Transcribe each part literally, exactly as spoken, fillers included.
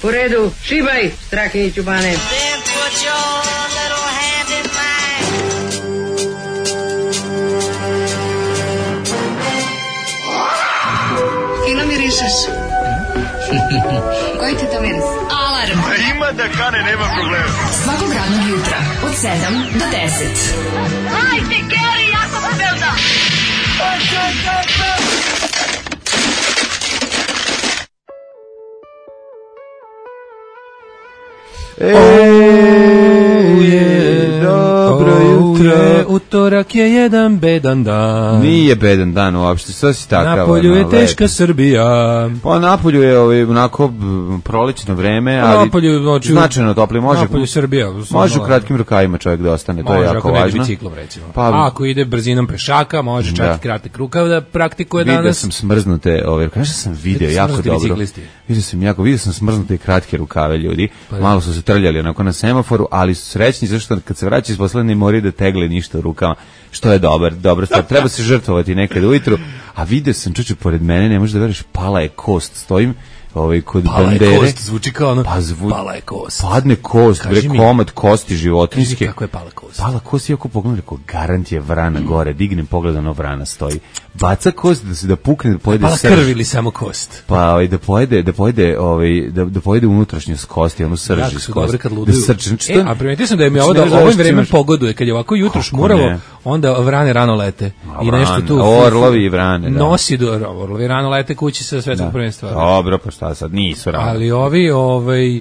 U redu, šibaj, Strahinjiću Bane. Fino mirišeš. Koji ti to miris? Alarm. A ima da kane, nema problema. Svakog radnog jutra, od sedam do deset. Hajde, Geri, jako se belda. Eee, dobro jutro. Utorak je jedan bedan dan. Nije bedan dan uopšte, sve si takav. Napolju je teška Srbija. Pa napolju je ovaj, onako prolećno vreme, ali napolju, oči, značajno topli. Može, napolju Srbija. Može u kratkim rukavima čovjek da ostane, to je jako važno. Može, ako ne biciklom recimo. Pa, a ako ide brzinom pešaka, može čak i kratak rukav da praktikuje danas. Vidio sam smrznute, ovaj, kažem sam video jako dobro. Vidio sam jako, vidio sam smrznute kratke rukave ljudi. Pa, malo su se trljali onako na semaforu, ali su srećni zašto kad se vraća iz posla ne moraju da tegle ništa u rukama, što je dobar, dobra stvar. Treba se žrtvovati nekad ujutru, a vidio sam, čuću, pored mene, ne možeš da veriš, pala je kost, stojim ovaj kod pala bandere. Pala je kost, zvuči kao ono, pa zvu, pala je kost. Padne kost, bre, komad kosti životinjske. Kaži kako je pala kost. Pala kost, iako pogledam, rekao, garant je vrana mm. gore, dignem pogled, ono vrana stoji. Baca kost da se da pukne, da pojede pala srž. Pala krv ili samo kost? Pa ovaj, da pojede, da pojede, ovaj, da, da pojede unutrašnjost kosti, ono srž iz kosti. Da srčan, e, a primetio sam da je mi ovo da ovim vremem pogoduje, kad je ovako jutro šmuravo, onda vrane rano lete. A, i nešto tu. Orlovi i vrane, da. Nosi do orlovi rano lete kući sa svetskog da. prvenstva. Dobro, pa šta sad, nisu rano. Ali ovi, ovaj,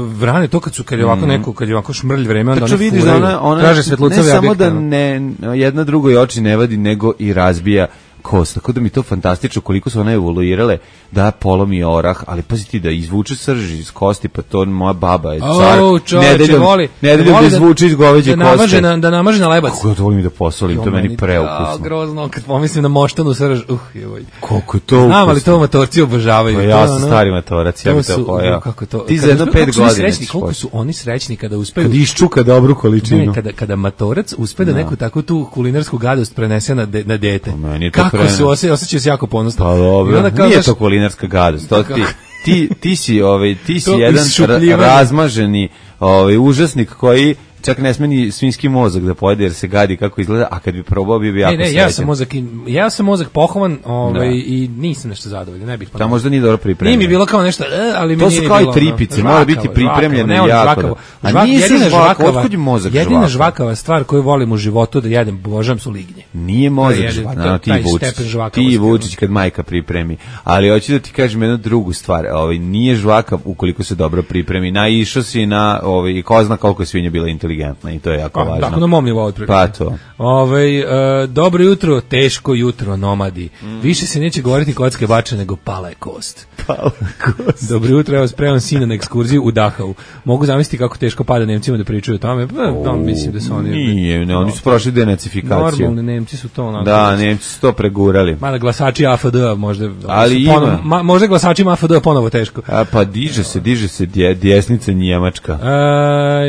vrane to kad su kad je ovako neko kad je ovako šmrlj vreme onda oni vidiš da ona, ona traže svetlucave ne samo da ne jedna drugoj oči ne vadi nego i razbija kost, tako da mi to fantastično koliko su one evoluirale da polomi orah, ali pazi ti da izvuče srž iz kosti, pa to moja baba je car, oh, nedeljom, voli, nedeljom da izvuče iz goveđe da koste. Namaže na, da namaže na lebac. Kako ja to volim da posolim, to, to meni preukusno. A, grozno, kad pomislim na moštanu srž, uh, joj. Koliko je to ukusno. Znam, ali to motorci obožavaju. Pa ja sam stari motorac, ja bih to pojao. Ti za jedno pet godina. Koliko su oni srećni kada uspeju. Kad iščuka dobru količinu. Ne, kada, kada motorac uspe da neku takvu tu kulinarsku gadost prenese na, de, na dete. Kako su osjećaju se jako ponosno. Pa dobro, nije to kulinarska gadost, to ti, ti, ti si, ovaj, ti si jedan ra- razmaženi ovaj, užasnik koji čak ne sme ni svinjski mozak da pojede jer se gadi kako izgleda, a kad bi probao bio bi jako srećan. Ne, ne, ja sam mozak, ja sam mozak pohovan ovaj, i nisam nešto zadovoljan, ne bih ponovno. Da možda nije dobro pripremljeno. Nije mi bilo kao nešto, ali mi to nije su kao bilo, i tripice, mora biti pripremljeno žvakavo, jako. Žvakavo. A Žvak, nisu žvakava, otkud je mozak žvakava? Jedina žvakava stvar koju volim u životu da jedem, božam, su lignje. Nije mozak žvakava, ti Vučić, ti Vučić kad majka pripremi. Ali hoću da ti kažem jednu drugu stvar, ovaj, nije žvakav ukoliko se dobro pripremi. Naišao si na, ovaj, ko zna koliko je svinja bila inteligentna i to je jako važno. Tako na mom nivou otprilike. Pa to. Ovaj uh, dobro jutro, teško jutro, nomadi. Mm. Više se neće govoriti kocke bače nego pala je kost. Pala kost. Dobro jutro, evo spremam sina na ekskurziju u Dachau. Mogu zamisliti kako teško pada Nemcima da pričaju o tome. Pa, no, mislim da su oni... Nije, ne, oni su prošli denacifikaciju. Normalni Nemci su to... Onako, da, Nemci su to pregurali. Mada glasači A F D možda... Ali ponovo, ma, možda glasačima A F D ponovo teško. A, pa diže se, diže se dje, djesnica Njemačka. A,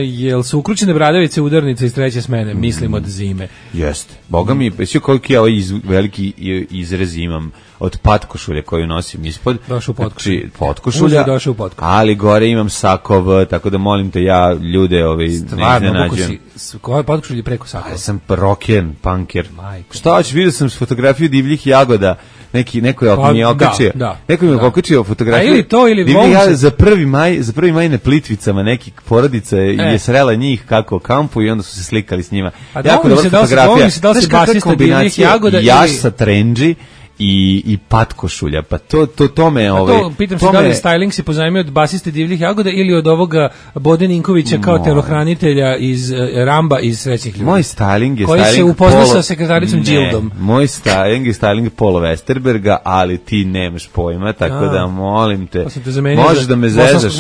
jel su ukručene bradavice udarnice iz treće smene? Mislim od zime. Jeste. Boga mi, sve koliko ja ovaj iz, veliki izrez imam od patkošulje koju nosim ispod. Došao u potkošulje. Znači, potkošulja, došao u potkošulje. Ali gore imam sakov, tako da molim te ja ljude ovaj, ne iznenađujem. Koje potkošulje preko sakova? Ja sam rocken, punker. Majko. Šta hoćeš, vidio sam fotografiju divljih jagoda. Neki neko je pa, mi okačio. Da, da, neko mi je okačio fotografiju. A ili to ili divljih za prvi maj, za prvi maj na Plitvicama neki porodica e. je srela njih kako kampu i onda su se slikali s njima. A jako dobra fotografija. Da li se basista divljih jagoda jaš sa trendži i i patkošulja, pa to to tome ovaj to pitam se da li styling se pozajmio od basiste divljih jagoda ili od ovoga Bode Ninkovića kao moj. telohranitelja iz uh, Ramba iz Srećnih ljudi. Moj styling je koji styling se upoznao sa sekretaricom Gildom. Moj styling je styling Paula Westerberga, ali ti nemaš pojma, tako A. da molim te. te možeš da me zezaš.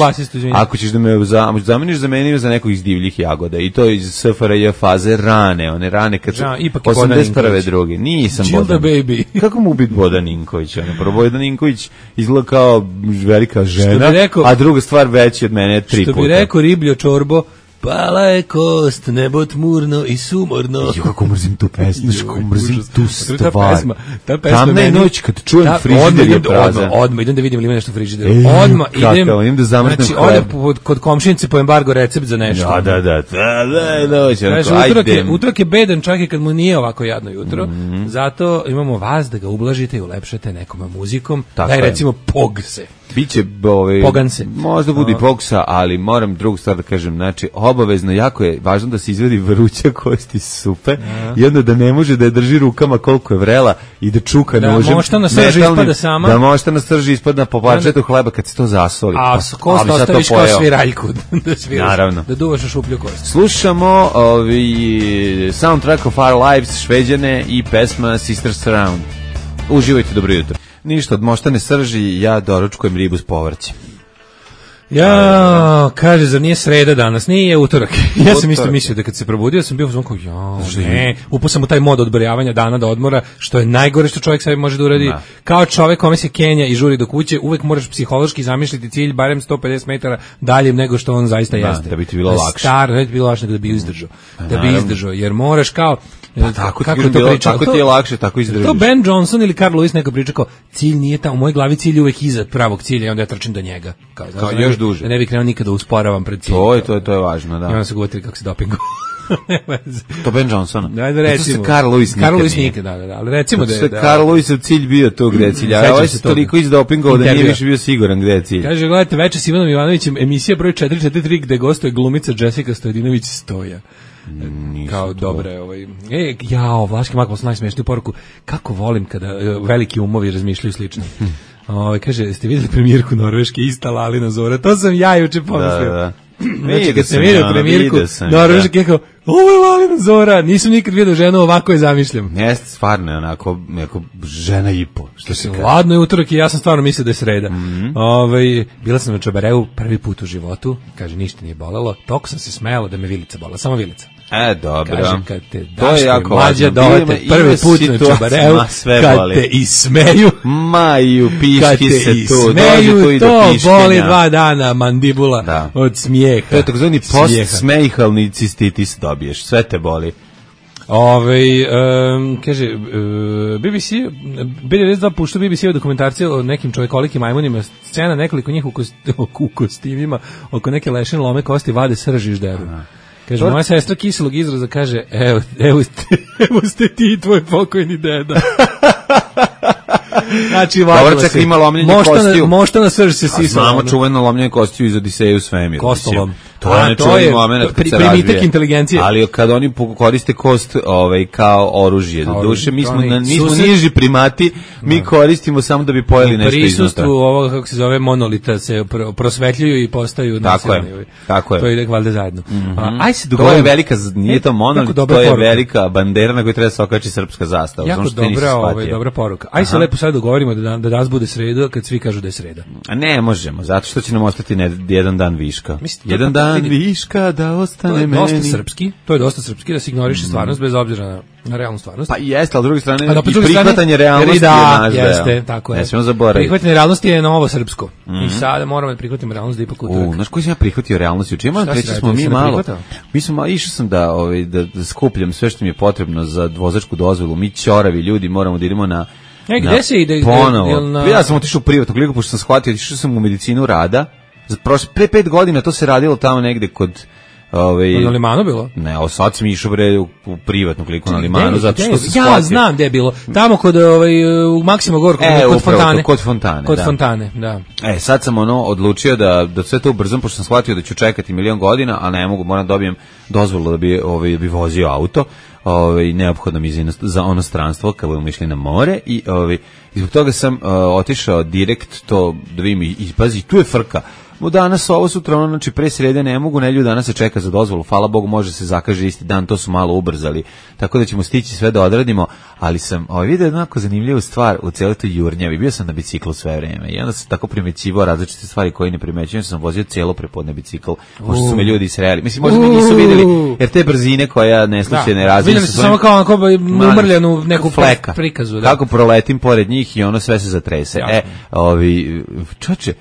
Ako ćeš da me za, zameniš za meni za nekog iz divljih jagoda i to iz S F R J faze rane, one rane kad su osamdeset prve druge. Nisam Gilda baby. Kako mu biti Bodan Ninković? Ono, prvo Bodan Ninković izgleda kao velika žena, rekao, a druga stvar veći od mene tri puta. Što bi rekao ribljo čorbo, Pala je kost, nebo tmurno i sumorno. Jo, kako mrzim tu pesmu, kako mrzim tu stvar. Ta pesma, ta pesma Tamna je meni, noć kad čujem ta, frižider je prazan. Odmah, odmah, idem da vidim ili ima nešto u frižideru. Ej, Odmah idem, kako, idem da zamrznem znači, hleb. odem kod komšinice po embargo recept za nešto. Da, da, da, da, da, noć, Kaže, utorak je, utorak je bedan čak i kad mu nije ovako jadno jutro, mm-hmm. zato imamo vas da ga ublažite i ulepšate nekom muzikom, tako da je recimo pogse. Biće ovaj Poganse. Možda bude i pogsa, ali moram drugu stvar da kažem, znači obavezno jako je važno da se izvadi vruća kosti supe i onda da ne može da je drži rukama koliko je vrela i da čuka da, nožem. Da možda na srži ispada sama. Da možda na srži ispada po parčetu hleba kad se to zasoli. A kost ostaviš kao sviraljku da sviraš. Naravno. Da duvaš u šuplju kost. Slušamo ovi soundtrack of Our Lives, Šveđane i pesma Sisters Surround. Uživajte, dobro jutro. Ništa, od moštane srži, ja doručkujem ribu s povrćem. Ja, kaže, zar nije sreda danas? Nije utorak. Ja sam isto mislio da kad se probudio sam bio u zvonku, ja, ne, upao sam u taj mod odbrojavanja dana do odmora, što je najgore što čovjek sebi može da uradi. Da. Kao čovjek kome se Kenja i žuri do kuće, uvek moraš psihološki zamišljati cilj barem sto pedeset metara dalje nego što on zaista da, jeste. Da bi ti bilo lakše. Star, da bi ti bilo lakše nego da bi izdržao. Da bi izdržao, jer moraš kao Pa tako, kako ti, to bilo, tako ti je lakše, tako izdržiš. To Ben Johnson ili Carl Lewis neko priča kao, cilj nije tamo, u mojoj glavi cilj je uvek iza pravog cilja i onda ja trčim do njega. Kao, kao još ne, duže. Da ne bih krenuo nikada usporavam pred cilj. To je, to je, to je važno, da. I onda se govorili kako se dopingu. To Ben Johnson. Da, da recimo. To se Carl Lewis nikad Carl Lewis nikad, da, da, da, ali recimo da je... Da, Carl Lewis cilj bio to gde je cilj, a ovaj se toliko izdopingovao da nije više bio siguran gde je cilj. Kaže, gledajte, Veče s Ivanom Ivanovićem, emisija broj četiri četiri tri gde gostuje glumica Jessica Stojadinović Stoja. Nisam kao dobre ovaj e jao Vlaški mak posla najsmešniju poruku kako volim kada uh, veliki umovi razmišljaju slično. Ovaj kaže jeste videli premijerku Norveške ista Lalina Zora, to sam ja juče pomislio. Da, da. Znači kad sam vidio premijerku Norveške kao ovo je Lalina Zora, nisam nikad vidio ženu ovako je zamišljam. Jeste, stvarno je onako neko žena i po što se kaže. Ladno je utorak i ja sam stvarno mislio da je sreda. Mm-hmm. Ovaj bila sam na Čabareu prvi put u životu, kaže ništa nije bolelo, toliko sam se smejala da me vilica bolela, samo vilica. E, dobro. Kaže, kad te Daško Mlađa dovete prvi put na Čabareu, kad boli. Te ismeju, maju, piški se tu, ismeju, dođe tu i do piškenja. To boli dva dana mandibula da. Od smijeha. To je takozvani post-smejihalni cistitis dobiješ, sve te boli. Ove, um, kaže, uh, B B C, B devedeset dva pušta B B C dokumentarce o nekim čovjekolikim majmunima, scena nekoliko njih u, kost, u kostimima, oko neke lešine lome kosti, vade srži i žderu. Kaže, moja sestra kiselog izraza kaže, evo, evo, ste, evo ste ti i tvoj pokojni deda. Znači, dobro, čak ima lomljenje kostiju. Možda na srž se sisala. Znamo čuveno lomljenje kostiju iz Odiseju svemir. Kostolom. To je nečuveni moment kad se razvije. Inteligencije. Ali kad oni koriste kost ovaj, kao oružje, do duše, mi smo, na, mi smo niži primati, mi no. koristimo samo da bi pojeli nešto iznutra. U prisustvu ovoga, kako se zove, monolita se prosvetljuju i postaju nacionalni. Tako je, tako je. To ide valjda zajedno. Mm-hmm. A, aj se to je velika, nije to monolit, to je poruka. Velika bandera na kojoj treba se okači srpska zastava. Jako dobra, ovaj, dobra poruka. Aj se lepo sad dogovorimo da, da danas bude sreda kad svi kažu da je sreda. A ne možemo, zato što će nam ostati ne, jedan dan viška. Mislim, jedan dan viška da ostane meni. To je dosta srpski, to je dosta srpski da se ignoriše stvarnost bez obzira na, na realnu stvarnost. Pa jeste, ali s druge strane pa, i prihvatanje realnosti da, je naš jeste, deo. Tako je. Ne smijemo zaboraviti. Prihvatanje realnosti je novo srpsko. Mm-hmm. I sada moramo da prihvatimo realnost da ipak utorak. U, znaš koji sam ja prihvatio realnost? Juče moram reći smo mi malo. Mi smo išao sam da ovaj da, da skupljam sve što mi je potrebno za vozačku dozvolu. Mi ćoravi ljudi moramo da idemo na E, gde se ide? Ponovo. Na... Ja sam otišao u privatnu kliniku, pošto sam shvatio, otišao sam u medicinu rada. Za prošle, pre pet godina to se radilo tamo negde kod... Ovaj, na Limanu bilo? Ne, o sad sam išao bre u, u privatnu kliniku na Limanu, zato što se ja shvatio. znam gde je bilo. Tamo kod ovaj, u Maksimo Gorku, e, kod upravo, Fontane. Kod Fontane, Kod da. Fontane, da. E, sad sam ono odlučio da, da sve to ubrzam, pošto sam shvatio da ću čekati milion godina, a ne mogu, moram dobijem dozvolu da bi, ovaj, da bi vozio auto. Ovaj, neophodno mi za, za ono stranstvo kad budemo išli na more i, ovaj, i zbog toga sam uh, otišao direkt to da vidim i, i pazi, tu je frka. Mo danas ovo sutra ono, znači pre srede ne mogu, nelju danas se čeka za dozvolu, hvala Bogu može se zakaže isti dan, to su malo ubrzali, tako da ćemo stići sve da odradimo, ali sam ovaj, vidio jednako zanimljivu stvar u cijeloj toj jurnjavi, bio sam na biciklu sve vreme i onda sam tako primećivao različite stvari koje ne primećujem, sam vozio cijelo prepodne bicikl, pošto su me ljudi sreli, mislim možda me nisu vidjeli, jer te brzine koja ne slučajne ne razvijem. Vidjeli su samo kao onako umrljenu neku fleka, prikazu. Da. Kako proletim pored njih i ono sve se zatrese. Ja. E, ovi, čoče,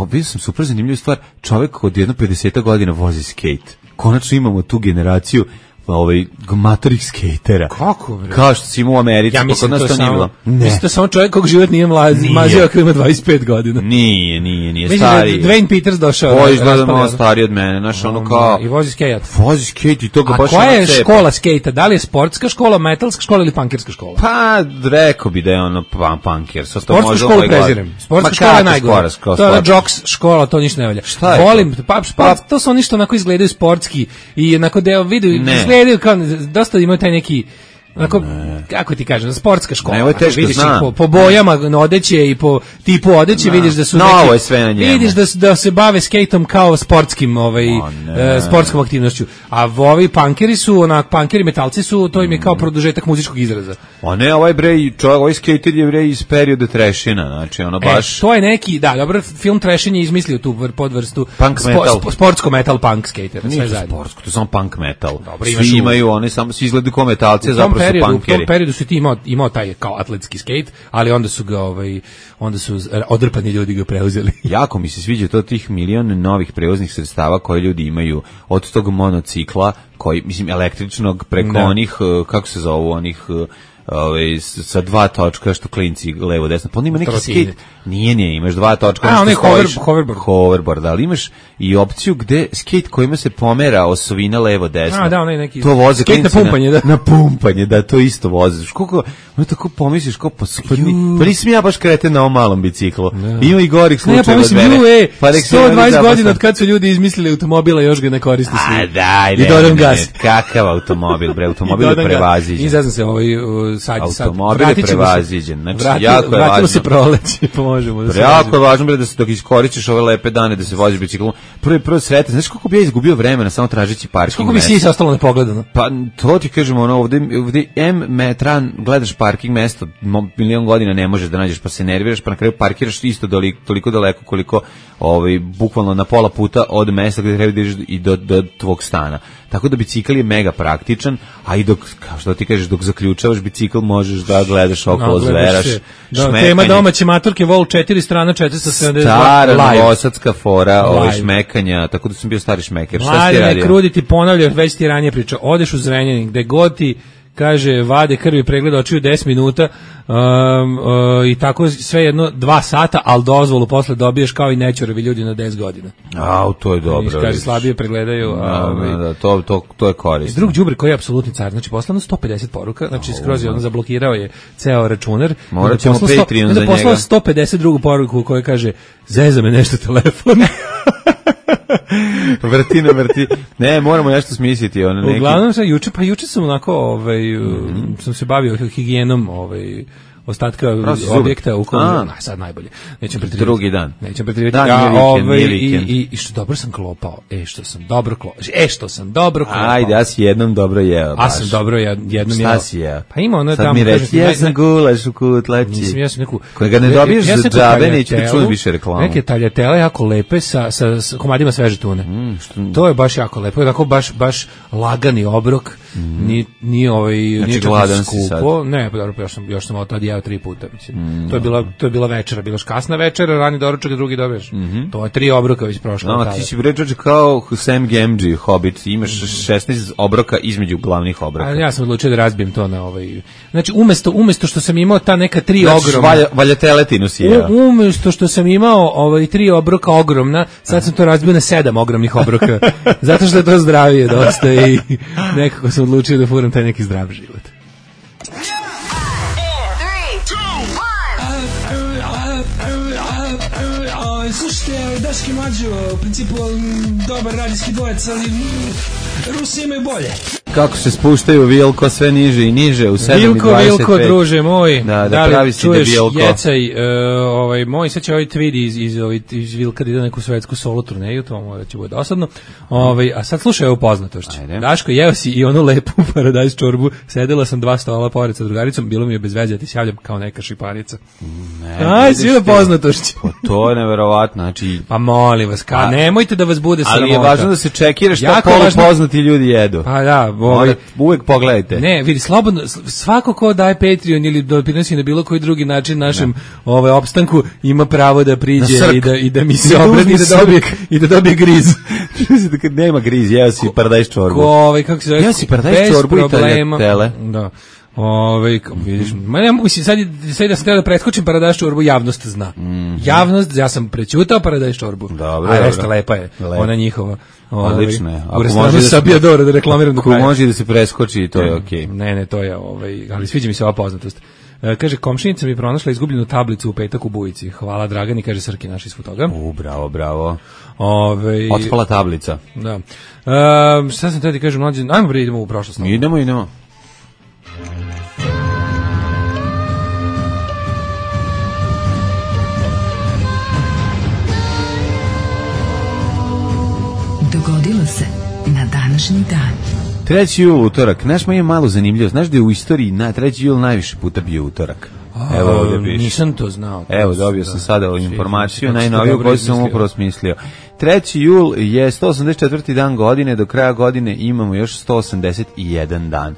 vidio sam super zanimljivu stvar, čovjek od jedno pedeset godina vozi skate. Konačno imamo tu generaciju ovaj matorih skejtera. Kako bre? Kao što si imao u Americi, ja mislim kod nas to to nije bilo. Mislim to samo čovjek kog život nije mlazi, mazio ako ima dvadeset pet godina. Nije, nije, nije mislim stari. Mislim da Dwayne Peters došao. Ovo izgleda malo stariji od mene, znaš, ono kao... I vozi skejt. Vozi skejt i to ga a baš... A koja je škola skejta? Da li je sportska škola, metalska škola ili punkerska škola? Pa, rekao bi da je ono punker. Sportsku školu prezirem. Sportska škola je najgore. To je ona jocks škola, to ništa ne valja. Volim, pa, sport, to su oni što onako izgledaju sportski i onako deo vidu, izgledaju kao... Dosta imaju taj neki onako, kako ti kažem, sportska škola. Ne, ovo je teško, vidiš znam. Po, po bojama odeće i po tipu odeće, vidiš da su no, neki, ovo je sve na njemu. vidiš da, da se bave skejtom kao sportskim, ovaj, oh, e, sportskom aktivnošću. A ovi punkeri su, onak, punkeri metalci su, to im je kao produžetak muzičkog izraza. O ne, ovaj bre, čovjek, ovaj skater je bre iz perioda trešina, znači ono baš... E, to je neki, da, dobro, film Trešin je izmislio tu podvrstu punk spo, metal. Spo, sportsko metal punk skater, sve zajedno. Sportsko, to je samo punk metal. Dobro, svi imaju, oni samo svi izgledaju kao metalci, zapravo periodu, su punkeri. U tom periodu su ti imao, imao taj kao atletski skate, ali onda su ga, ovaj, onda su odrpani ljudi ga preuzeli. Jako mi se sviđa to tih milion novih prevoznih sredstava koje ljudi imaju, od tog monocikla, koji, mislim, električnog, preko ne. onih, kako se zovu, onih... Ove, sa dva točka što klinci levo desno, pa on ima neki skate, nije, nije, imaš dva točka, a, on je hover, hoverboard. hoverboard, ali imaš i opciju gde skate kojima se pomera osovina levo desno, a, da, onaj neki to voze skate klinci na pumpanje, da. na pumpanje, da, to isto voziš, koliko, ono tako pomisliš, kao, pa, pa, pa nisam ja baš kreten na ovom malom biciklu, da. Ima i gorih slučajeva ne, od mene, e, pa sto dvadeset godina od kad su ljudi izmislili automobila, još ga ne koriste svi, a daj, i dodam gas, kakav automobil, bre, automobil je prevaziđen, i zazna se ovaj, sad, automobil je prevaziđen, znači vrati, jako je važno. Vratilo se proleće, pomožemo da se jako je važno bre da se dok iskoristiš ove lepe dane da se voziš biciklom. Prvi prvo sretan, znaš koliko bi ja izgubio vremena samo tražeći parking. Koliko bi si ostalo nepogledano? Pa to ti kažemo, ono ovde ovde M metran gledaš parking mesto, milion godina ne možeš da nađeš, pa se nerviraš, pa na kraju parkiraš isto toliko, toliko daleko koliko ovaj bukvalno na pola puta od mesta gde treba da ideš i do do tvog stana. Tako da bicikl je mega praktičan, a i dok, kao što ti kažeš, dok zaključavaš bicikl možeš da gledaš okolo, no, zveraš, da, tema domaće maturke, vol četiri strana, četiristo sedamdeset dva, stara novosadska fora, ovaj šmekanja, tako da sam bio stari šmeker. Šta si radio? Krudi ti ponavljaš, već ti ranije pričao, odeš u Zrenjanin, gde god ti kaže, vade krvi, pregleda očiju deset minuta um, uh, i tako sve jedno dva sata, ali dozvolu posle dobiješ kao i nećorevi ljudi na deset godina. A, to je dobro. Kaže, slabije pregledaju. Da, ovaj, da, to, to, to je korisno. Drug đubre koji je apsolutni car, znači poslano sto pedeset poruka, znači skroz je on zablokirao je ceo računar. Morat ćemo Patreon za njega. Poslao sto pedeset drugu poruku koja kaže, zeza me nešto telefon. vrti na vrti. Ne, moramo nešto smisliti. Ono neki... Uglavnom, sa, juče, pa juče sam onako, ovaj, mm-hmm. sam se bavio higijenom, ovaj, ostatka objekta u kom, a, sad najbolje. Nećem pretrivati. Drugi dan. Nećem pretrivati. Dan, ja, vikend, ovaj, vikend. I, i, i što dobro sam klopao. E, što sam dobro klopao. E, što sam dobro klopao. Ajde, ja si jednom dobro jeo. A sam dobro ja, jednom jeo. Šta si jeo? Pa ima ono sad tamo. Sad mi reći, ja sam gulaš u kutlači. Nisam, ja sam neku... Kojega ne dobiješ ja za džabe, neću ti čujem više reklamu. Neke taljatele jako lepe sa, sa, sa komadima sveže tune. Mm, što... To je baš jako lepo. Tako baš, baš lagani obrok. Mm. Ni, ni ovaj, znači, nije gladan skupo. Ne, pa dobro, još sam, još sam od tad jeo tri puta. Mislim. Mm, to je bila to je bila večera, bila kasna večera, rani doručak, drugi dobiješ. Mm -hmm. To je tri obroka već prošlo. No, ti si bređač kao Sam Gamgee, Hobbit, imaš šesnaest obroka između glavnih obroka. A ja sam odlučio da razbijem to na ovaj. Znači umesto umesto što sam imao ta neka tri znači, ogromna. Valja, valja si ja. U, umesto što sam imao ovaj tri obroka ogromna, sad sam to razbio na sedam ogromnih obroka. Zato što je to zdravije dosta i nekako sam odlučio da furam taj neki zdrav život. Slušajte, Daški Mađo, u principu dobar radijski dvojec, ali Rusi imaju bolje. Kako se spuštaju Vilko sve niže i niže u sedam Vilko, i dvadeset pet. Vilko, druže moj, da, da, da li pravi si čuješ debilko. Jecaj, uh, ovaj, moj, sad će ovaj tweet iz, iz, iz, iz Vilka da ide na neku svetsku solo turneju, to mora će bude dosadno. Ovaj, a sad slušaj ovo poznatošće. Daško, jeo si i onu lepu paradajz čorbu, sedela sam dva stola pored sa drugaricom, bilo mi je bez veze da ti se javljam kao neka šipanica. Ne, aj, svi poznatošće. Pa to je neverovatno, znači... Pa molim vas, ka, nemojte da vas bude sramota. Ali je važno da se čekira šta polupoznati ljudi jedu. Pa da, Ovaj, uvek pogledajte. Ne, vidi, slobodno, svako ko daje Patreon ili doprinosi na bilo koji drugi način našem ovaj, opstanku, ima pravo da priđe i da, i da mi se obrati i da dobije, i da dobije griz. da kad nema griz, jeo si paradajz čorbu. Ko, ovaj, kako se zove? Jeo si paradajz čorbu i taljatele. Da. Ove, vidiš, ma ne mogu si sad, sad da sam treba da pretkočim paradajz čorbu, javnost zna. Mm. Javnost, ja sam prećutao paradajz čorbu. Dobro, a resta lepa je, Lep. ona njihova. Odlično je. U restoranu Sabijadora da reklamiram do kraja. Ako može da se preskoči, to je okej. Okay. Ne, ne, to je, ovaj, ali sviđa mi se ova poznatost. E, kaže, komšinica mi pronašla izgubljenu tablicu u petak u Bujici. Hvala Dragani, kaže Srki naš iz Futoga. U, bravo, bravo. Ove, Otpala tablica. Da. E, šta sam tada kažem, mlađe, ajmo bre, idemo u prošlost. Idemo, idemo. Dogodilo se na današnji dan. treći jul, utorak. Znaš, ma je malo zanimljivo. Znaš da je u istoriji na treći jul najviše puta bio utorak? Evo ovdje piše. Nisam to znao. To Evo, dobio sam sada ovu informaciju, najnoviju koju sam upravo smislio. treći jul je sto osamdeset četvrti dan godine, do kraja godine imamo još sto osamdeset jedan dan.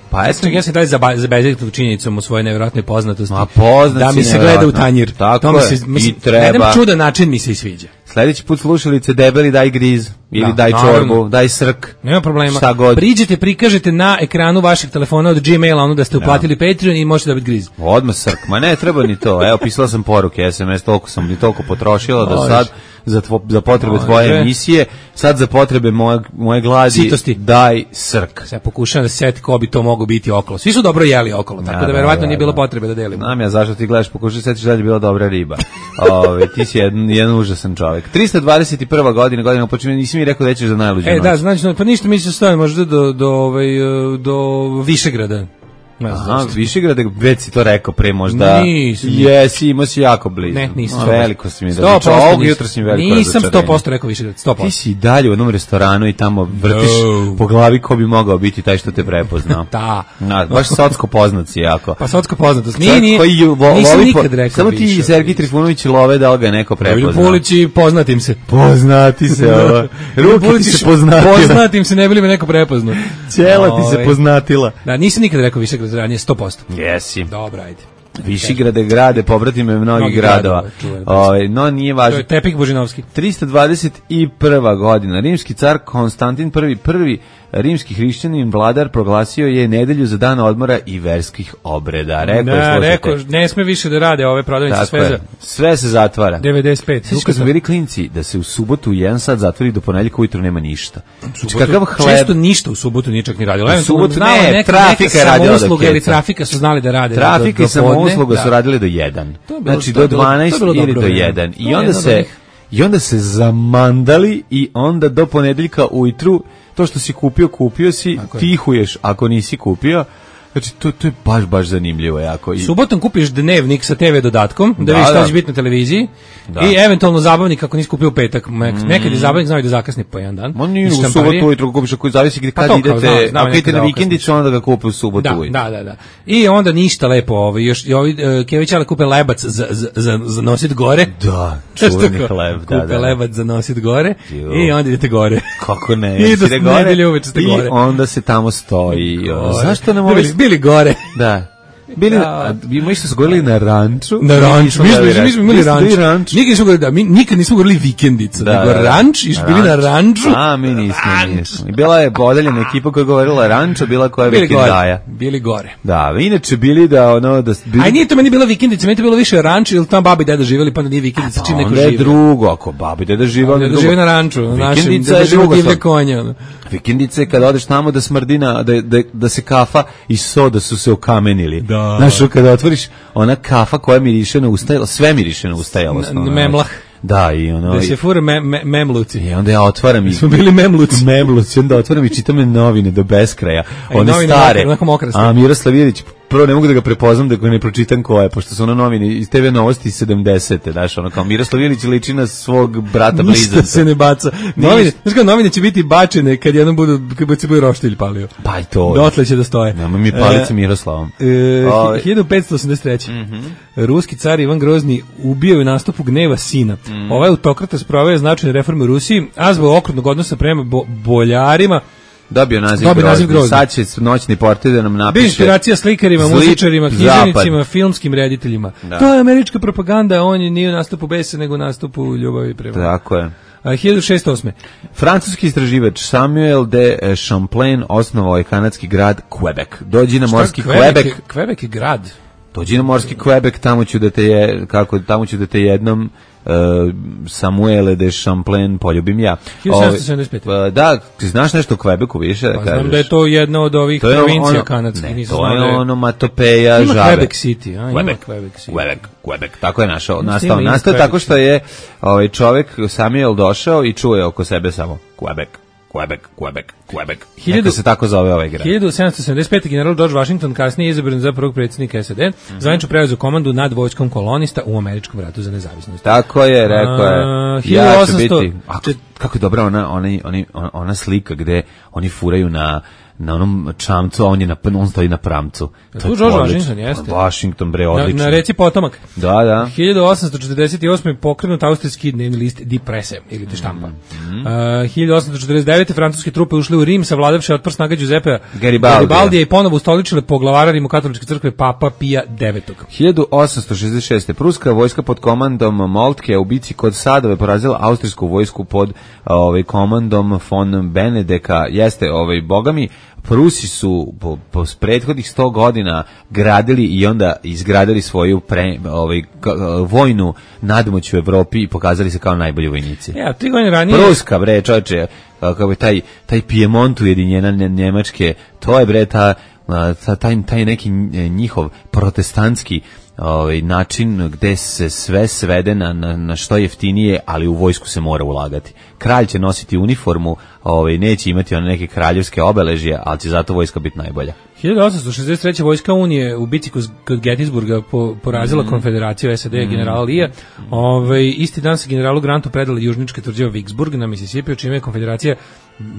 Pa eto, ja sam dalje zabezeknuo činjenicom u svojoj nevjerojatnoj poznatosti. Ma poznati da mi se gleda u tanjir. Tako to mi se, je, mislim, i treba. Na jedan čudan način mi se i sviđa. Sljedeći put slušalice debeli daj griz, ili da, daj naravno. čorbu, daj srk. Nema problema. Šta god. Priđete, prikažete na ekranu vašeg telefona od Gmaila ono da ste uplatili ja. Patreon i možete dobiti griz. Odmah srk, ma ne treba ni to. Evo, pisala sam poruke, es em es, toliko sam ni toliko potrošila da sad za, tvo, za potrebe Može. tvoje emisije, sad za potrebe moje, moje gladi, Sitosti. Daj srk. Sad pokušavam da se seti ko bi to moglo biti okolo. Svi su dobro jeli okolo, tako da, da verovatno da, nije bilo potrebe da delimo. Znam ja zašto ti gledaš, pokušaj setiš da je bila dobra riba. Ove, ti si jedan, jedan užasan čovjek. trista dvadeset prva godina, godina počinje, nisi mi rekao da ćeš za najluđu E, noć. da, znači, pa ništa mi se stavimo možda do, do, ovaj, do Višegrada. Ne znam, Aha, Višegrad, već si to rekao pre možda. Nisam. Jesi, imao si jako blizu. Ne, nisam. No, veliko si mi da sto posto ovog jutra si mi veliko Nisam sto posto rekao Višegrad, sto posto. Ti si dalje u jednom restoranu i tamo vrtiš no. po glavi ko bi mogao biti taj što te prepoznao. Da. Na, baš socko poznat si jako. Pa socko poznatost. Nije, nije, vo, nisam nikad po, rekao samo ti i Sergij Trifunović love da li ga neko prepoznao. Pulići, poznatim se. Poznati se, ovo. Ruki ti se poznatila. Poznatim se, ne bili me neko prepoznao. Ćela ti se poznatila. Da, nisam nikad rekao Višegrad, ranije sto posto. Jesi. Dobro, ajde. Višigrade grade, pobrati me mnogih gradova. Ove, no, nije važno. To je Tepik Božinovski. trista dvadeset prva godina. Rimski car Konstantin prvi, prvi rimski hrišćanin vladar proglasio je nedelju za dan odmora i verskih obreda. Rekao, da, rekao, ne sme više da rade ove prodavnice, sve za... Sve se zatvara. devedeset pet. Sveći kad smo bili klinci, da se u subotu u jedan sat zatvori do ponedjeljka ujutru nema ništa. Znači, kakav hleb... Često ništa u subotu nije čak ni radilo. U subotu ne, neka, trafika je radila do ili trafika su znali da rade. Trafika i samousluga su radili do jedan. Znači, do dvanaest ili do jedan. I onda se... I onda se zamandali i onda do ponedeljka ujutru to što si kupio, kupio si, tihuješ ako nisi kupio. Znači, to, to je baš, baš zanimljivo jako. I... Subotom kupiš dnevnik sa te ve dodatkom, da, da vidiš šta će biti na televiziji, da. I eventualno zabavnik ako nisi kupio u petak. Mm. Nekad je zabavnik znao i da zakasni po jedan dan. Ma nije u subotu ujutru kupiš, ako zavisi kad pa idete, znao, znao, ako idete na vikendicu, onda ga kupi u subotu ujutru. Da, da, da. I onda ništa lepo, ovaj, još, i ovi uh, Kević ali kupe lebac za, za, za, za nosit gore. Da, čuveni hleb. Da, kupe da, lebac za nosit gore jo. I onda idete gore. Kako ne, I do nedelje uveče ste gore. I onda se tamo stoji. Zašto ne možeš... Bili gore. Da. Bili, a mi što su govorili na ranču. Na ranču, mi smo, mi smo imali ranč. ranč. Nikad nismo govorili, da, mi nikad nismo govorili vikendica, da, nego ranč, i bili na ranču. A, mi nismo, nismo. I bila je podeljena ekipa koja je govorila ranča, bila koja je bili vikendaja. Gore, bili gore. Da, inače bili da, ono, da... Bili... Aj, nije to meni bila vikendica, meni to bilo više ranč, ili tam babi deda živjeli, pa onda nije vikendica, čim neko živi. Onda je drugo, ako babi deda živa, onda je drugo. Žive na ranču, našem, da živo divlje konja. Vikendice kada odeš tamo da smrdina, da, da, da se kafa i soda su se okamenili. Da. Znaš, kada otvoriš ona kafa koja miriše na ustajalo, sve miriše na ustajalo. Memlah. Da, i ono... Da se fura me, me, memluci. I onda ja otvaram i... Smo bili memluci. Memluci, onda otvaram i čitam novine do beskraja. One stare. A Miroslav Ilić, prvo ne mogu da ga prepoznam da ga ne pročitam ko je, pošto su ono novine iz te ve novosti sedamdesete, daš, ono kao Miroslav Ilić liči na svog brata blizanca. Ništa se ne baca. Novine, znaš kao, novine će biti bačene kad jednom budu, kad se bude roštilj palio. Pa i to. Dotle će da stoje. Nema mi palice e, Miroslavom. E, hiljadu petsto osamdeset treće. Mm-hmm. Ruski car Ivan Grozni ubio u nastupu gneva sina. Mm. Ovaj autokrat sproveo značajne reforme u Rusiji, a zbog okrutnog odnosa prema bo, boljarima Dobio naziv Dobio naziv grozni. grozni. Sad će noćni portir da nam napiše. Bio inspiracija slikarima, Zli muzičarima, književnicima, zapad. filmskim rediteljima. Da. To je američka propaganda, on je nije u nastupu besa, nego u nastupu ljubavi prema. Tako je. A, hiljadu šeststo osme. Francuski istraživač Samuel de Champlain osnovao je kanadski grad Quebec. Dođi na morski Šta, Quebec. je, Quebec je grad. Dođi na morski Quebec, tamo ću da te je, kako, tamo ću da te jednom uh, Samuele de Champlain poljubim ja. hiljadu sedamsto sedamdeset pete. Ove, uh, da, ti znaš nešto o Quebecu više? Da Pa kažeš? znam da je to jedna od ovih To je provincija ono- kanadskih. Ne, nisam to je znao da ono Matopeja, Ima Žabe. Quebec City, a, ima Quebec, Quebec City. Quebec, Quebec, tako je našao, Ima nastao. ima Nastao je Quebec tako što je ovaj čovjek Samuel došao i čuje oko sebe samo Quebec, Quebec, Quebec, Quebec. Hiljadu- Neka se tako zove ovaj grad. hiljadu sedamsto sedamdeset pete. general George Washington kasnije je izabran za prvog predsjednika S A D, Mhm. zvanično preuzeo komandu nad vojskom kolonista u američkom ratu za nezavisnost. Tako je, rekao je. A, Ja ću hiljadu osamsto biti. A, kako je dobra ona, ona, ona, ona slika gde oni furaju na na onom čamcu, a on je na on stoji na pramcu. Je To je tu George odlično. Washington, jeste? Washington, bre, Na, odlično. na reci Potomak. Da, da. hiljadu osamsto četrdeset osme. pokrenut austrijski dnevni list Die Presse ili Die Štampa. Mhm. Uh, hiljadu osamsto četrdeset devete. francuske trupe ušle u Rim, savladavši otpor snaga Giuseppea Garibaldija. Garibaldija i ponovo ustoličile poglavara Rimokatoličke crkve Papa Pija devetog. hiljadu osamsto šezdeset šeste. Pruska vojska pod komandom Moltke u bici kod Sadove porazila austrijsku vojsku pod ovaj komandom von Benedeka. Jeste, ovaj bogami, Prusi su po, po prethodnih sto godina gradili i onda izgradili svoju pre, ovaj, k, vojnu nadmoć u Evropi i pokazali se kao najbolji vojnici. Ja, tri godine ranije... Pruska, bre, čoveče, kako je taj, taj Piemont ujedinjena Njemačke, to je, bre, ta, ta, taj, taj neki njihov protestantski ovaj način gde se sve svede na, na, na što jeftinije, ali u vojsku se mora ulagati. Kralj će nositi uniformu, ovaj neće imati one neke kraljevske obeležje, ali će zato vojska biti najbolja. hiljadu osamsto šezdeset treće. vojska Unije u bici kod, kod Gettysburga po, porazila mm. konfederaciju S A D mm. generala Lija. Ovaj isti dan se generalu Grantu predala južničke tvrđave Vicksburg na Mississippi, čime je konfederacija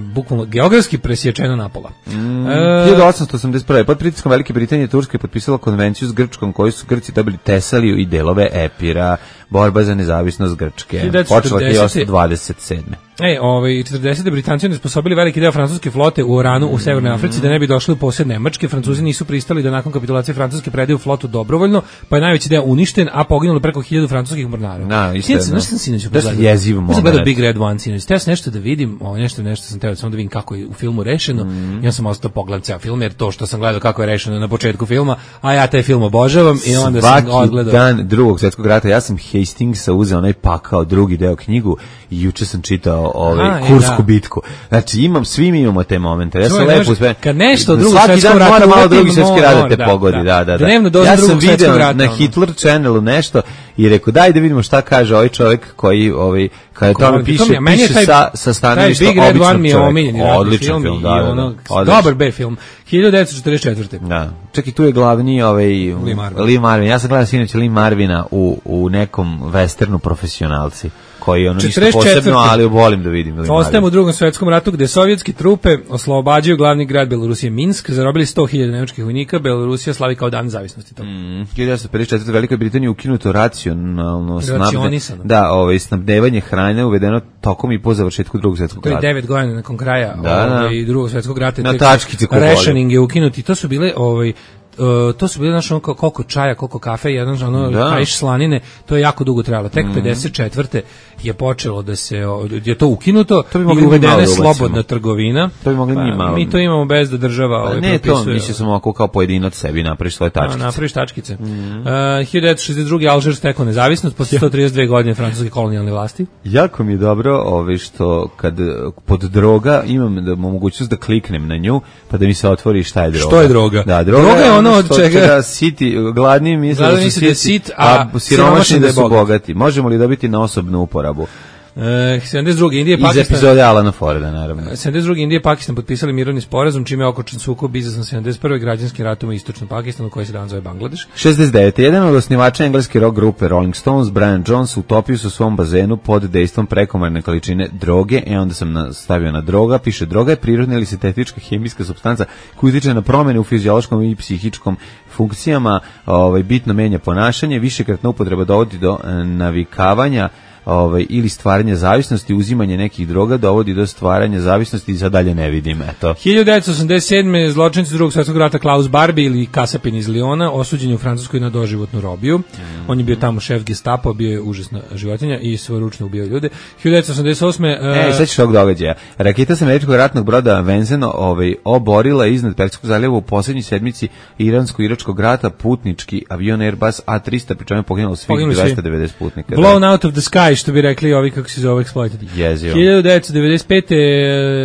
bukvalno geografski presječena napola. Mm. E, hiljadu osamsto osamdeset prve. Pod pritiskom Velike Britanije Turska je potpisala konvenciju s Grčkom, koju su Grci dobili Tesaliju i delove Epira, borba za nezavisnost Grčke. hiljadu devetsto četrdeset. Počela hiljadu osamsto dvadeset sedme. E, ovaj četrdesete. Britanci onesposobili veliki deo francuske flote u Oranu u Severnoj Africi da ne bi došli u posjed Nemačke. Francuzi nisu pristali da nakon kapitulacije Francuske predaju flotu dobrovoljno, pa je najveći deo uništen, a poginulo preko hiljadu francuskih mornara. Na, isto je. Znaš sam sinoć Da se jeziv moment. Sam gledao Big Red One sinoć. Teo sam nešto da vidim, o, nešto, nešto sam teo samo da vidim kako je u filmu rešeno. Mm. Ja sam ostao pogledam ceo film, jer to što sam gledao kako je rešeno na početku filma, a ja taj film obožavam i onda Svaki sam odgledao. dan drugog svjetskog rata, ja sam Hastingsa uzeo onaj pakao drugi deo knjigu i juče sam čitao ovaj Aha, Kursku da. bitku. Znači imam, svi mi imamo te momente. Ja sam Čuvaj, lepo znaš, sve. kad nešto drugo svaki svjetskog dan rata mora malo uletim, drugi svjetski rat da mora, te da, pogodi, da. da, da, da. Dnevno doza Ja sam drugog video svjetskog rata, na ono. Hitler Channelu nešto i rekao daj da vidimo šta kaže ovaj čovjek koji ovaj kada Ko- tamo piše, to mi je- meni je piše taj- sa sa stanovišta taj Big Red običnog One mi je čoveka. omiljeni ratni Odličan film, film, i da, da, da. ono, Odličan. dobar B film. hiljadu devetsto četrdeset četvrte. Da. Čekaj, tu je glavni ovaj Lee Marvin. Lee Marvin. Ja sam gledao sinoć Lee Marvina u u nekom westernu profesionalci koji ono ništa četrdeset četvrte. posebno, ali volim da vidim Lee Ostajemo u Marvin. drugom svjetskom ratu gde sovjetske trupe oslobađaju glavni grad Belorusije Minsk, zarobili sto hiljada nemačkih vojnika, Belorusija slavi kao dan nezavisnosti to. Mm, hiljadu devetsto pedeset četvrte. Velikoj Britaniji ukinuto racionalno snabde, Racionisano. da, ovaj snabdevanje hrane uvedeno tokom i po završetku drugog svjetskog To je rata. devet godina nakon kraja Da, da. ovaj, drugog svjetskog rata. Na tek tačkice ko voli. rationing je ukinut i to su bile ovaj Uh, to su bile znaš ono kao koliko čaja, koliko kafe, jedan ono Da. kaiš slanine, to je jako dugo trajalo. Tek pedeset četvrte je počelo da se o, je to ukinuto To bi i mogli mi uvedena malo je da ubacimo. slobodna trgovina. To bi mogli mi malo. Mi to imamo bez da država Pa ovaj, ne to, propisuje. mislio sam ovako kao pojedinac sebi napraviš svoje A, tačkice. napraviš tačkice. Mm -hmm. uh, hiljadu devetsto šezdeset druge. Alžir stekao nezavisnost posle sto trideset dve godine francuske kolonijalne vlasti. Jako mi je dobro ovaj, što kad pod droga imam da mogućnost da kliknem na nju pa da mi se otvori šta je droga. Što je droga? Da, droga, Droga je ono od što čega- Da siti, gladni misle Gladni da su misle da je siti, sit, a siromašni da su bogati. bogati. Možemo li dobiti na osobnu uporabu? Uh, sedamdeset druge. Indija i Iz Pakistan. epizode Alana Forda, naravno. sedamdeset druge. Indija i Pakistan potpisali mirovni sporazum čime je okončan sukob izazvan sedamdeset prve građanskim ratom u istočnom Pakistanu koji se danas zove Bangladeš. šezdeset devete. Jedan od osnivača engleske rock grupe Rolling Stones, Brian Jones, utopio se u svom bazenu pod dejstvom prekomerne količine droge, e onda sam na, stavio na droga, piše droga je prirodna ili sintetička hemijska supstanca koja utiče na promene u fiziološkom i psihičkom funkcijama, ovaj, bitno menja ponašanje, višekratna upotreba dovodi do e, navikavanja, ovaj, ili stvaranje zavisnosti, uzimanje nekih droga dovodi do stvaranja zavisnosti i za dalje ne vidim, eto. hiljadu devetsto osamdeset sedme zločinci drugog svjetskog rata Klaus Barbie ili kasapin iz Liona osuđen je u Francuskoj na doživotnu robiju. Mm. On je bio tamo šef Gestapo, bio je užasna životinja i svojeručno ubijao ljude. hiljadu devetsto osamdeset osme E, sad ćeš ovog događaja. Raketa sa američkog ratnog broda Vincennes ovaj, oborila iznad Perskog zaljeva u posljednjoj sedmici iransko-iračkog rata putnički avion Airbus A tristo, pri čemu je poginulo svih dvesta devedeset putnika. Blown da. Out of the sky, što bi rekli ovi kako se zove exploited. Jezio. hiljadu devetsto devedeset pete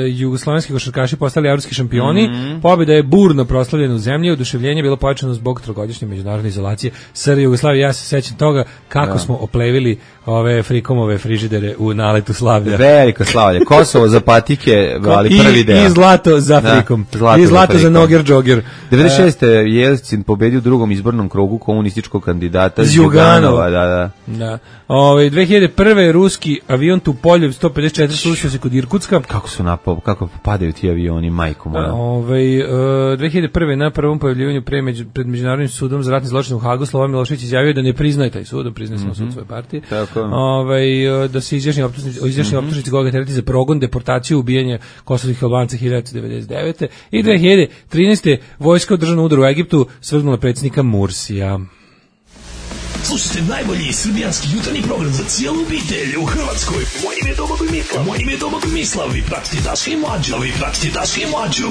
jugoslovenski košarkaši postali evropski šampioni. Mm-hmm. Pobjeda je burno proslavljena u zemlji, oduševljenje je bilo pojačano zbog trogodišnje međunarodne izolacije S R Jugoslavije. Ja se sećam toga kako da. smo oplevili ove frikomove frižidere u naletu slavlja. Veliko slavlje. Kosovo za patike, ali prvi deo. I zlato za frikom. Da, zlato I zlato za, za noger džoger. devedeset šeste Jelcin pobedio u drugom izbornom krugu komunističkog kandidata Zjuganova. Da, da. Da. Ove, dve hiljade prve ruski avion Tupoljev sto pedeset četiri srušio se kod Irkutska. Kako su napao, kako padaju ti avioni, majko moja. Ove, uh, dve hiljade prve na prvom pojavljivanju pre među, pred Međunarodnim sudom za ratni zločin u Hagu Slobodan Milošević izjavio da ne priznaje taj sud, da priznaje samo mm-hmm. sud svoje partije. Ove, da se izjašnji optužnici, izjašnji mm-hmm. optužnici koga tereti za progon, deportaciju, ubijanje kosovskih Albanca hiljadu devetsto devedeset devete i dve hiljade trinaeste vojska u državnom udaru u Egiptu svrgnula predsjednika Mursija. Slušajte najbolji srbijanski jutarnji program za cijelu obitelj u Hrvatskoj. Moje ime je Domagoj Mislav. Moje ime je Domagoj Mislav. Vi pratite Daška i Mlađu. Vi pratite Daška i Mlađu.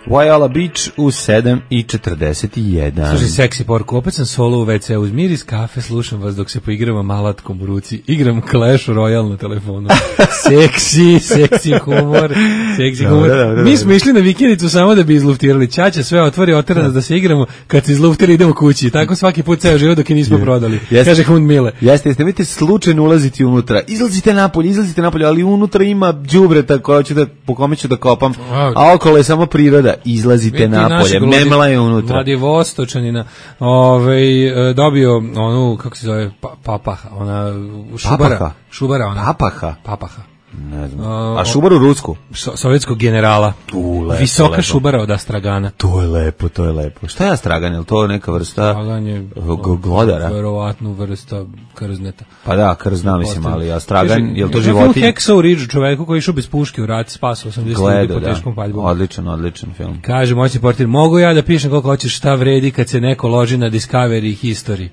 Wayala Beach u sedam i četrdeset jedan. Slušaj, seksi porku, opet sam solo u ve ce, uz miris kafe, slušam vas dok se poigramo malatkom u ruci. Igram Clash Royale na telefonu. Seksi, seksi humor, seksi humor. Da, da, da, Mi smo išli na vikendicu samo da bi izluftirali. Ćaća sve otvori, otera nas da se igramo, kad se izluftiri idemo kući. Tako svaki put ceo život dok je nismo prodali. Jeste, kaže Hund Mile. Jeste, jeste, vidite slučajno ulaziti unutra. Izlazite napolje, izlazite napolje, ali unutra ima đubreta koja ću da, po kome ću da kopam, a okolo je samo priroda. Izlazite napolje, memla je unutra. Vladivostočanina ovaj, dobio onu, kako se zove, pa, papaha, ona šubara. Papaha? Šubara ona. Papaha? Papaha. Ne znam. A šubaru rusku? So, sovjetskog generala. Tu, lepo, Visoka lepo. šubara od astragana. To je lepo, to je lepo. Šta je astragan? Je li to neka vrsta Astragan glodara? Verovatno vrsta krzneta. Pa da, krzna mislim, ali astragan, je li to životinj? životinj? Hacksaw Ridge, čoveku koji išao bez puške u rat, spasao osamdeset ljudi po teškom paljbom. Odličan, odličan film. Kaže moćni portir, mogu ja da pišem koliko hoćeš šta vredi kad se neko loži na Discovery History.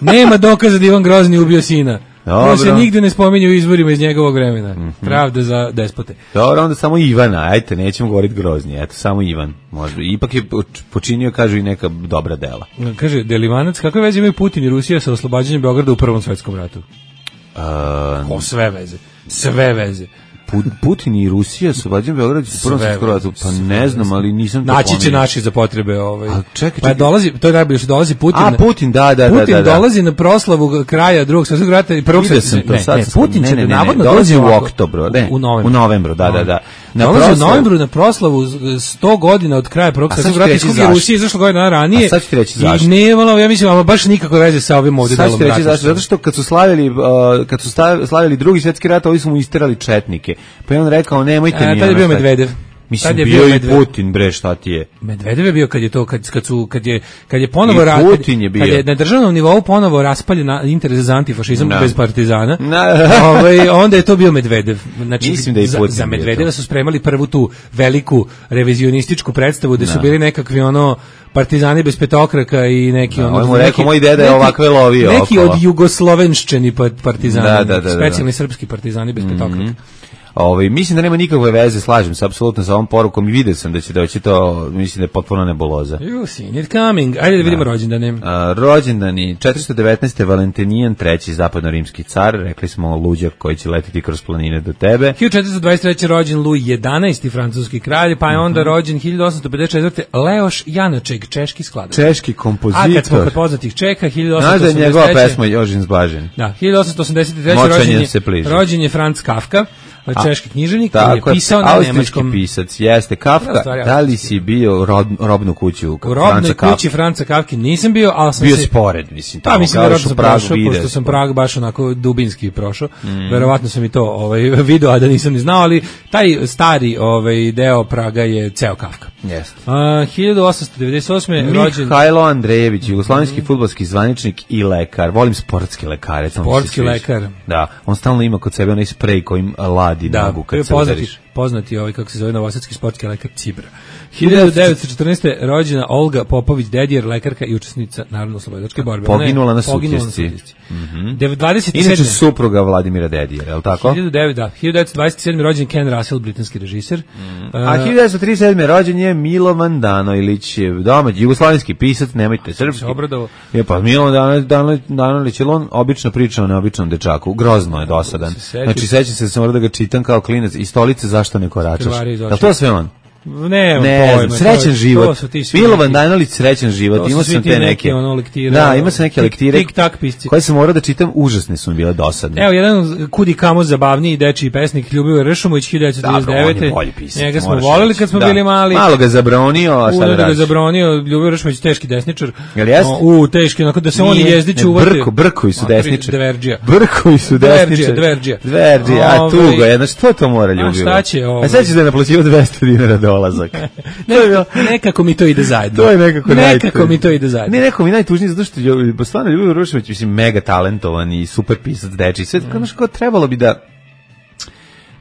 Nema dokaza da Ivan Grozni ubio sina. To se nigde ne spominje u izvorima iz njegovog vremena. Mm-hmm. Pravda za despote. Dobro, onda samo Ivana, ajte, nećemo govoriti Grozni, eto, samo Ivan. Možda. Ipak je počinio, kažu, i neka dobra dela. Kaže, Delivanac, kakve veze imaju Putin i Rusija sa oslobađanjem Beograda u Prvom svetskom ratu? Uh, o, sve veze. Sve veze. Putin i Rusija su vađen Beograd u Prvom svetskom ratu, pa ne znam, ali nisam to naći će naši za potrebe ovaj. A čekaj, čekaj. Pa dolazi, to je najbolje što dolazi Putin. A Putin, da, da, Putin da, da. dolazi na proslavu kraja Drugog svjetskog rata i Prvog svjetskog rata. Ne, ne, Putin će ne, ne, navodno ne, dolazi u oktobru, ne, u novembru. U novembru, da, da, da. Na dolazi proslavu, u novembru na proslavu sto godina od kraja Prvog svjetskog rata, iz Rusije izašlo godina ranije. A sad ću ti reći zašto. I nemalo, ja mislim, ama baš nikakve veze sa ovim ovdje delom rata. Zašto? Zato što kad su slavili kad su slavili Drugi svjetski rat, ovi su mu isterali četnike. Pa je on rekao nemojte mi. Tad je bio Medvedev. Mislim, bio, bio i Putin, bre, šta ti je? Medvedev je bio kad je to, kad, kad su, kad je, kad je ponovo, ra, Putin je bio. Kad je na državnom nivou ponovo raspaljen interes za antifašizam no. bez partizana, no. ovaj, onda je to bio Medvedev. Znači, mislim da je za, Putin za Medvedeva su spremali prvu tu veliku revizionističku predstavu gde no. su bili nekakvi ono, partizani bez petokraka i neki no, ono... On mu rekao, moj deda je ovakve lovio. Neki okolo. od jugoslovenščeni partizani, da, da, da, specijalni da. srpski partizani bez mm-hmm. petokraka. Ovaj mislim da nema nikakve veze, slažem se apsolutno sa ovom porukom i vidio sam da će doći to, mislim da je potpuno nebuloza. You seen it coming. Ajde da vidimo da. rođendane. Uh, rođendani četiristo devetnaeste Valentinijan treći zapadnorimski car, rekli smo luđak koji će letiti kroz planine do tebe. hiljadu četiristo dvadeset treće rođen Luj jedanaesti francuski kralj, pa je onda mm-hmm. rođen hiljadu osamsto pedeset četvrte Leoš Janaček, češki skladatelj. Češki kompozitor. A kad smo kod poznatih Čeka, hiljadu osamsto osamdeset treće. Znaš da je njegova pesma Jožin zbažen. Da, hiljadu osamsto osamdeset treće rođen je, rođen je Franz Kafka. Češki književnik koji je pisao na nemačkom. Pisac, jeste Kafka. Da, da li si bio rob, robnu kuću u robnoj kući Franca Kafke nisam bio, ali sam bio se... spored, mislim. Pa mislim da sam prošao, pošto sam Prag baš onako dubinski prošao. Mm. Verovatno sam i to ovaj, video, a da nisam ni znao, ali taj stari ovaj, deo Praga je ceo Kafka. Jeste. Uh, hiljadu osamsto devedeset osme rođen Mihajlo Andrejević, jugoslovenski mm. fudbalski zvaničnik i lekar. Volim sportski lekare. Sportski lekar. Da, on stalno ima kod sebe onaj sprej kojim ladi da, nogu kad se poznati, udariš. Poznati ovaj, kako se zove, novosadski sportski lekar Cibra. hiljadu devetsto četrnaeste. rođena Olga Popović Dedijer, lekarka i učesnica Narodno-oslobodilačke borbe. Poginula na Poginula Sutjesci. Mm-hmm. dvadeset sedme. Inače supruga Vladimira Dedijera, je li tako? hiljadu devetsto dvadeset sedme. rođen Ken Russell, britanski režiser. Mm. Uh, A hiljadu devetsto trideset sedme. rođen je Milovan Danojlić, domaći jugoslovenski pisac, nemojte srpski. Je pa Milovan Danojlić, on obično priča o neobičnom dečaku, grozno je dosadan. Znači sećam se da sam morao da ga čitam kao klinac i Stolice zašto ne koračaš. Je to sve on? Ne, ne pojma, srećan to, život. To Milovan Danojlić, srećan život. Imao sam te neke. Ono lektire, da, imao sam neke lektire. Tik tak pisci. Koje sam morao da čitam, užasne su mi bile dosadne. Evo jedan kudi kamo zabavniji dečiji pesnik Ljubivoje Ršumović hiljadu devetsto trideset devete. Da, njega smo voleli kad smo da. bili mali. Malo ga zabronio, a šta da radiš? ga zabronio, Ljubivoje Ršumović teški desničar. Jel jeste? U, teški, onako da se oni jezdi čuvati. Brko, brkovi su desničari. Dverđija. Brkovi su desničari. Dverđija. Dverđija, a tugo je. Znači, što to mora Ljubivo? A šta će ovo? A sad ćeš da je naplaćivo dvesta dinara dolazak. Ne, nekako mi to ide zajedno. To je nekako, nekako mi to ide zajedno. Ne, nekako mi najtužnije zato što je stvarno Ljubivo Ršumović, mislim, mega talentovan i super pisac dečiji. Sve mm. kao trebalo bi da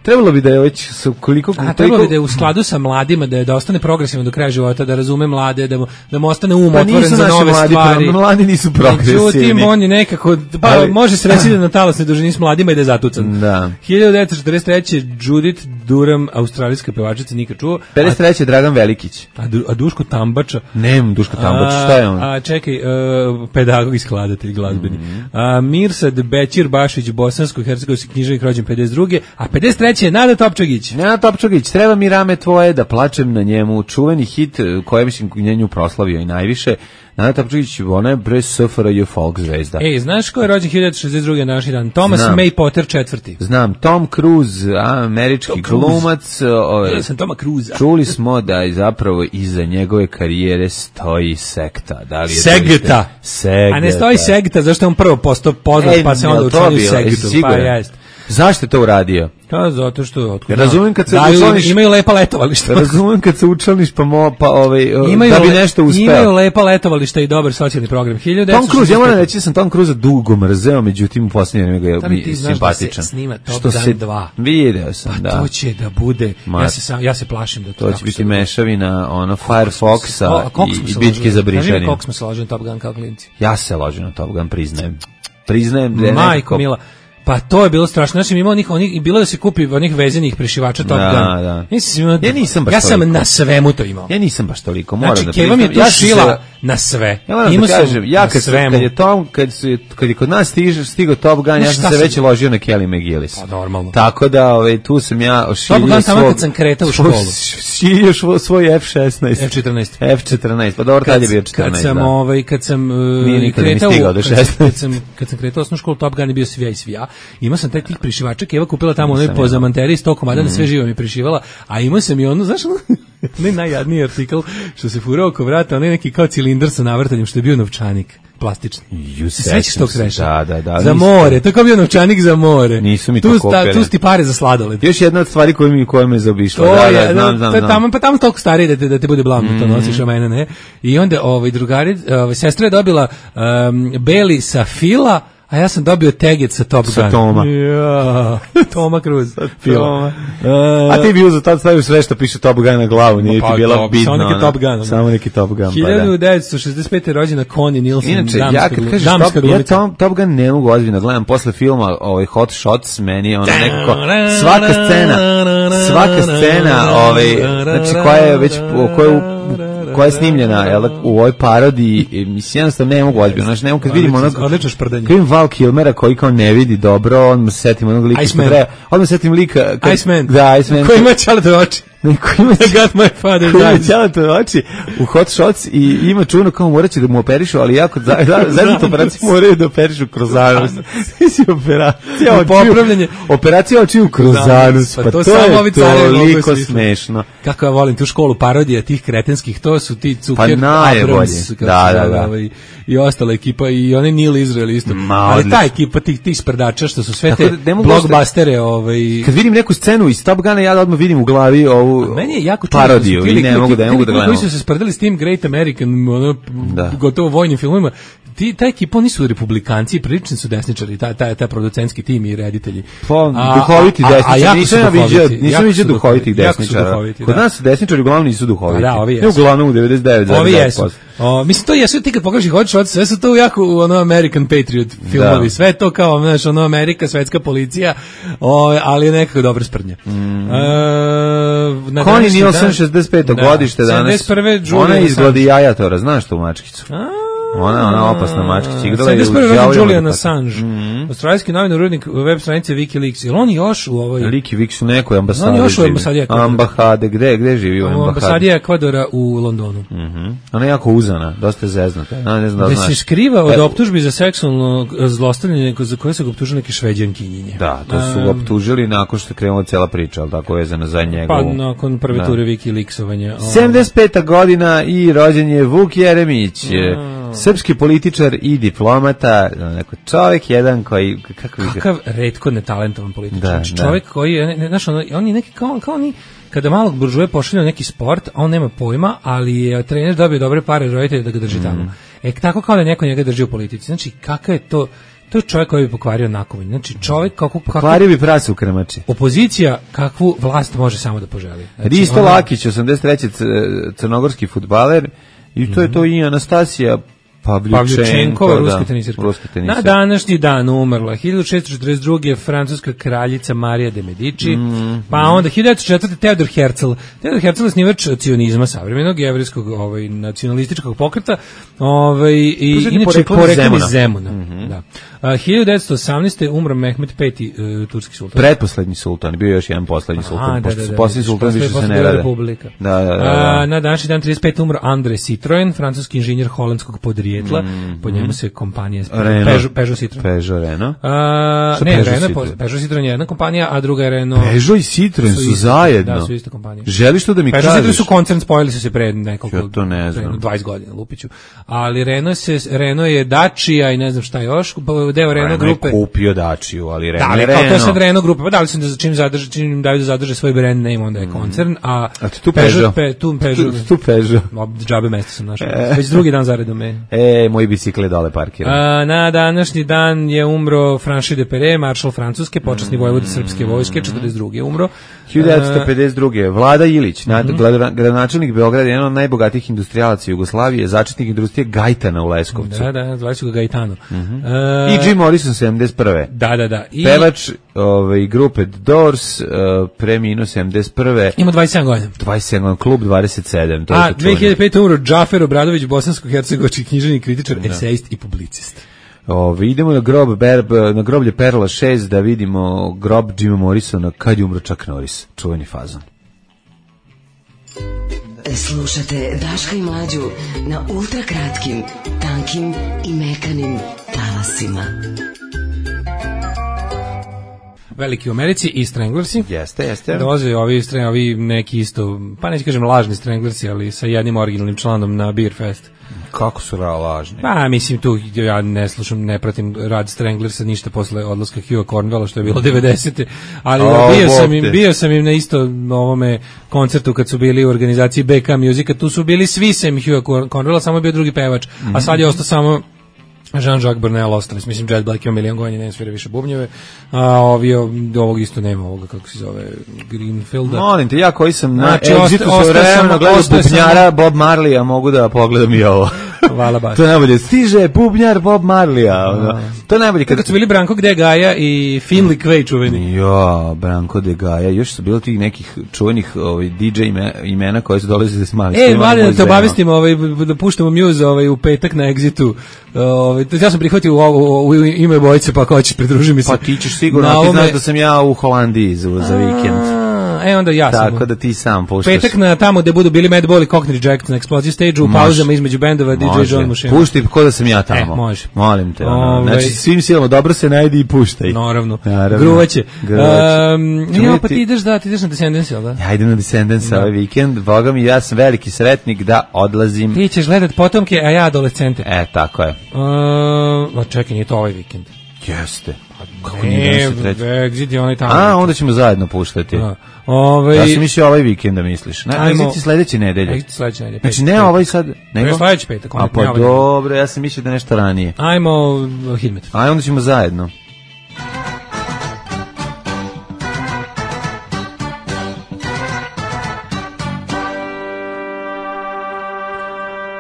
Trebalo bi da je već koliko A trebalo bi da je u skladu sa mladima, da je da ostane progresivno do kraja života, da razume mlade, da mu, da mu ostane um pa otvoren za nove mladi, stvari. Pa mladi nisu progresivni. Međutim, on je nekako, pa ali, može se reći da na talasnoj dužini s mladima i da je zatucan. Da. hiljadu devetsto četrdeset treće. Judith Durham, australijska pevačica, nikad čuo. pedeset treće. Dragan Velikić. A, a Duško Tambača? Nem, Duško Tambača, šta je on? A čekaj, uh, pedagog i skladatelj glazbeni. Mm -hmm. uh, Mirsad Bećir Bašić, bosansko-hercegovski književnik, rođen pedeset druge. A pedeset treće. Nada Topčagić. Nada Topčagić, treba mi rame tvoje da plačem na njemu, čuveni hit koji mislim njenju proslavio i najviše. Nada Topčagić, ona je pre S F R J folk zvezda. Ej, znaš ko je rođen hiljadu devetsto šezdeset druge. naši dan? Thomas Znam. May Potter četvrti. Znam, Tom Cruise, američki Tom glumac. Ove, ja sam Toma Cruise. Čuli smo da je zapravo iza njegove karijere stoji sekta. Da li je Segta. Segta. A ne stoji Segta, zašto je on prvo postao poznat, pa se onda učinio Segtu. Pa jest. Zašto je to uradio? Pa zato što ja razumem kad se da, učlaniš, imaju lepa letovališta. Razumem kad se učlaniš pa mo pa ovaj imaju da bi nešto uspeo. Imaju lepa letovališta i dobar socijalni program. Tom Cruise, ja moram reći, sam Tom Cruise dugo mrzeo, međutim u poslednje vreme ga je simpatičan. Da snima Top Gun se dva. Video sam, pa da. To će da bude. Ma, ja se sam, ja se plašim da to. To će biti mešavina ono Firefoxa i bitke za Britaniju. Kako smo se ložili na Top Gun kao klinci? Ja se ložim na Top Gun, priznajem. Priznajem da je Majko Mila. Pa to je bilo strašno. Znači imao onih onih i bilo da se kupi onih vezenih prešivača Top da, Gun. Da. Nisam, ja nisam baš Ja sam toliko. na svemu to imao. Ja nisam baš toliko, moram znači, da priznam. Znači, Keva mi je tu šila se... na sve. Ja moram da kažem, ja kad, kad je Tom, kad, su, kad je kod nas stiže, stigao Top Gun, no, ja sam se već ložio na Kelly McGillis. Pa normalno. Tako da, ovaj, tu sam ja ošiljio Top Gun tamo kad sam kretao u školu. Ošiljio svoj, svoj F šesnaest. F četrnaest. F četrnaest, pa dobro, tad je bio četrnaest. Kad sam, da. ovaj, kad sam uh, kretao, kad sam, kad sam kretao osnovnu školu, Top Gun je bio svija i svija. Imao sam taj tih prišivača, Keva kupila tamo onoj po zamanteri sto komada, mm. sve živo mi prišivala, a imao sam i ono, znaš, ne najjadniji artikl što se furao oko vrata, onaj neki kao cilindar sa navrtanjem što je bio novčanik. Plastični. Ju sećaš tog sreća? Da, da, da. Za more, to kao bio novčanik za more. Nisu mi tu to kopere. Tu sti pare za sladoled. Još jedna od stvari koje mi koje me zaobišla. Da, da, znam, znam, znam. Tamo pa tamo toliko stariji da te da te bude blavno mm. to nosiš, a mene ne. I onda ovaj drugari, ovaj sestra je dobila um, beli sa fila, a ja sam dobio teget sa Top Gun. Sa Toma. Ja, Toma Cruise. Toma. Uh, a ti bi uzeo tad stavio sve što piše Top Gun na glavu, nije pa, ti bila bitno. Samo neki Top Gun. Samo neki Top Gun. hiljadu devetsto šezdeset pete. rođena Connie Nielsen. Inače, ja kad kažeš Top, ja Top, Top Gun ne mogu ozbiljno gledam posle filma ovaj Hot Shots, meni je ono nekako svaka scena, svaka scena, ovaj, znači koja je već, koja je koja je snimljena jel, u ovoj parodiji, mislim, jednostavno ne mogu ozbiljno, znači ne mogu kad vidim onog, kad vidim Val Kilmera koji kao ne vidi dobro, on mu se setim onog lika, on mu se setim lika, kad, Iceman, da, Iceman, koji ima čaletove oči. Neko ima got my father's koji eyes. Ima to oči u Hot Shots i ima čuno kao moraće da mu operišu, ali jako za, za, za tu operaciju moraju da operišu kroz anus. Mislim, operacija očiju, operacija očiju kroz anus, pa, pa to, to je toliko smešno. Kako ja volim tu školu parodija tih kretenskih, to su ti Zucker, pa Abrams, da, da, da. Ovaj, i ostala ekipa i onaj Neil Israel isto. Ma, ali ta ekipa tih, tih sprdača što su sve te blockbustere. Ovaj... Kad vidim neku scenu iz Top Guna, ja odmah vidim u glavi ovu ovu meni je jako parodiju i ne mogu da ne mogu da gledam. Koji su se sprdali s tim Great American, ono, da. gotovo vojnim filmovima. Ti, ta ekipa, oni su republikanci, prilični su desničari, ta, ta, ta producentski tim i reditelji. Pa, duhoviti desničari, nisam ja viđao, nisam viđao duhovitih desničara. Kod nas desničari uglavnom nisu duhoviti. Da, ovi jesu. Uglavnom u devedeset devet zarez devet posto. O, mislim, to jesu, ti kad pogledaš ih hoćeš, sve su to jako ono American Patriot filmovi, da. Sve to kao, znaš, ono Amerika, svetska policija, o, ali je nekako dobra sprdnja. Mm. E, Connie Nielsen, šezdeset peto da. Godište danas. Ona je iz Gladiatora, znaš to u mačkicu? A? Ona, ona opasna mačkica igrala je u Đavolju. Julian Assange, mm-hmm. australijski novinar, urednik web stranice WikiLeaks. Ili on još u ovoj... WikiLeaks u nekoj ambasadi. On još u ambasadi Ekvadora. Ambasade, gde, gde živi u ambasadi? U ambasadi Ekvadora u Londonu. Mm-hmm. Ona je jako uzana, dosta je zeznata. Ona ne zna da, da se skriva od optužbi za seksualno zlostavljanje za koje su ga optužili neke Šveđankinje. Da, to su ga optužili nakon što je krenula cela priča, ali tako vezana za njegovu... Pa nakon prve ture WikiLeaksovanja. sedamdeset peta godina i rođen je Vuk Jeremić. Mm. Srpski političar i diplomata, neko čovjek jedan koji... Kako Kakav retko netalentovan političar. Da, znači, čovjek da. Koji je, ne, znaš, on, on je neki kao, kao ni... Kada malog buržuje pošalje neki sport, a on nema pojma, ali je trener dobio dobre pare roditelja da ga drži tamo. Mm. E, tako kao da neko njega drži u politici. Znači, kakav je to... To je čovjek koji bi pokvario nakovanje. Znači, čovjek kako... Pokvario bi prase u kremači. Opozicija kakvu vlast može samo da poželi. Znači, Risto ona... Lakić, osamdeset treći crnogorski fudbaler, i to je to i Anastasija Pavljučenkova, ruska tenisirka. Na današnji dan umrla hiljadu šessto četrdeset druge francuska kraljica Marija de Medici, mm, pa onda hiljadu devetsto četvrte Teodor Herzl. Teodor Herzl je snivač cionizma savremenog jevrejskog ovaj nacionalističkog pokreta, ovaj i inače poreklom iz Zemuna. Mm -hmm. Da. A, hiljadu devetsto osamnaeste umro Mehmed peti uh, turski sultan. Pretposlednji sultan, bio je još jedan poslednji sultan, pošto su poslednji sultan više se ne rade. Da, da, da, da. A, na današnji dan trideset pete umro André Citroën, francuski inženjer holandskog podrijetla. Mm, po njemu se kompanija Peugeot, Peugeot Citroën. Peugeot Renault. A, ne, Peugeot Renault, Peugeot Citroën je jedna kompanija, a druga je Renault. Peugeot i Citroën su, su zajedno. Da, su ista kompanija. Želiš to da mi Peugeot kažeš? Peugeot Citroën su koncern, spojili su se pred nekoliko, ja to ne znam. dvadeset godina, lupiću. Ali Renault se Renault je Dacia i ne znam šta još, deo Renault grupe. Renault kupio Daciu, ali Renault. Da, ali kao to je sad Renault grupa, pa da li se da čim zadrže, čim daju da zadrže svoj brand name, onda je koncern, a a tu Peugeot, tu Peugeot, tu Peugeot. Džabe mesto sam našao. Već drugi dan zaredom me. E, moj bicikl dole parkiran. A, na današnji dan je umro Franši de Pere, maršal Francuske, počasni vojvoda srpske vojske, četrdeset druge umro. hiljadu devetsto pedeset druge Vlada Ilić, mm-hmm. gradonačelnik Beograda, jedan od najbogatijih industrijalaca Jugoslavije, začetnik industrije Gajtana u Leskovcu. Da, da, zvali su ga Gajtano. Mm-hmm. Uh, I Jim Morrison, sedamdeset prve Da, da, da. I... Pevač ovaj, grupe Doors, uh, preminuo sedamdeset prve Ima dvadeset sedam godina. dvadeset sedam klub dvadeset sedam To A, dve hiljade pete umro Džafer Obradović, bosansko-hercegovački književnik, kritičar, da. Esejist i publicist. Ove, idemo na grob Berb, na groblje Perla šest da vidimo grob Jima Morrisona kad je umro Chuck Norris, čuveni fazon. Slušate Daška i Mlađu na ultra kratkim, tankim i mekanim talasima. Veliki u Americi i Stranglersi. Jeste, jeste. Dolaze ovi, ovi neki isto, pa neću kažem lažni Stranglersi, ali sa jednim originalnim članom na Beer Fest. Kako su lažni? Pa, mislim, tu ja ne slušam, ne pratim rad Stranglersa ništa posle odlaska Hugha Cornwella, što je bilo devedesete ali oh, bio, sam im, bio sam im na isto ovome koncertu kad su bili u organizaciji B K Musica, tu su bili svi sem Hugha Cornwella, samo je bio drugi pevač, mm-hmm. a sad je ostao samo Jean-Jacques Burnel, ostali, mislim, Jet Black ima milion godina, ne svira više bubnjeve, a ovi, ovog isto nema, ovoga, kako se zove, Greenfielda. Molim te, ja koji sam na znači, Exitu sve vremena gledao bubnjara Bob Marley, a mogu da pogledam i ovo. Hvala baš. To je najbolje, stiže bubnjar Bob Marley, to je najbolje. Kad, kad su bili Branko de Gaja i Finley Quay čuveni. Ja, Branko de Gaja, još su bilo tih nekih čuvenih ovaj, D J imena koje su dolazili s mali. E, mali da te obavestimo, ovaj, da puštamo Muse ovaj, u petak na Exitu. Ovaj, ja sam prihvatio u, u, u ime bojice, pa ako hoćeš pridruži mi se. Pa ti ćeš sigurno, ti znaš da sam ja u Holandiji za, za vikend. E, onda ja sam. Tako da ti sam puštaš. Petak na tamo gde budu bili Madball i Cockney Jack na Explosion Stage u pauzama između bendova D J John Mušina. Pušti ko da sam ja tamo. E, može. Molim te. Ono. Ove... Znači svim silama dobro se najdi i puštaj. Naravno. Gruvaće. Um, ja, pa ti ideš da, ti ideš na Descendants, jel da? Ja idem na Descendants ovaj vikend. Boga mi, ja sam veliki sretnik da odlazim. Ti ćeš gledat potomke, a ja adolescente. E, tako je. Uh, čekaj, nije to ovaj vikend. Jeste. Kako nije danas treći? Exit je onaj tamo. A, onda ćemo zajedno puštati. Da. Ove... Ja sam mislio ovaj vikend da misliš. Na, Ajmo... Exit sledeće nedelje. Exit sledeće nedelje. Znači ne ovaj sad... Nego? Sledeći petak. A pa dobro, ja sam mislio da nešto ranije. Ajmo Hidmet. Ajmo, onda ćemo zajedno.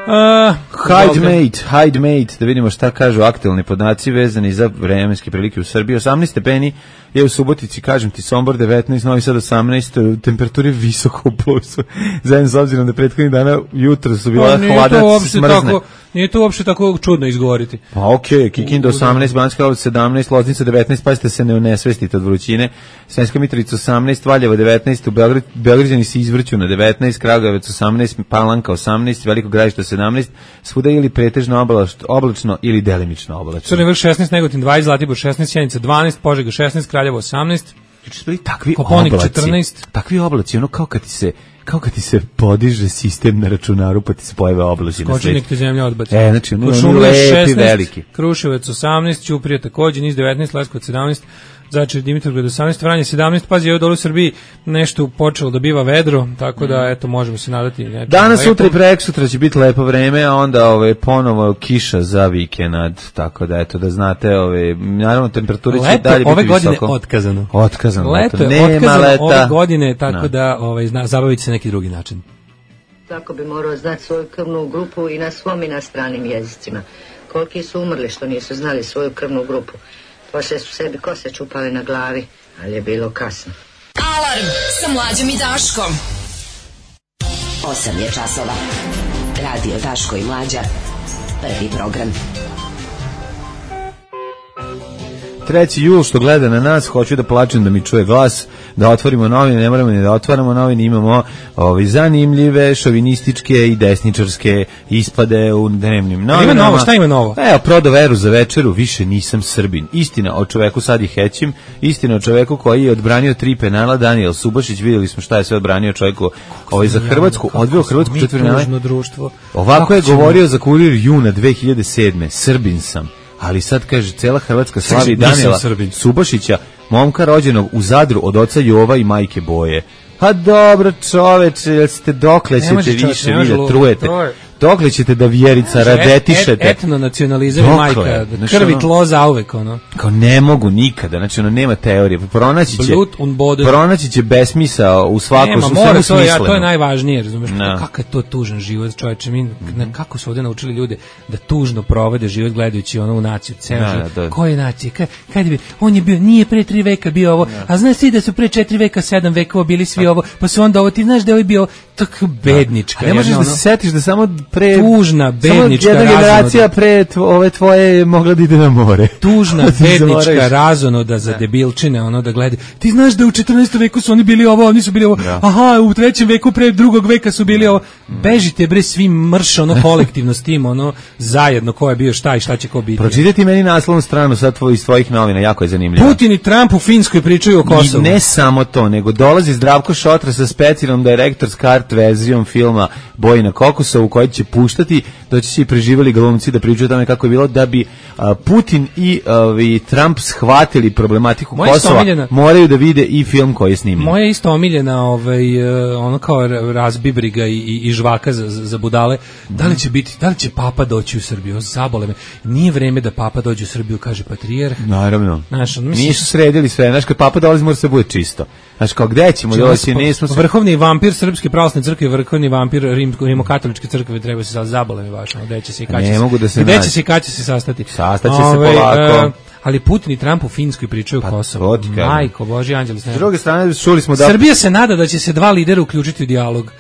Uh, Hide mate, hide mate, da vidimo šta kažu aktualni podaci vezani za vremenske prilike u Srbiji. osamnaest stepeni je u Subotici, kažem ti, Sombor devetnaest, Novi Sad osamnaest, temperature visoko u plusu. Zajedno s obzirom da prethodnih dana jutro su bila hladna, smrzne. Nije to uopšte tako čudno izgovoriti. Pa okej, okay, Kikinda osamnaest, Banjska Karlovac sedamnaest, Loznica devetnaest, pazite se ne unesvestite od vrućine. Sremska Mitrovica osamnaest, Valjevo devetnaest, u Beograd, Beograđani se izvrću na devetnaest, Kragujevac osamnaest, Palanka osamnaest, Veliko Gradište sedamnaest, svuda ili pretežno oblačno ili delimično oblačno. Crni Vrh šesnaest, Negotin dvadeset, Zlatibor šesnaest, Sjenica dvanaest, Požega šesnaest, Kraljevo osamnaest, Juče su bili takvi Koponik oblaci, četrnaest. Takvi oblaci, ono kao kad ti se kao kad ti se podiže sistem na računaru pa ti se pojave oblaci na svetu. Skoči ti zemlja odbaci. E, znači, ono, ono lepi, veliki. Kruševac osamnaest, Ćuprija takođe, Niš devetnaest, Leskovac sedamnaest, Zaječar, Dimitrovgrad osamnaest, Vranje sedamnaest, pazi, evo dole u Srbiji nešto počelo da biva vedro, tako da, eto, možemo se nadati. Danas, sutra i preksutra će biti lepo vreme, a onda ove, ponovo kiša za vikend, tako da, eto, da znate, ove, naravno, temperature će dalje biti visoko. Leto ove godine otkazano. Otkazano. Leto je nema otkazano leta. Ove godine, tako no. da ove, zna, zabaviti se neki drugi način. Tako bi morao znati svoju krvnu grupu i na svom i na stranim jezicima. Koliki su umrli što nisu znali svoju krvnu grupu. Poslije su sebi kose čupali na glavi, ali je bilo kasno. Alarm sa Mlađom i Daškom. Osam je časova. Radio Daško i Mlađa. Prvi program. treći jul što gleda na nas, hoću da plačem da mi čuje glas, da otvorimo novine, ne moramo ni da otvaramo novine, imamo ovi zanimljive, šovinističke i desničarske ispade u dnevnim novinama. Ima novo, šta ima novo? Evo, prodao veru za večeru, više nisam Srbin. Istina o čoveku sad i hećim, istina o čoveku koji je odbranio tri penala, Daniel Subašić, vidjeli smo šta je sve odbranio čovjeku ovaj za Hrvatsku, odveo Hrvatsku četvrtfinale. Ovako je govorio za Kurir juna dve hiljade sedme. Srbin sam. Ali sad kaže, cela Hrvatska slavi Daniela Subašića, momka rođenog u Zadru od oca Jova i majke Boje. Pa dobro čoveče, jel ste dokle ćete više vi da trujete? Dokle ćete da Vjerica radetišete? Et, etno nacionalizam i majka, da krvi tlo zauvek, ono. Kao ne mogu nikada, znači ono nema teorije. Pronaći će, pronaći će besmisao u svakom nema, svemu mora, smisleno. Ja, to je najvažnije, razumiješ? No. Kako je to tužan život, čovječe, mi, mm-hmm. kako su ovdje naučili ljude da tužno provode život gledajući ono u naciju, ceo no, život. Da. Koje nacije? Kad, kad bi, on je bio, nije pre tri veka bio ovo, no. a znaš ti da su pre četiri veka, sedam vekova bili svi no. ovo, pa su onda ovo, ti znaš da je ovo bio tako bednička. A ne možeš jedna, da se setiš da samo pre tužna bednička jedna generacija pre tvo, ove tvoje mogla da ide na more. Tužna bednička razonoda za debilčine, ono da gleda. Ti znaš da u četrnaestom veku su oni bili ovo, oni su bili ovo. Ja. Aha, u trećem veku pre drugog veka su bili ovo. Bežite bre svi mrš ono kolektivno s tim, ono zajedno ko je bio šta i šta će ko biti. Pročitajte meni naslovnu stranu sad tvoj iz tvojih novina, jako je zanimljivo. Putin i Trump u Finskoj pričaju o Kosovu. I ne samo to, nego dolazi Zdravko Šotra sa specijalnom direktor s kart verzijom filma Boji na Kokosovu koji će puštati, doći će i preživjeli glumci da pričaju o tome kako je bilo, da bi a, Putin i, a, i Trump shvatili problematiku Moje Kosova, omiljena, moraju da vide i film koji je snimljen. Moja je isto omiljena ovaj, ono kao razbibriga i, i, i žvaka za, za budale. Da li će biti, da li će Papa doći u Srbiju? Zabole me. Nije vreme da Papa dođe u Srbiju, kaže patrijarh. Naravno. Znaš, on, mislim, nisu sredili sve. Znaš, kad Papa dolazi mora se bude čisto. Znaš, kao gde ćemo doći? Nismo... Vrhovni vampir Srpske pravoslavne crkve, vrhovni vampir Rim, Rimokatoličke crkve, treba se sad zabole me baš. Gde će se i kad će se, da se gde će se i kad će se sastati. Sastaće se polako. Uh, ali Putin i Trump u Finskoj pričaju pa, Kosovo. Majko, Boži anđeli. S druge strane, čuli smo da... Srbija se nada da će se dva lidera uključiti u dijalog.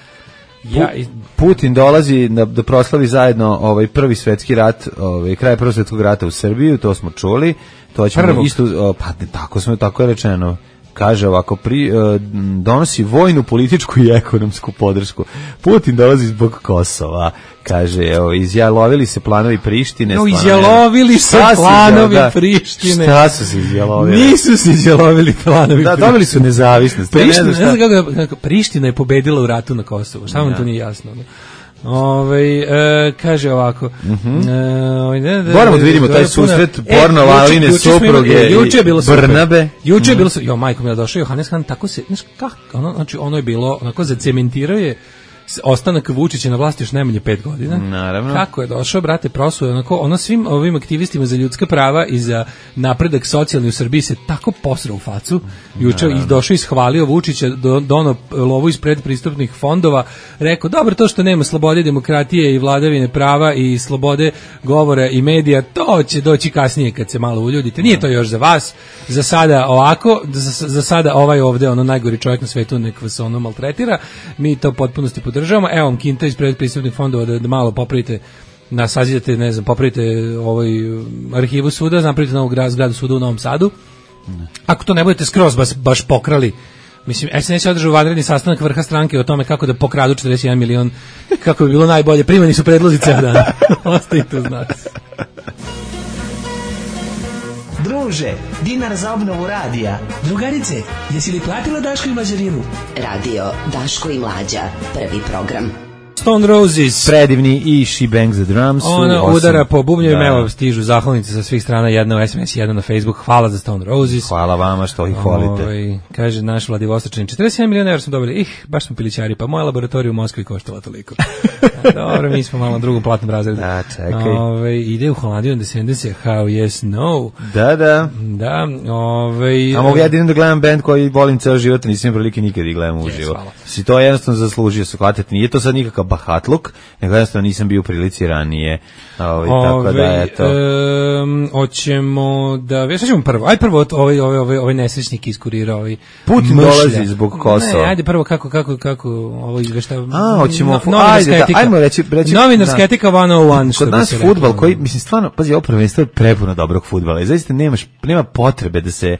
Ja, i... Putin dolazi da, da proslavi zajedno ovaj prvi svetski rat, ovaj kraj prvog svetskog rata u Srbiju, to smo čuli. To ćemo Prvog. isto pa tako smo tako je rečeno. Kaže ovako, pri, uh, donosi vojnu, političku i ekonomsku podršku. Putin dolazi zbog Kosova. Kaže, evo, izjalovili se planovi Prištine. No, izjalovili se planovi da, Prištine. Šta su se izjalovili? Nisu se izjalovili planovi da, Prištine. Dobili su nezavisnost. Priština, ne znam kako, kako, Priština je pobedila u ratu na Kosovu. Šta vam ja. to nije jasno? Ne? Ove, e, kaže ovako. Mm-hmm. E, ne, da, Moramo da vidimo taj susret porno Laline supruge juče je bilo Brnabe. Juče je bilo, jo majko mi je došao Johannes Han, tako se, znaš kako, ono, znači ono je bilo, onako zacementirao je ostanak Vučića na vlasti još najmanje pet godina. Naravno. Kako je došao, brate, prosuo onako, ono svim ovim aktivistima za ljudska prava i za napredak socijalni u Srbiji se tako posrao u facu. Juče ih došao i ishvalio Vučića, do, dono lovu iz predpristupnih fondova, rekao, dobro, to što nema slobode, demokratije i vladavine prava i slobode govora i medija, to će doći kasnije kad se malo uljudite. Nije to još za vas, za sada ovako, za, za sada ovaj ovde, ono najgori čovjek na svetu, nek vas ono maltretira, mi to potpunosti podržavamo. Evo vam kinta iz predpristupnih fondova da, da malo popravite, na sazidate, ne znam, popravite ovaj arhivu suda, napravite novog zgradu suda u Novom Sadu. Ako to ne budete skroz baš, baš pokrali, mislim, S N S je održao vanredni sastanak vrha stranke o tome kako da pokradu četrdeset jedan milion, kako bi bilo najbolje. Primani su predlozi ceo dan. Ostavite uz nas. Druže, dinar za obnovu radija. Drugarice, jesi li platila Daško i Mlađarinu? Radio Daško i Mlađa, prvi program. Stone Roses. Predivni i She Bangs the Drums. Ona udara po bubnjevima, da. Evo stižu zahvalnice sa svih strana, jedna u S M S, jedna na Facebook. Hvala za Stone Roses. Hvala vama što ih volite. Ove, kaže naš Vladivostočanin, četrdeset jedan miliona evra smo dobili. Ih, baš smo pilićari, pa moja laboratorija u Moskvi koštala toliko. Dobro, mi smo malo na drugom platnom razredu. Da, čekaj. Ove, ide u Holandiju na Descendants, How Yes No. Da, da. Da, ove... A mogu ja da gledam band koji volim ceo život, nisam prilike nikad i gledam uživo. Yes, si to jednostavno zaslužio se hvatati. Nije to sad nikakav bahatluk, nego jednostavno nisam bio u prilici ranije. Ove, tako da, eto. Um, hoćemo da... Već ćemo prvo. Aj prvo ovaj, ovaj, ovaj, ovaj nesrećnik iskurira. Ovaj Putin mršlja. Dolazi zbog Kosova. Ne, ajde prvo kako, kako, kako ovo izvešta. A, hoćemo... No, fu, ajde, da, ajmo reći... reći novinarska etika sto jedan. Kod nas fudbal koji, mislim, stvarno, pazi, ovo prvenstvo je prepuno dobrog fudbala i zaista nemaš, nema potrebe da se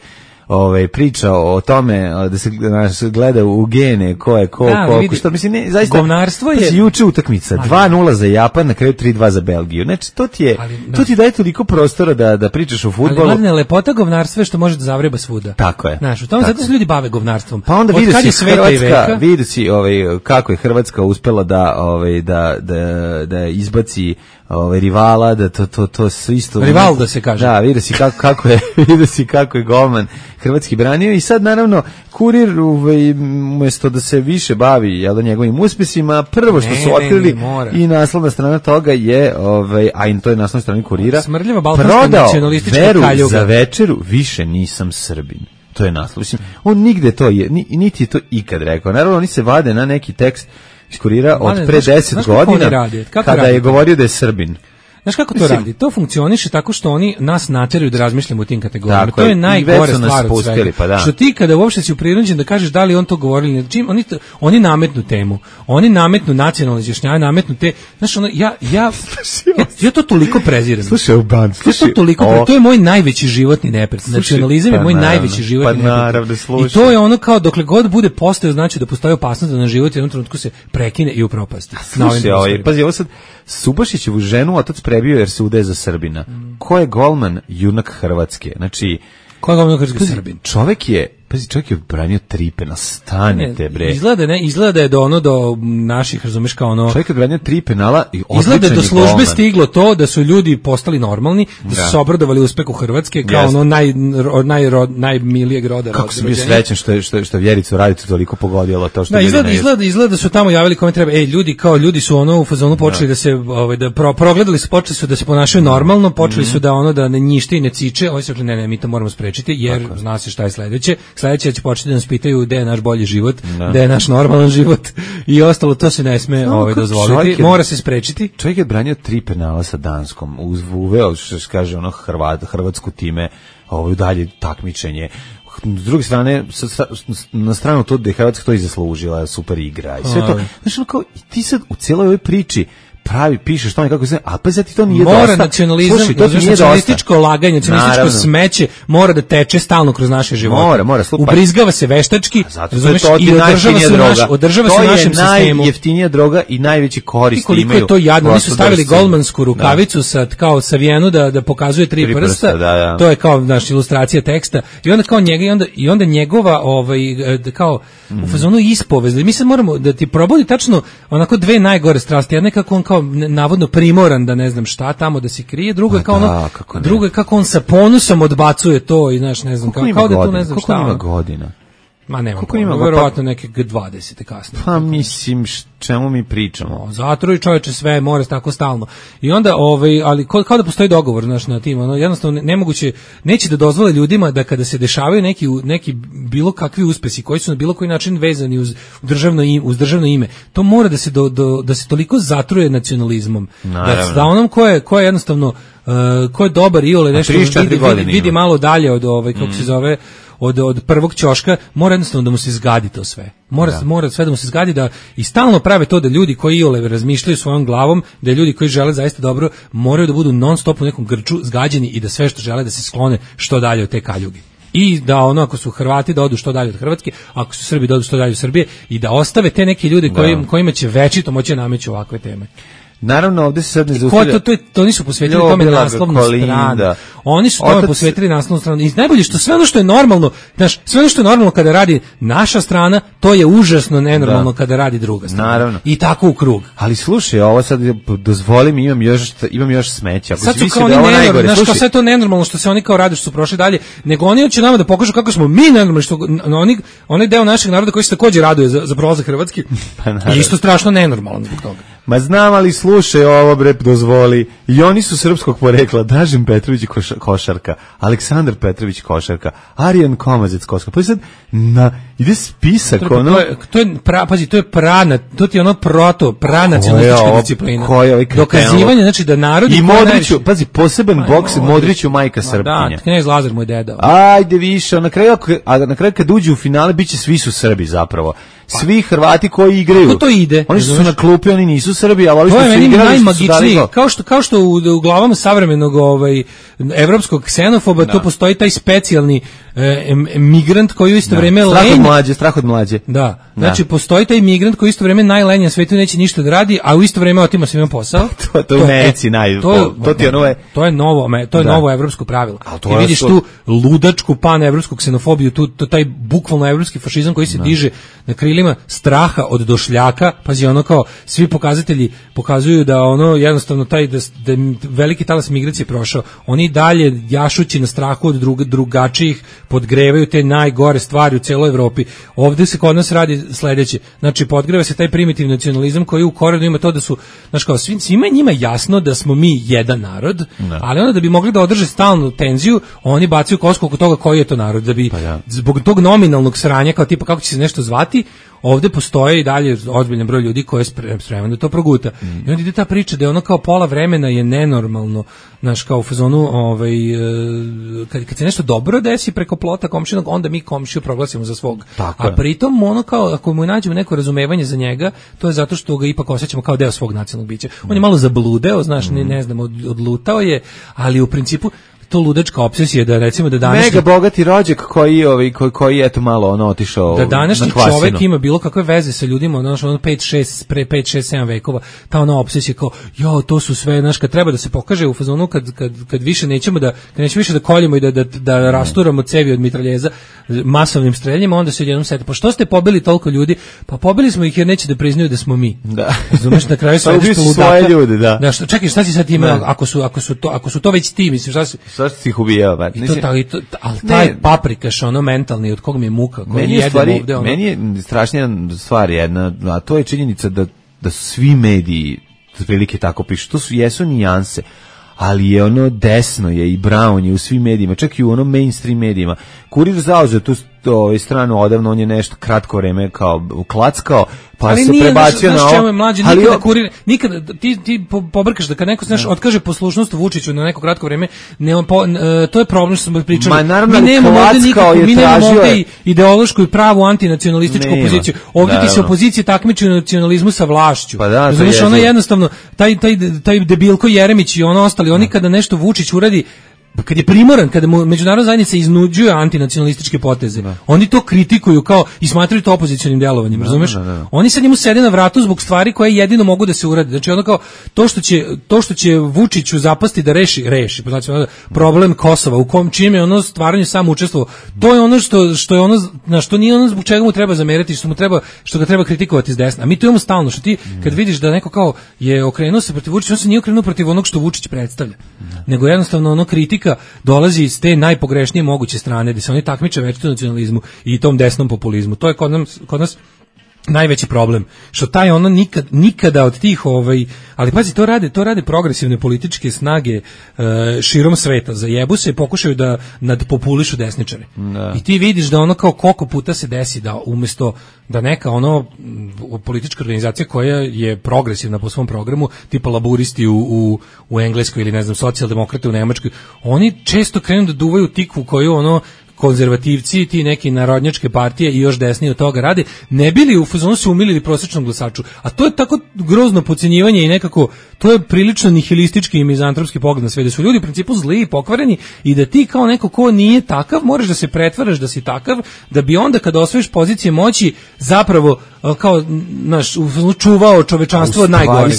ovaj priča o tome da se naš gleda u gene ko je ko da, ko što mislim ne zaista govnarstvo je pa juče utakmica dva nula za Japan, na kraju tri dva za Belgiju. Znači to ti je ali, to ti daje toliko prostora da da pričaš o fudbalu. Ali lepota govnarstva je što može da zavreba svuda. Tako je. Znaš, u tome zato se ljudi bave govnarstvom. Pa onda vidi se Hrvatska, vidi se ovaj kako je Hrvatska uspela da ovaj da da da izbaci ovaj rivala, da to to to sve isto rival da se kaže. Da, vidi se kako kako je vidi se kako je golman hrvatski branio i sad naravno Kurir ovaj umesto da se više bavi jel da njegovim uspesima, prvo što ne, su otkrili ne, ne, i naslovna strana toga je ovaj a i to je naslovna strana Kurira. Smrdljiva balkanska nacionalistička kaljuga. Za večeru više nisam Srbin. To je naslov. Mislim, on nigde to je, niti je to ikad rekao. Naravno oni se vade na neki tekst iz Kurira od pre deset godina kada radi? je govorio da je Srbin. Znaš kako to Mislim, radi? To funkcioniše tako što oni nas nateraju da razmišljamo u tim kategorijama. To je najgore stvar od svega. Pa da. Što ti kada uopšte si prinuđen da kažeš da li on to govori ili čim, oni, oni nametnu temu. Oni nametnu nacionalno izjašnjavanje, nametnu te... Znaš, ono, ja, ja, ja, ja to toliko prezirem. Slušaj, u band, slušaj. Ja to, toliko pre, to je moj najveći životni neprijatelj. Nacionalizam je moj pa najveći životni pa neprijatelj. I to je ono kao dokle god bude postao, znači da postoji opasnost da na život u jednom trenutku se prekine i upropasti. Slušaj, ovaj, pazi, ovo sad Subašićevu ženu otac prebio jer se udaje za Srbina. Mm. Ko je golman junak Hrvatske? Znači, ko je golman Hrvatske? Srbin. Čovek je, pazi, čovjek je branio Tripena, stanite bre. Izgleda, ne, izgleda je do ono do naših, razumeš, kao ono. Čovjek je branio tri penala i izgleda do službe golman. Stiglo to da su ljudi postali normalni, da su se obradovali uspehu Hrvatske kao yes. ono naj naj najmilijeg roda. Kako sam bio srećan što je što što Vjericu Radicu toliko pogodilo to što da, izgleda, izgleda, izgleda da su tamo javili kome treba. Ej, ljudi kao ljudi su ono u fazonu počeli da, da se ovaj da pro, progledali su, počeli su da se ponašaju normalno, počeli mm-hmm. su da ono da ne njište i ne ciče. Oni su rekli ne, ne, mi to moramo sprečiti jer tako. Zna se šta je sledeće. Sledeće će početi da nas pitaju gde je naš bolji život, da. Gde je naš normalan život i ostalo, to se ne sme no, ovaj, dozvoliti, je, mora se sprečiti. Čovjek je branio tri penala sa Danskom, uveo, što se kaže, ono Hrvat, Hrvatsku time, ovaj, dalje takmičenje. S druge strane, na stranu to da je Hrvatska to i zaslužila, super igra i sve to. Znaš, ono kao, i ti sad u cijeloj ovoj priči pravi, pišeš tome kako se, a pa za ti to nije mora dosta. Nacionalizam, Slušaj, to ti nije nacionalističko dosta. laganje, nacionalističko smeće mora da teče stalno kroz naše živote. Mora, mora. Slupa. Ubrizgava se veštački, razumeš, i održava se, naš, održava se našem sistemu. To je najjeftinija droga i najveći korist koliko imaju. Je to jadno, oni su stavili golmansku rukavicu da. Sa, kao savijenu da, da pokazuje tri, tri prsta, prsta da, da. To je kao naš ilustracija teksta, i onda kao njega, i onda, i onda njegova, ovaj, kao, mm. u fazonu ispovest, mi sad moramo da ti probudi tačno onako dve najgore strasti, jedna je kako on kao navodno primoran da ne znam šta tamo da se krije, drugo je kao ono, da, kako drugo je kako on sa ponusom odbacuje to i znaš ne znam kao, kao da tu ne znam šta. Koliko ima godina? Ma nema, verovatno neke dvadesete kasnije. Pa mislim, čemu mi pričamo? No, zato i čoveče sve mora tako stalno. I onda, ovaj, ali kao, kao da postoji dogovor, znaš, na tim, ono, jednostavno nemoguće, neće da dozvole ljudima da kada se dešavaju neki, neki bilo kakvi uspesi koji su na bilo koji način vezani uz državno ime, uz državno ime, to mora da se, do, do, da se toliko zatruje nacionalizmom. Da, da onom ko je, ko je jednostavno, uh, ko je dobar i ole nešto vidi, vidi, vidi malo dalje od, ovaj, kako mm. se zove, Od, od prvog ćoška, mora jednostavno da mu se zgadi to sve. Mora, da. mora sve da mu se zgadi da i stalno prave to da ljudi koji iole razmišljaju svojom glavom, da ljudi koji žele zaista dobro, moraju da budu non stop u nekom grču zgađeni i da sve što žele da se sklone što dalje od te kaljuge. I da ono, ako su Hrvati da odu što dalje od Hrvatske, ako su Srbi da odu što dalje od Srbije i da ostave te neke ljude koji, kojima će večito moći nameću ovakve teme. Naravno, ovdje se sad ne zaustavlja. To, to, to, to oni su posvetili tome naslovnu stranu. Oni su tome posvetili naslovnu stranu. I najbolje što sve ono što je normalno, znaš, sve ono što je normalno kada radi naša strana, to je užasno nenormalno da. Kada radi druga strana. Naravno. I tako u krug. Ali slušaj, ovo sad dozvoli mi, imam još, imam još smeća. Ako sad su kao oni nenormalno, znaš, kao sve to nenormalno što se oni kao rade, što su prošli dalje, nego oni hoće nama da pokažu kako smo mi nenormalni, što oni, onaj deo našeg naroda koji se takođe raduje za, za prolazak Hrvatski, pa je isto strašno nenormalan zbog toga. Ma znam, ali slušaj ovo bre, dozvoli. I oni su srpskog porekla. Dražen Petrović koš, košarka, Aleksandar Petrović košarka, Arijan Komazec košarka. Pa sad na ide spisak Treko, ono. To je to je pra, pazi, to je prana, to ti je ono proto, pranacionalistička disciplina. Dokazivanje, znači da narod i Modriću, pazi, poseban boks Modriću majka Srpkinja. Da, knez Lazar moj deda. Ajde više, na kraju a na kraju kad uđu u finale biće svi su Srbi zapravo. Svi Hrvati koji igraju. Kako to ide? Oni su na klupi, oni nisu Srbi, ali ovi što su igrali su najmagičnije. Kao što kao što u, u glavama savremenog ovaj evropskog ksenofoba da. To postoji taj specijalni e, migrant koji u isto da. Vrijeme strah od mlađe, strah od mlađe. Da. Znači da. Postoji taj migrant koji u isto vrijeme najlenji na svetu, neće ništa da radi, a u isto vrijeme otima svima posao. to to u Neci naj. To, to ti je novo. To je novo, to je da. Novo evropsko pravilo. I vidiš tu ludačku panevropsku ksenofobiju, tu to, taj bukvalno evropski fašizam koji se da. Diže na krilima straha od došljaka. Pazi, ono kao svi pokazatelji pokazuju da ono jednostavno taj da, da veliki talas migracije prošao. Oni dalje jašući na strahu od drug, drugačijih podgrevaju te najgore stvari u celoj Evropi. Ovdje se kod nas radi sledeće. Znači podgreva se taj primitivni nacionalizam koji u korenu ima to da su, znači kao svim, svima njima jasno da smo mi jedan narod, ne. Ali onda da bi mogli da održe stalnu tenziju, oni bacaju kosku oko toga koji je to narod, da bi pa ja. Zbog tog nominalnog sranja kao tipa kako će se nešto zvati, ovdje postoje i dalje ozbiljan broj ljudi koji je spreman da to proguta. Mm. I onda ide ta priča da je ono kao pola vremena je nenormalno, znaš, kao u fazonu, ovaj, kad, kad se nešto dobro desi preko plota komšinog, onda mi komšiju proglasimo za svog. Tako A pritom ono kao, ako mu nađemo neko razumevanje za njega, to je zato što ga ipak osjećamo kao deo svog nacionalnog bića. Mm. On je malo zabludeo, znaš, mm. ne, ne znam, od, odlutao je, ali u principu to ludačka opsesija da recimo da današnji mega bogati rođak koji ovaj koji koji eto malo ono otišao da današnji čovjek ima bilo kakve veze sa ljudima ono ono pet šest pre pet šest sedam vekova ta ona opsesija kao jo to su sve znaš kad treba da se pokaže u fazonu kad kad kad više nećemo da kad nećemo više da koljemo i da da da rasturamo cevi od mitraljeza masovnim streljima onda se jednom sete pa što ste pobili toliko ljudi pa pobili smo ih jer neće da priznaju da smo mi da razumeš na kraju sve što svoje ljude da da što čekaj šta si sad ima ako su ako su to ako su to već ti mislim šta si Šta si ih ubijao, ba? I to, ta, i to, ali taj ne, paprikaš, ono mentalni, od kog mi je muka, koji jedemo stvari, ovde, ono... Meni je strašnija stvar jedna, a to je činjenica da, da su svi mediji prilike tako pišu, to su jesu nijanse, ali je ono desno je i Brown je u svim medijima, čak i u onom mainstream medijima. Kurir zauzeo tu ovaj stranu odavno, on je nešto kratko vreme kao klackao, pa ali se nije, prebacio znaš, na znaš ovo. je mlađe, Ali nikada o... kurir, nikada, ti, ti pobrkaš da kad neko, znaš, otkaže poslušnost Vučiću na neko kratko vreme, ne, po, uh, to je problem što smo pričali. Ma, naravno, mi nemamo ovde nikakvu, mi nemamo ovde ideološku i pravu antinacionalističku nema. opoziciju. Ovdje ti se opozicije takmiči u nacionalizmu sa vlašću. Pa da, znaš, ono jednostavno, taj, taj, taj debilko Jeremić i ono ostali, oni kada nešto Vučić uradi, kad je primoran, kada mu međunarodna zajednica iznuđuje antinacionalističke poteze, da. Oni to kritikuju kao i smatraju to opozicionim delovanjem, da, razumeš? Da, da, da. Oni sad njemu sede na vratu zbog stvari koje jedino mogu da se urade. Znači ono kao to što će to što će Vučiću zapasti da reši, reši, znači problem Kosova u kom čime je ono stvaranje samo učestvovao. To je ono što što je ono na što nije ono zbog čega mu treba zameriti, što mu treba što ga treba kritikovati s desna. A mi to imamo stalno, što ti kad vidiš da neko kao je okrenuo se protiv Vučića, on se nije okrenuo protiv onog što Vučić predstavlja. Da. Nego jednostavno ono kritika dolazi iz te najpogrešnije moguće strane, gde se oni takmiče večito nacionalizmu i tom desnom populizmu. To je kod nas, kod nas najveći problem, što taj ono nikad, nikada od tih ovaj, ali pazi, to rade, to rade progresivne političke snage uh, širom sveta, zajebu se i pokušaju da nadpopulišu desničare. Da. I ti vidiš da ono kao koliko puta se desi da umjesto da neka ono politička organizacija koja je progresivna po svom programu, tipa laburisti u, u, u Engleskoj ili ne znam socijaldemokrate u Nemačkoj, oni često krenu da duvaju tikvu koju ono konzervativci, ti neki narodnjačke partije i još desnije od toga rade, ne bili u fazonu se umilili prosječnom glasaču. A to je tako grozno podcenjivanje i nekako, to je prilično nihilistički i mizantropski pogled na sve, da su ljudi u principu zli i pokvareni i da ti kao neko ko nije takav, moraš da se pretvaraš da si takav, da bi onda kada osvojiš pozicije moći zapravo kao, znaš, čuvao čovečanstvo od najgore.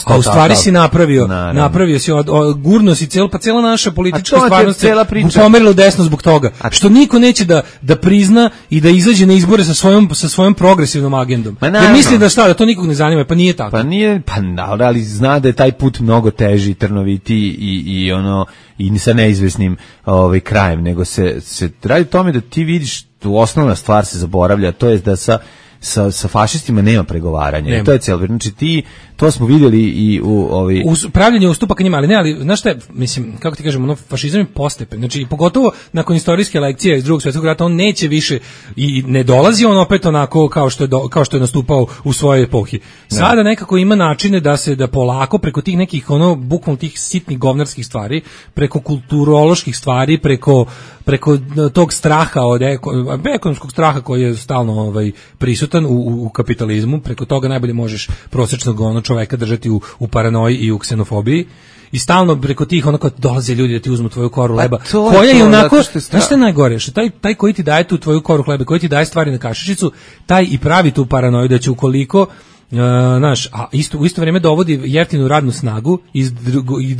A u stvari si napravio, naravno. napravio si, od, od, gurno si celo, pa cijela naša politička stvarnost se pomerila desno zbog toga. A što niko neće da da prizna i da izađe na izbore sa svojom sa svojom progresivnom agendom. Jer misli da šta, da to nikog ne zanima, pa nije tako. Pa nije, pa ali zna da je taj put mnogo teži, trnoviti i i ono i sa neizvesnim ovaj krajem, nego se se radi o tome da ti vidiš tu osnovna stvar se zaboravlja, to je da sa sa sa fašistima nema pregovaranja. Nema. I to je celo, znači ti to smo vidjeli i u ovi Us, pravljenje ustupaka njima, ali ne, ali znaš šta je, mislim, kako ti kažemo, ono fašizam je postepen. Znači pogotovo nakon istorijske lekcije iz Drugog svjetskog rata on neće više i ne dolazi on opet onako kao što je do, kao što je nastupao u svojoj epohi. Sada nekako ima načine da se da polako preko tih nekih ono bukvalno tih sitnih govnarskih stvari, preko kulturoloških stvari, preko preko tog straha od eko, ekonomskog straha koji je stalno ovaj prisutan u, u kapitalizmu, preko toga najbolje možeš prosječnog ono čoveka držati u, u paranoji i u ksenofobiji i stalno preko tih onako dolaze ljudi da ti uzmu tvoju koru hleba, koja je onako, znaš što je najgore, što taj, taj koji ti daje tu tvoju koru hleba, koji ti daje stvari na kašičicu, taj i pravi tu paranoju da će ukoliko Uh, naš, a isto, u isto vrijeme dovodi jeftinu radnu snagu iz,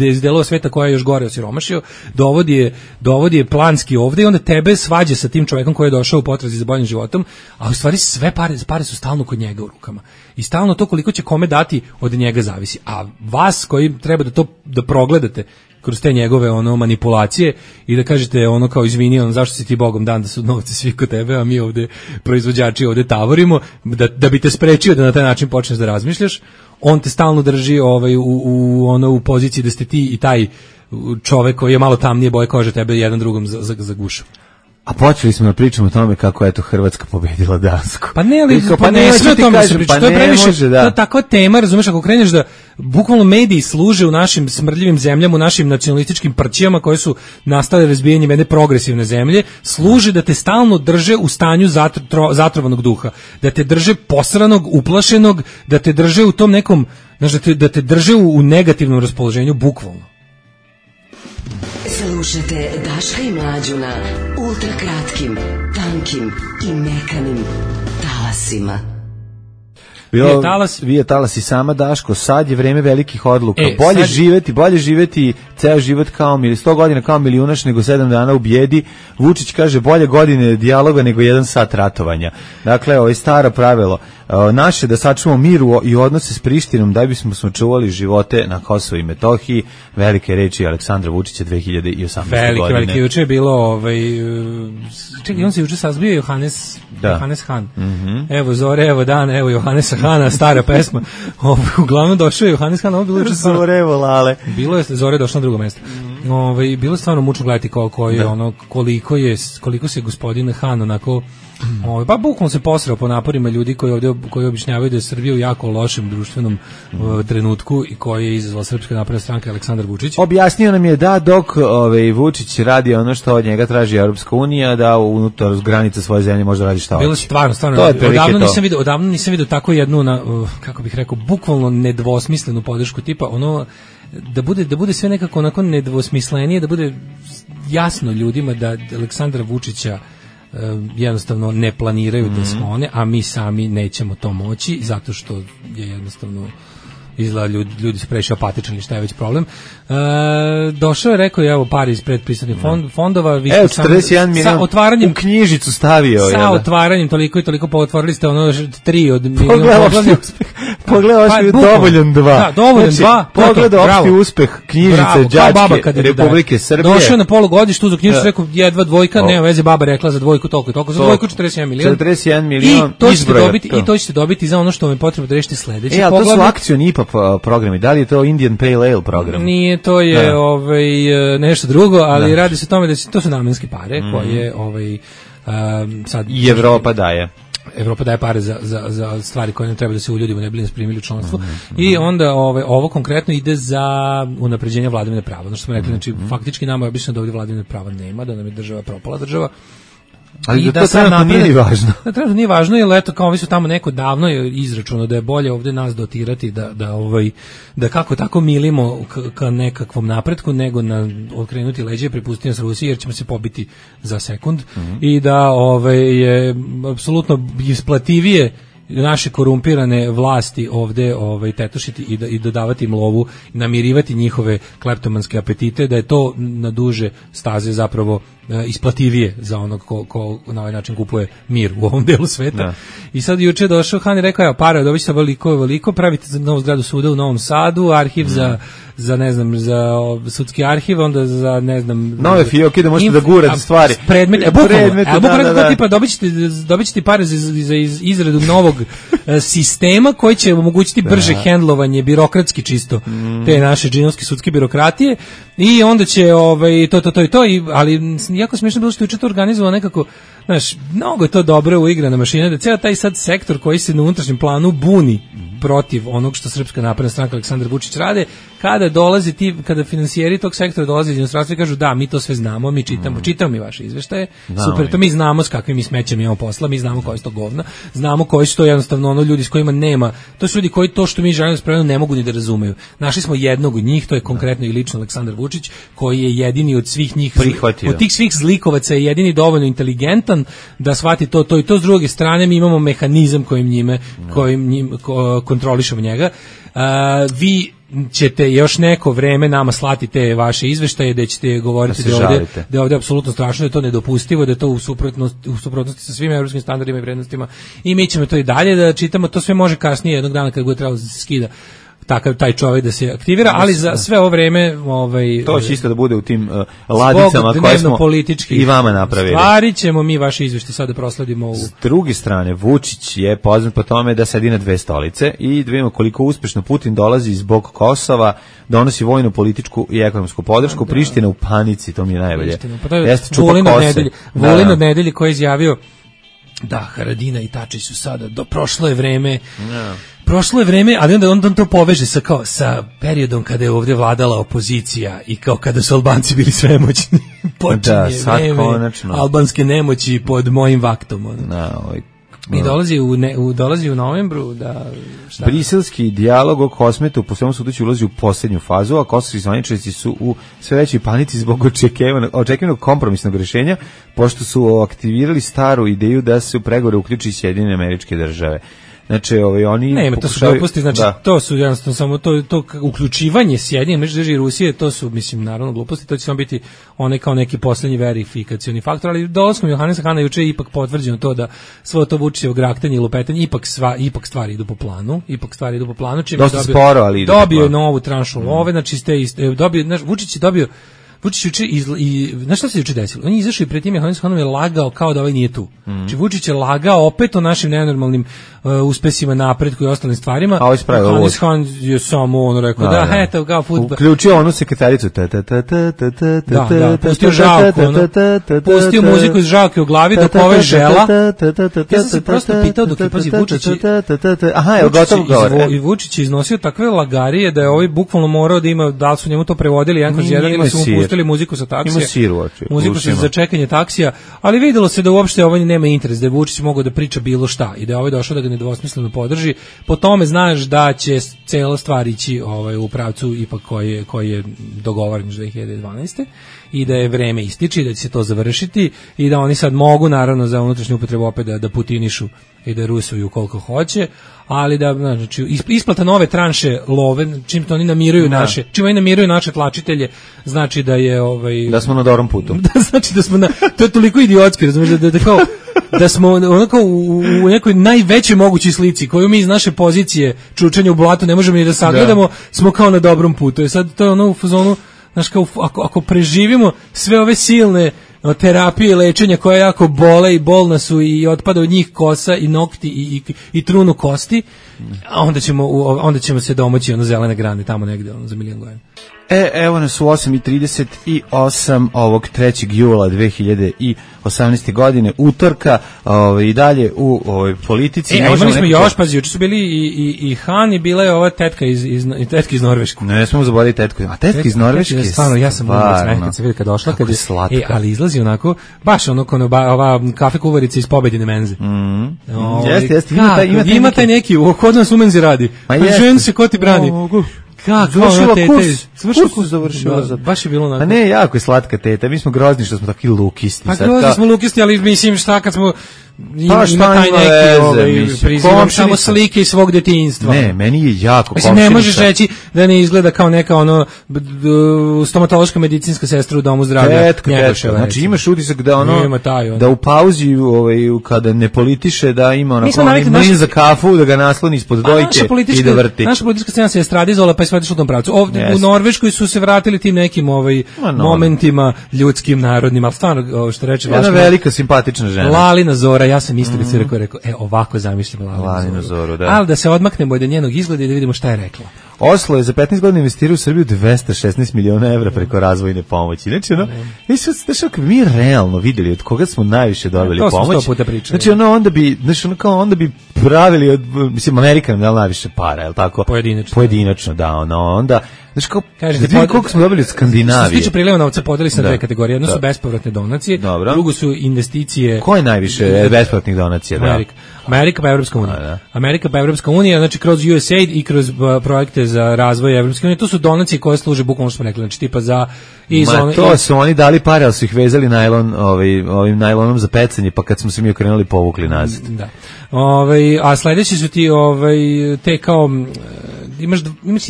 iz delova sveta koja je još gore osiromašio, dovodi je, dovodi je planski ovde i onda tebe svađa sa tim čovjekom koji je došao u potrazi za boljim životom, a u stvari sve pare, pare su stalno kod njega u rukama. I stalno to koliko će kome dati od njega zavisi. A vas koji treba da to da progledate kroz te njegove ono manipulacije i da kažete ono kao izvini, on zašto si ti Bogom dan da su novci svi kod tebe, a mi ovde proizvođači ovde tavorimo, da, da bi te sprečio da na taj način počneš da razmišljaš, on te stalno drži ovaj, u, u, ono, u poziciji da ste ti i taj čovek koji je malo tamnije boje kože tebe jedan drugom za, za, za gušu. A počeli smo da pričamo o tome kako je to Hrvatska pobedila Dansku. Pa ne, ali pa, pa ne, sve o tome se priča, pa to je previše, može, da. To je takva tema, razumeš, ako kreneš da bukvalno mediji služe u našim smrdljivim zemljama, u našim nacionalističkim prćijama koje su nastale razbijanjem jedne progresivne zemlje, služe da te stalno drže u stanju zatro, zatrovanog duha, da te drže posranog, uplašenog, da te drže u tom nekom, znaš, da te, da te drže u, u negativnom raspoloženju, bukvalno. Slušajte Daška i Mlađu na ultrakratkim, tankim i mekanim talasima. Bio, talas. Vi je talas i sama Daško, sad je vreme velikih odluka. E, bolje sad... živeti, bolje živeti ceo život kao mil, sto godina kao milijunaš nego sedam dana u bijedi. Vučić kaže bolje godine dijaloga nego jedan sat ratovanja. Dakle, ovo je staro pravilo. Naše da sačuvamo miru i odnose s Prištinom da bismo sačuvali živote na Kosovu i Metohiji. Velike reči Aleksandra Vučića dve hiljade osamnaeste. Velike, godine. Velike, juče je bilo ovaj, čekaj, on se juče sazbio Johannes, da. Johannes Han. Mm-hmm. Evo zore, evo dan, evo Johannesa Hana, stara pesma. Ovo, uglavnom došao je Johannes Han, ovo bilo juče. Zore, evo lale. Bilo je, zore došlo na drugo mjesto. Mm-hmm. ovaj, bilo stvarno mučno gledati ko, ko je, ono, koliko, je, koliko se gospodin Han onako, ovaj, pa bukvalno se posrao po naporima ljudi koji ovdje koji objašnjavaju da je Srbija u jako lošem društvenom uh, trenutku i koji je izazvala Srpska napredna stranka Aleksandar Vučić. Objasnio nam je da dok ovaj, Vučić radi ono što od njega traži Europska unija, da unutar granica svoje zemlje može da radi šta hoće. Bilo stvarno, stvarno. Odavno nisam vidio, odavno nisam vidio tako jednu, na, uh, kako bih rekao, bukvalno nedvosmislenu podršku tipa ono da bude da bude sve nekako onako nedvosmislenije, da bude jasno ljudima da Aleksandra Vučića uh, jednostavno ne planiraju mm-hmm. da sklone, a mi sami nećemo to moći zato što je jednostavno izgleda ljudi, ljudi su previše apatični, šta je već problem. E, došao je, rekao je, evo pari iz predpristupnih fond, fondova. Vi evo, četrdeset jedan milion otvaranjem, u knjižicu stavio. Sa jel, otvaranjem toliko i toliko, pa otvorili ste ono tri od miliona pogledaj uspeh. Pogledaj pa, dovoljan dva. Da, dovoljan znači, dva. Pogledaj opšti uspeh knjižice Đačke Republike Srbije. Došao na polugodištu, za knjižicu rekao jedva dvojka, nema veze, baba rekla za dvojku toliko i toliko, za dvojku četrdeset jedan milion. četrdeset jedan milion I to ćete dobiti, i to ćete dobiti za ono što vam je potrebno da rešite sledeće. E, a to su akcioni I P A programi. Da li je to Indian Pale Ale program? Nije, to je da. ovaj nešto drugo, ali da. Radi se o tome da to su namenske pare mm. koje ovaj um, sad i Evropa daje. Evropa daje pare za, za, za stvari koje nam treba da se uljudimo, ne bi nas primili u članstvo. Mm-hmm. I onda ovaj, ovo konkretno ide za unapređenje vladavine prava. Ono što smo rekli, znači, mm-hmm. faktički nama je obično da ovdje vladavine prava nema, da nam je država propala država. Ali I da, da to trenutno nije važno. Da trenutno nije važno, jer eto, kao ovi su tamo neko davno je izračunao da je bolje ovdje nas dotirati, da, da, ovaj, da kako tako milimo k, ka nekakvom napretku, nego na okrenuti leđe i prepustiti nas Rusiji, jer ćemo se pobiti za sekund. Mm-hmm. I da ovaj, je apsolutno isplativije naše korumpirane vlasti ovde ovaj tetošiti i da i dodavati im lovu, namirivati njihove kleptomanske apetite, da je to na duže staze zapravo e, isplativije za onog ko, ko na ovaj način kupuje mir u ovom delu sveta. Da. I sad juče došao Han i rekao, evo, para dobićete veliko, veliko, pravite za novu zgradu suda u Novom Sadu, arhiv mm. za za ne znam, za sudski arhiv, onda za ne znam nove fioke da možete inf, da gurate stvari predmet, e, bukvalno, e, bukvalno da, da, da. tipa dobićete dobićete pare za, za izradu novog sistema koji će omogućiti brže hendlovanje, birokratski čisto mm. te naše džinovske sudske birokratije i onda će ovaj to to to i to i ali jako smiješno bilo što je to organizovano nekako, znaš, mnogo je to dobro uigrana mašina, da ceo taj sad sektor koji se na unutrašnjem planu buni protiv onog što Srpska napredna stranka Aleksandar Vučić rade, kada dolazi ti, kada finansijeri tog sektora dolaze iz inostranstva i kažu da, mi to sve znamo, mi čitamo, mm. čitamo mi vaše izveštaje, znamo super, to mi znamo s kakvim mi smećem imamo posla, mi znamo koji su to govna, znamo koji su to jednostavno ono ljudi s kojima nema, to su ljudi koji to što mi želimo spremno ne mogu ni da razumeju. Našli smo jednog od njih, to je konkretno i lično Aleksandar Vučić, koji je jedini od svih njih, prihvatio. Od tih svih zlikovaca je jedini dovoljno inteligentan da shvati to, to i to. S druge strane mi imamo mehanizam kojim njime, kojim njim ko, kontrolišemo njega. Uh, vi ćete još neko vreme nama slati te vaše izveštaje da ćete govoriti da, da, je ovdje, da je ovdje apsolutno strašno, da je to nedopustivo, da je to u suprotnosti, u suprotnosti sa svim evropskim standardima i vrednostima i mi ćemo to i dalje da čitamo, to sve može kasnije jednog dana kad bude trebalo da se skida takav taj čovjek da se aktivira, ali za sve ovo vreme ovaj to će isto da bude u tim uh, ladicama koje smo i vama napravili. Stvari ćemo mi vaše izveštaje sada da prosledimo u... S druge strane, Vučić je poznat po tome da sedi na dve stolice i da vidimo koliko uspešno Putin dolazi zbog Kosova, donosi vojnu, političku i ekonomsku podršku, da. Priština u panici, to mi je najbolje. Pa to je Vulin od nedelje, Vulin od nedelje koji je izjavio da Haradina i Tačić su sada, do prošlo je vreme, no. prošlo je vreme, ali onda on to poveže sa, kao, sa periodom kada je ovdje vladala opozicija i kao kada su Albanci bili svemoćni. Počinje da, vreme konačno. Albanske nemoći pod mojim vaktom. Ono. No, ovaj, I dolazi u, ne, u, dolazi u novembru da... Šta? Briselski dijalog o Kosmetu po svemu sudeći ulazi u posljednju fazu, a kosovski zvaničnici su u sve većoj panici zbog očekivanog, očekivanog kompromisnog rješenja, pošto su aktivirali staru ideju da se u pregovore uključi Sjedinjene Američke Države. Znači, ovaj oni nema, to su gluposti, znači da. To su jednostavno samo to to uključivanje Sjedinjenih Američkih Država i Rusije, to su mislim naravno gluposti, to će samo biti onaj kao neki poslednji verifikacioni faktor, ali dolaskom Johanesa Hana juče je ipak potvrđeno to da svo to Vučićevo graktanje i lupetanje ipak sva ipak stvari idu po planu, ipak stvari idu po planu, čime dosta dobio, sporo, ali dobio je novu tranšu love, znači ste dobio, znaš, Vučić je dobio Vučić juče i znaš šta se juče desilo? On je izašao i pred tim Johannes Hanom je lagao kao da ovaj nije tu. Mm. Znači Vučić je lagao opet o našim nenormalnim uh, uspesima, napretku i ostalim stvarima. A ovaj spravio ovo. Johannes Han je samo on rekao da, da eto kao fudbal. Uključio onu sekretaricu. Ta ta ta ta ta ta. Da, da, pustio žalku, ono. Pustio muziku iz žalke u glavi dok ovaj žela. Ja sam se prosto pitao dok je pazi Vučić. Aha, je gotovo govor. I Vučić je iznosio takve lagarije da je ovaj bukvalno morao da ima, da li su njemu to prevodili jedan kroz jedan ili su mu pustili muziku sa taksija. Ima sir u oči. Muziku za čekanje taksija, ali videlo se da uopšte ovaj nema interes, da je Vučić mogao da priča bilo šta i da je ovaj došao da ga nedvosmisleno podrži. Po tome znaš da će cela stvar ići ovaj, u pravcu ipak koji je, koji je dogovoren dve hiljade dvanaeste. I da je vreme ističe, da će se to završiti i da oni sad mogu naravno za unutrašnju upotrebu opet da, da putinišu i da rusuju koliko hoće, ali da znači isplata nove tranše love, čim to oni namiruju da. naše, čim oni namiruju naše tlačitelje, znači da je ovaj da smo na dobrom putu. Da znači da smo na to je toliko idiotski, razumeš da, da, da kao da smo onako u, u nekoj najvećoj mogućoj slici koju mi iz naše pozicije čučanja u blatu ne možemo ni da sagledamo, da. smo kao na dobrom putu. I sad to je ono u fazonu, znaš, kao, ako, ako preživimo sve ove silne terapije i lečenja koje jako bole i bolna su i otpada od njih kosa i nokti i, i, i trunu kosti, a onda ćemo, onda ćemo se domoći ono zelene grane tamo negde ono, za milijon godina. E, evo nas u osam i trideset osam ovog trećeg jula dve hiljade osamnaeste. godine, utorka, ovaj, i dalje u ovoj politici. E, a imali smo nekako... još, pazi, juče su bili i, i, i Han i bila je ova tetka iz, iz, tetka iz Norveške. Ne, ne smemo zaboraviti tetku. A tetka, tetka iz Norveške je stvarno, ja sam umreć kad se vidi kad došla. Kad je slatka. E, ali izlazi onako, baš ono, ono ova kafe kuvarica iz Pobedine menze. Mm. O, jeste, jeste, ima taj, ima taj, ima taj neki, kod nas u menzi radi. Ma žen se ko ti brani. Kako, završila kurs, završila kurs završila. Da, baš je bilo onako. A ne, jako je slatka teta, mi smo grozni što smo takvi lukisti. Pa grozni smo lukisti, ali mislim šta kad smo Pa ima, ima taj neki veze, ovaj, prizivam samo slike iz svog detinjstva. Ne, meni je jako mislim, ne možeš reći da ne izgleda kao neka ono stomatološka medicinska sestra u domu zdravlja. Tetka, tetka. Znači imaš utisak da ono, taj, ono. da u pauzi ovaj, kada ne politiše da ima onako onaj mlin za kafu, da ga nasloni ispod dojke i da vrti. Naša politička scena se estradizovala pa je sve otišlo u tom pravcu. Ovdje yes. u Norveškoj su se vratili tim nekim ovaj, no, no. momentima ljudskim, narodnim, ali stvarno što reče Jedna velika simpatična žena. Lalina Zora, ja sam isto mm. rekao, rekao, e, ovako zamišljam Lalinu, Lalinu Zoru. Zoru da. Ali da se odmaknemo od njenog izgleda i da vidimo šta je rekla. Oslo je za petnaest godina investirao u Srbiju dvesta šesnaest miliona evra preko razvojne pomoći. Znači, ono, znači, mi realno videli od koga smo najviše dobili to pomoć. Znači, ono, onda bi, znači, ono, kao, onda bi pravili, od, mislim, Amerika nam dala najviše para, je li tako? Pojedinačno. Pojedinačno, da, ono, onda, znači, kao, kažete, pod... koliko smo dobili od Skandinavije. Što se tiče priliva novca, podeli se na dve kategorije. Jedno da. su bespovratne donacije, Dobro. drugo su investicije. Ko je najviše bespovratnih donacija? Amerika. Da. Amerika pa Evropska unija. Da. Amerika pa Evropska unija, znači kroz U S A I D i kroz uh, projekte za razvoj Evropske unije. To su donacije koje služe bukvalno što smo rekli, znači tipa za i za ono, to su oni dali pare, ali su ih vezali najlon, ovaj ovim najlonom za pecanje, pa kad smo se mi okrenuli povukli nazad. Da. Ovaj a sledeći su ti ovaj te kao imaš imaš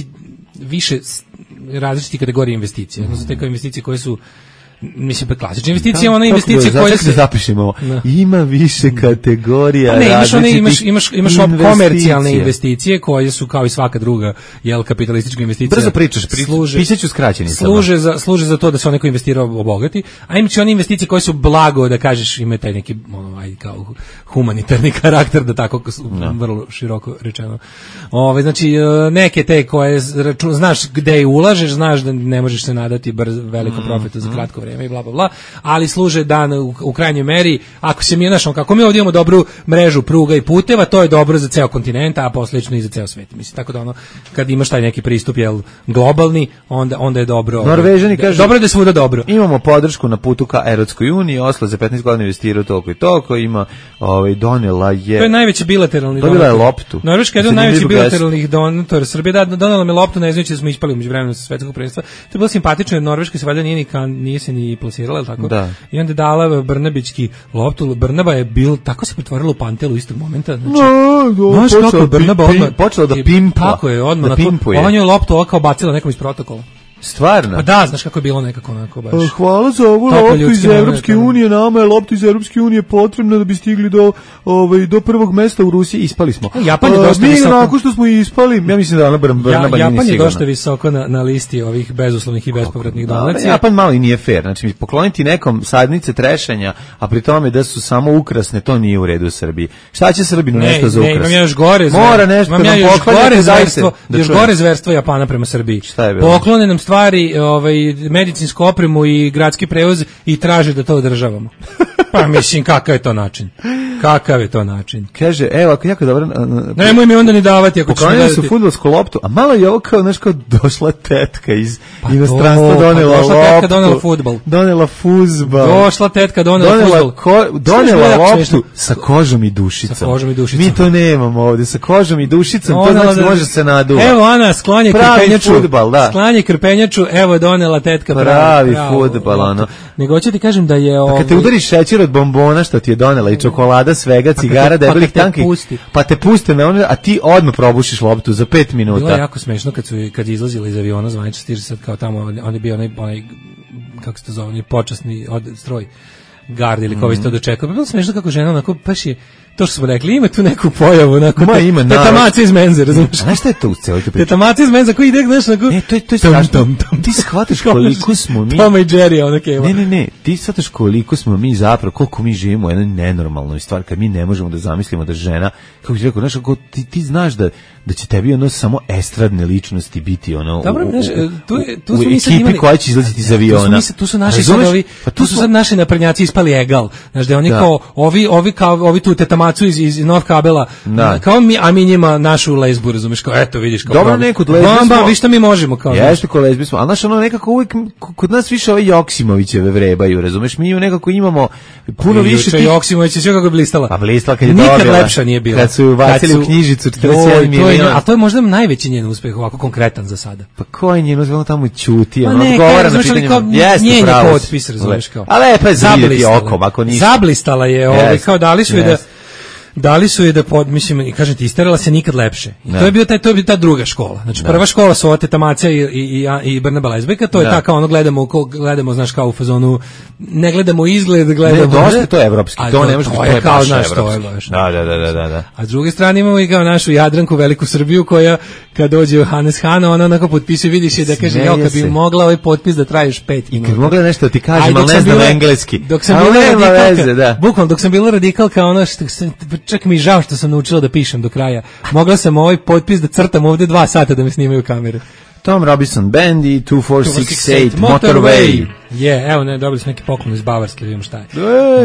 više različitih kategorija investicija. Odnosno te kao investicije koje su mislim pa klasične investicije, ona investicije koje se zapišemo. No. Ima više kategorija. Pa ne, imaš one, imaš imaš imaš komercijalne investicije koje su kao i svaka druga jel kapitalistička investicija. Brzo pričaš, služe, pisaću skraćenicama. Služe za služe za to da se onako investirao obogati, a imaš one investicije koje su blago da kažeš ima taj neki ono aj kao humanitarni karakter da tako no. vrlo široko rečeno. Ove znači neke te koje račun, znaš gde ulažeš, znaš da ne možeš se nadati brz velikom profitu za kratko vreme i bla bla bla, ali služe dan u, u krajnjoj meri, ako se mi našao kako mi ovdje imamo dobru mrežu pruga i puteva, to je dobro za ceo kontinent, a posljedično i za ceo svet. Mislim tako da ono kad imaš taj neki pristup jel globalni, onda onda je dobro. Norvežani kažu dobro da je svuda dobro. Imamo podršku na putu ka Evropskoj uniji, Oslo za petnaest godina investirao toliko i toliko, ima ovaj donela je. To je najveći bilateralni donator. Dobila je loptu. Norveška je jedan od najvećih bilateralnih donatora. Srbija da donela mi loptu, ne znajući da smo ispali međuvremenu sa svetskog prvenstva. To je bilo simpatično jer Norveška se valjda nije ni kan, nije se ni plasirala, el tako? Da. I onda je dala Brnabićki loptu. Brnaba je bil tako se pretvorila u Pantelu istog momenta, znači. No, znaš kako Brnaba odmah počela da pimpa. Tako je, odmah da na to. Ona je loptu ovako bacila nekom iz protokola. Stvarno? Pa da, znaš kako je bilo nekako onako baš. Hvala za ovu loptu iz Evropske unije, nama je lopta iz Evropske unije potrebna da bi stigli do ovaj do prvog mesta u Rusiji, ispali smo. Japan je dosta mi visoko. Mi nakon što smo ispali, ja mislim da ona Brnabić ja, nije Japan je sigurno. dosta visoko na, na listi ovih bezuslovnih i bespovratnih donacija. Japan malo i nije fair, znači pokloniti nekom sadnice trešanja, a pri tome da su samo ukrasne, to nije u redu u Srbiji. Šta će Srbinu ne, nešto za ukras? Ne, imam ja još gore zverstvo. Mora nešto imam ja još gore zverstvo, da još gore zverstvo Japana prema Srbiji. Šta je bilo? Poklone nam stvari, ovaj, medicinsku opremu i gradski prevoz i traže da to održavamo. Pa mislim, kakav je to način? Kakav je to način? Kaže, evo, ako jako dobro... Nemoj mi onda ni davati ako ćeš mi davati. Su fudbalsku loptu, a malo je ovo kao, znaš, kao došla tetka iz pa inostranstva, to, donela pa došla loptu. tetka, donela fudbal. Donela fuzbal. Došla tetka, donela, donela fuzbal. Ko, donela loptu sa kožom i dušicom. Sa kožom i dušicom. Mi to nemamo ovdje, sa kožom i dušicom, to znači da može se naduva. Evo, Ana, sklanje krpenjaču. Fudbal, da. Sklanje krpenjaču, evo je donela tetka. Pravi, pravi fudbal, ono. Nego hoću ti kažem da je... A kad te udariš šećer od bombona što ti je donela i čokolada, svega, cigara, debelih tanki, pa te puste na ono, a ti odmah probušiš loptu za pet minuta. Bilo je jako smešno kad su kad je izlazila iz aviona zvanično stiže sad kao tamo, on je bio onaj, onaj kako se to zove, počasni od, stroj gard ili kao vi ste dočekao. Bilo smešno kako žena onako baš je to što smo rekli, ima tu neku pojavu, onako, Ma, ima, tetamaca iz menze, razumiješ? Znaš šta je to u celoj te priči? Tetamaca iz menze, koji ide, znaš, onako... Ne, to je, to je strašno. Ti shvataš koliko smo mi... Toma i Jerry, ono keva. Ne, ne, ne, ti shvataš koliko smo mi zapravo, koliko mi živimo u jednoj nenormalnoj stvari, kad mi ne možemo da zamislimo da žena, kako ti rekao, znaš, ako ti, ti znaš da, da će tebi ono samo estradne ličnosti biti ono dobro, u, znaš, tu, je, tu u, u ekipi imali, koja će izlaziti iz aviona. Tu su, tu su naši sad ovi, pa tu, tu su sad naši naprednjaci ispali egal. Znaš, da oni da. kao, ovi, ovi kao, ovi tu tetamacu iz, iz North kabela, da. kao mi, a mi njima našu lezbu, razumiješ, kao, eto, vidiš, kao, dobro, nekud lezbi smo, bamba, vi šta mi možemo, kao, jeste ko lezbi smo, ali znaš, ono, nekako uvijek, kod nas više ove Joksimovićeve vrebaju, razumiješ, mi nekako imamo puno više tih... Joksimović je sve kako je blistala. Pa blistala kad je nikad dobila. Nikad lepša nije bila. Kad su ubacili u knjižicu četrdeset sedam miliona. A to je možda najveći njen uspeh, ovako konkretan za sada. Pa ko je njen uspeh, ono tamo ćuti, ono odgovara na pitanje. Jeste pravo. Njen je potpis, razumiješ, kao. A lepa je zavidjeti okom, ako ništa. Zablistala je, ovaj, kao dali su je da... Dali su je da pod, mislim, kažem ti, istarala se nikad lepše. I to je bio taj, to je bio ta druga škola. Znači da. Prva škola su ova Tetamaca i i i Brnaba Lezbejka, to je ta kao ono gledamo, ko, gledamo, znaš, kao u fazonu, ne gledamo izgled, gledamo. Ne, dosta to je evropski, to, to ne može biti, to je kao, baš znaš, evropski. To je baš. Da, da, da, da, da. A s druge strane imamo i kao našu Jadranku, veliku Srbiju, koja kad dođe u Hannes Hano, ona onako potpisuje, vidiš je da kaže, jo, kad bi mogla ovaj potpis da traje još pet minuta. I kad mogla nešto da ti kažem, ali ne znam engleski. Dok sam bila radikalka, bukvalno, dok sam bila radikalka, ono što čak mi žao što sam naučila da pišem do kraja. Mogla sam ovaj potpis da crtam ovdje dva sata da me snimaju kamere. Tom Robinson Band i two four six eight Motorway. Je, yeah, evo ne, dobili smo neki poklon iz Bavarske, vidimo šta je.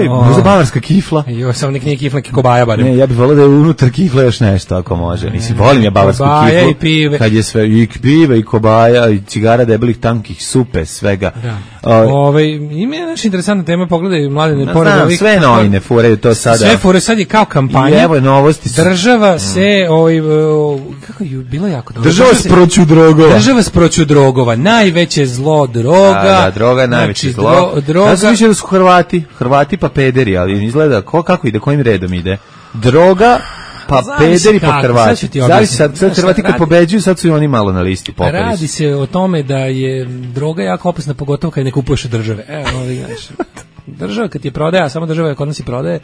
Ej, oh. Možda bavarska kifla. Jo, samo nek nije kifla, neki kobaja barem. Ne, ja bih volio da je unutar kifla još nešto, ako može. Nisi, volim ja bavarsku kobaja kiflu. I pive. Kad je sve, i pive, i kobaja, i cigara debelih, tankih, supe, svega. Da. Ove, Ove ima je naša interesantna tema, pogledaj, mladine, no, pored ovih... Sve novine furaju to sada. Sve fure, sad je kao kampanja. I evo je novosti. Država mm. se, ovaj, kako je, bilo jako dobro. Država s proću drogova. Država s proću drogova. Najveće zlo, droga. Da, da, droga je najveće znači, zlo. Droga. Ja sam mislio da su Hrvati, Hrvati pa pederi, ali izgleda ko, kako ide, kojim redom ide. Droga, pa pederi, pa Hrvati. Zavisi sad, sad Hrvati kad pobeđuju, sad su i oni malo na listi. Popali. Radi se o tome da je droga jako opasna, pogotovo kad ne kupuješ od države. Evo, ovdje, znaš, država kad je prodaje, a samo država kod nas i prodaje,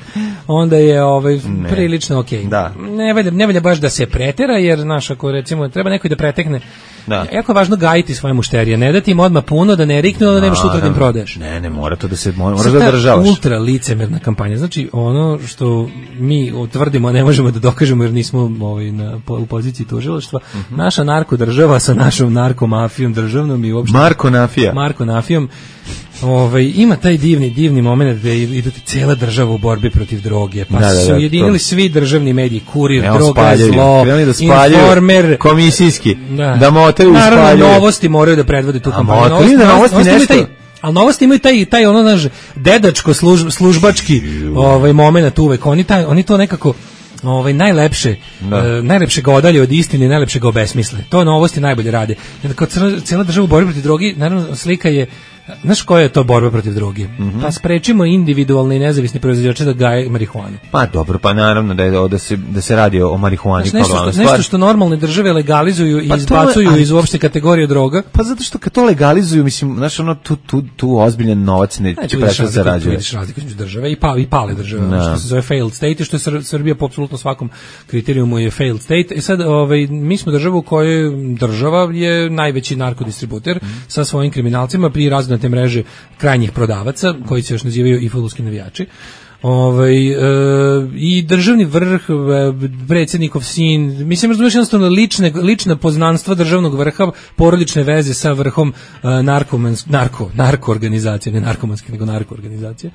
onda je ovaj ne. prilično okej. Okay. Da. Ne valja, ne valja baš da se pretera, jer znaš, ako recimo treba neko da pretekne, da. Jako je važno gajiti svoje mušterije, ne dati im odmah puno, da ne riknu, da nemaš sutra da im prodaješ. Ne, ne, mora to da se, moraš da državaš. Ultra licemerna kampanja, znači ono što mi utvrdimo, ne možemo da dokažemo jer nismo ovaj, na, u poziciji tužilaštva, uh-huh. naša narkodržava sa našom narkomafijom državnom i uopšte... Markonafija. Markonafijom. Ovaj ima taj divni divni momenat gde ide cela država u borbi protiv droge, pa da, da, da, su ujedinili svi državni mediji, Kurir, ne, droga je zlo, da Informer, komisijski, da, da motaju i spaljuju. Naravno, novosti moraju da predvode tu kampanju. Novosti, da novosti, novosti nešto... Taj, ali novosti imaju taj, taj ono, naš, dedačko služ, službački ovaj, moment uvek, oni, taj, oni to nekako... Ovaj najlepše, uh, najlepše ga odalje od istine, najlepše ga obesmisle. To novosti najbolje rade. Jer kad cela država u borbi protiv droge, naravno slika je Znaš koja je to borba protiv droge? Mm-hmm. Pa sprečimo individualne i nezavisne proizvođače da gaje marihuanu. Pa dobro, pa naravno da, je, da, se, da se radi o marihuani. Znaš, nešto, što, nešto što normalne države legalizuju i pa izbacuju to, iz uopšte kategorije droga. Pa zato što kad to legalizuju, mislim, znaš, ono, tu, tu, tu ozbiljan novac ne će prešao zarađuje. Vidiš razliku između države i, pa, i pale države, no. Što se zove failed state i što je Sr- Srbija po apsolutno svakom kriterijumu je failed state. I sad, ovaj, mi smo država u kojoj država je najveći narkodistributer mm. sa svojim kriminalcima pri razne mreže krajnjih prodavaca, koji se još nazivaju i fudbalski navijači. Ovaj, e, i državni vrh, predsjednikov sin, mislim, razumiješ, jednostavno lične, lična poznanstva državnog vrha, porodične veze sa vrhom e, narkomans, narko, narko organizacije, ne narkomanske, nego narko organizacije.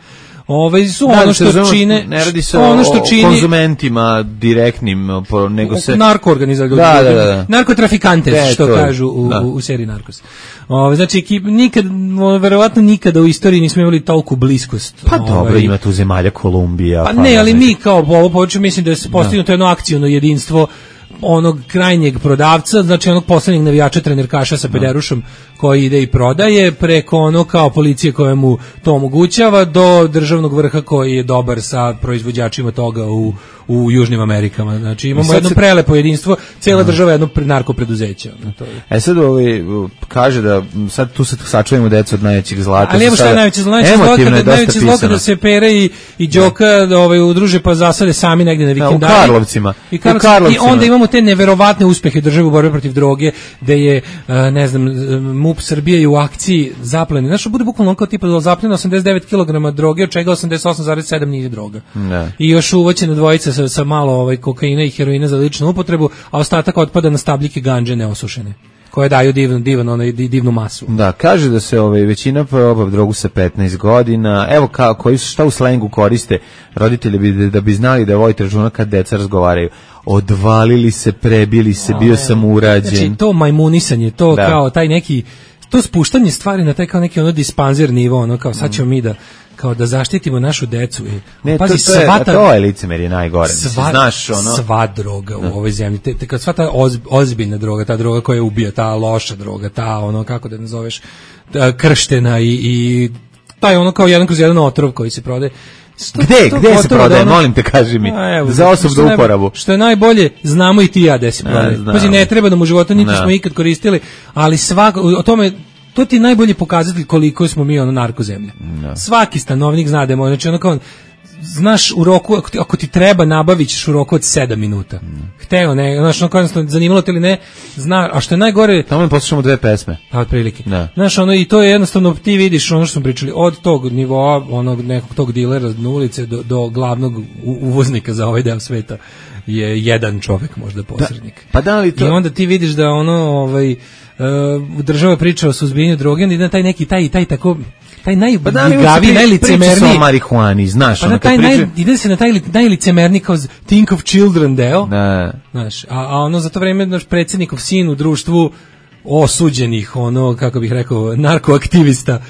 Ovaj su da, ono što čine, ne radi se ono što o čini konzumentima direktnim, nego se narko organizacije, da, da, da. narkotrafikantes, de, što kažu u, u, u seriji Narkos. Ovaj, znači nikad, verovatno nikada u istoriji nismo imali toliku bliskost. Pa ovaj, dobro, ima tu zemalja Kolumbija. Pa, pa ne, ali mi kao ovo počeo, mislim da je postignuto jedno akciono jedinstvo onog krajnjeg prodavca, znači onog poslednjeg navijača trenerkaša sa pederušom koji ide i prodaje, preko ono kao policije koja mu to omogućava, do državnog vrha koji je dobar sa proizvođačima toga u, u Južnim Amerikama. Znači imamo jedno se... prelepo jedinstvo, cijela država je jedno narko preduzeće. E sad ovaj, kaže da sad tu se sačuvamo decu od najvećeg zlata. Ali evo šta je najveće zlo, najveće zlo kada, najveće zlo kada se Pere i, i Đoka da. ovaj, udruže pa zasade sami negdje na vikendari. Da, u Karlovcima. I, u Karlovcima. I onda imamo te neverovatne uspehe države u borbi protiv droge, da je, ne znam, MUP Srbije u akciji zaplene. Znaš, bude bukvalno kao tipa da zapljeno osamdeset devet kilograma droge, od čega osamdeset osam zarez sedam nije droga. Ne. I još uvoćena dvojica sa, sa malo ovaj, kokaina i heroina za ličnu upotrebu, a ostatak otpada na stabljike gandže neosušene, koje daju divan, divan, onaj, divnu masu. Da, kaže da se ovaj, većina proba drogu sa petnaest godina. Evo ka, koji su, šta u slengu koriste roditelji bi, da bi znali da vojite računa kad deca razgovaraju. Odvalili se, prebili se, bio sam urađen. Znači to majmunisanje, to da. Kao taj neki, to spuštanje stvari na taj kao neki ono dispanzer nivo, ono kao sad ćemo mi da kao da zaštitimo našu decu. I, ne, pazi, to, to, je, svata, to je licemerje najgore. Sva, znaš, ono... sva droga u ovoj zemlji, te, te kad sva ta oz, ozbiljna droga, ta droga koja ubija, ta loša droga, ta ono, kako da nazoveš, ta krštena i, i taj ono kao jedan kroz jedan otrov koji se prodaje. Sto, gde, gde se prodaje, ono, molim te, kaži mi, evo, za osobnu uporabu. Što je najbolje, znamo i ti ja gde se prodaje. Pazi, ne treba nam u životu, niti smo ikad koristili, ali svako, o tome, to ti je najbolji pokazatelj koliko smo mi ono narkozemlja. No. Svaki stanovnik zna da je, znači ono kao, znaš u roku, ako ti, ako ti treba nabavit ćeš u roku od sedam minuta. Mm. Hteo, ne, znaš, ono kao, zanimalo te ili ne, zna, a što je najgore... Tamo mi poslušamo dve pesme. A, otprilike. No. Znaš, ono, i to je jednostavno, ti vidiš ono što smo pričali, od tog nivoa, onog nekog tog dilera na ulice do, do glavnog uvoznika za ovaj deo sveta je jedan čovek, možda posrednik. Da, pa da li to... I onda ti vidiš da ono, ovaj, uh, država priča o suzbijanju droge, onda ide na taj neki, taj, taj tako... taj najgaviji, pa najlicemerniji marihuani, znaš, pa na taj naj, ide se na taj najlicemerniji kao think of children deo, ne. Znaš, a, a ono za to vreme naš predsjednikov sin u društvu osuđenih, ono, kako bih rekao, narkoaktivista,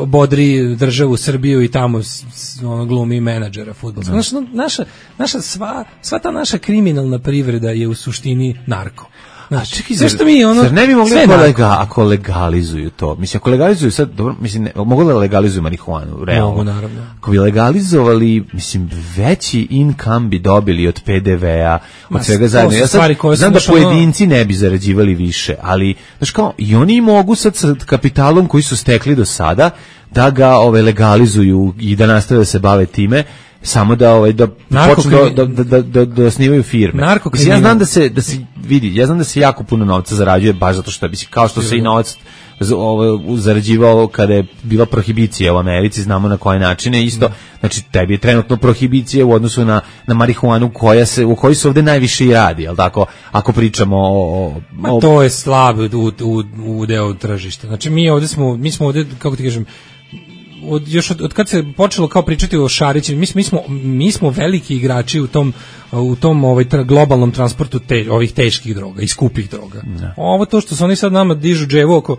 bodri državu Srbiju i tamo ono, glumi menadžera fudbalskog. Znaš, naša, naša sva, sva ta naša kriminalna privreda je u suštini narko. Znači, čekaj, zar, što mi ono, zar ne bi mogli ako, lega, ako legalizuju to? Mislim, ako legalizuju sad, dobro, mislim, ne, mogu da legalizuju marihuanu, realno. Mogu, naravno. Ako bi legalizovali, mislim, veći income bi dobili od pe de ve a, od Ma, svega zajedno. Ja sad znam da pojedinci ne bi zarađivali više, ali, znaš kao, i oni mogu sad sa kapitalom koji su stekli do sada, da ga ove, legalizuju i da nastave da se bave time, samo da ovaj da počnu da da da da da osnivaju firme. Mislim, ja znam da se da se vidi, ja znam da se jako puno novca zarađuje baš zato što bi se kao što se i novac ovaj zarađivao kada je bila prohibicija u Americi, znamo na koje načine isto. Da. Znači tebi je trenutno prohibicija u odnosu na na marihuanu koja se u kojoj se ovde najviše i radi, al tako ako pričamo o, o, Ma, to je slab u u u deo tržišta. Znači mi ovde smo mi smo ovde, kako ti kažem, Od, još od, od kad se počelo kao pričati o šarićima, mi, mi, smo, mi smo veliki igrači u tom, u tom ovaj, tra, globalnom transportu te, ovih teških droga i skupih droga. Ne. Ovo to što su oni sad nama dižu dževo oko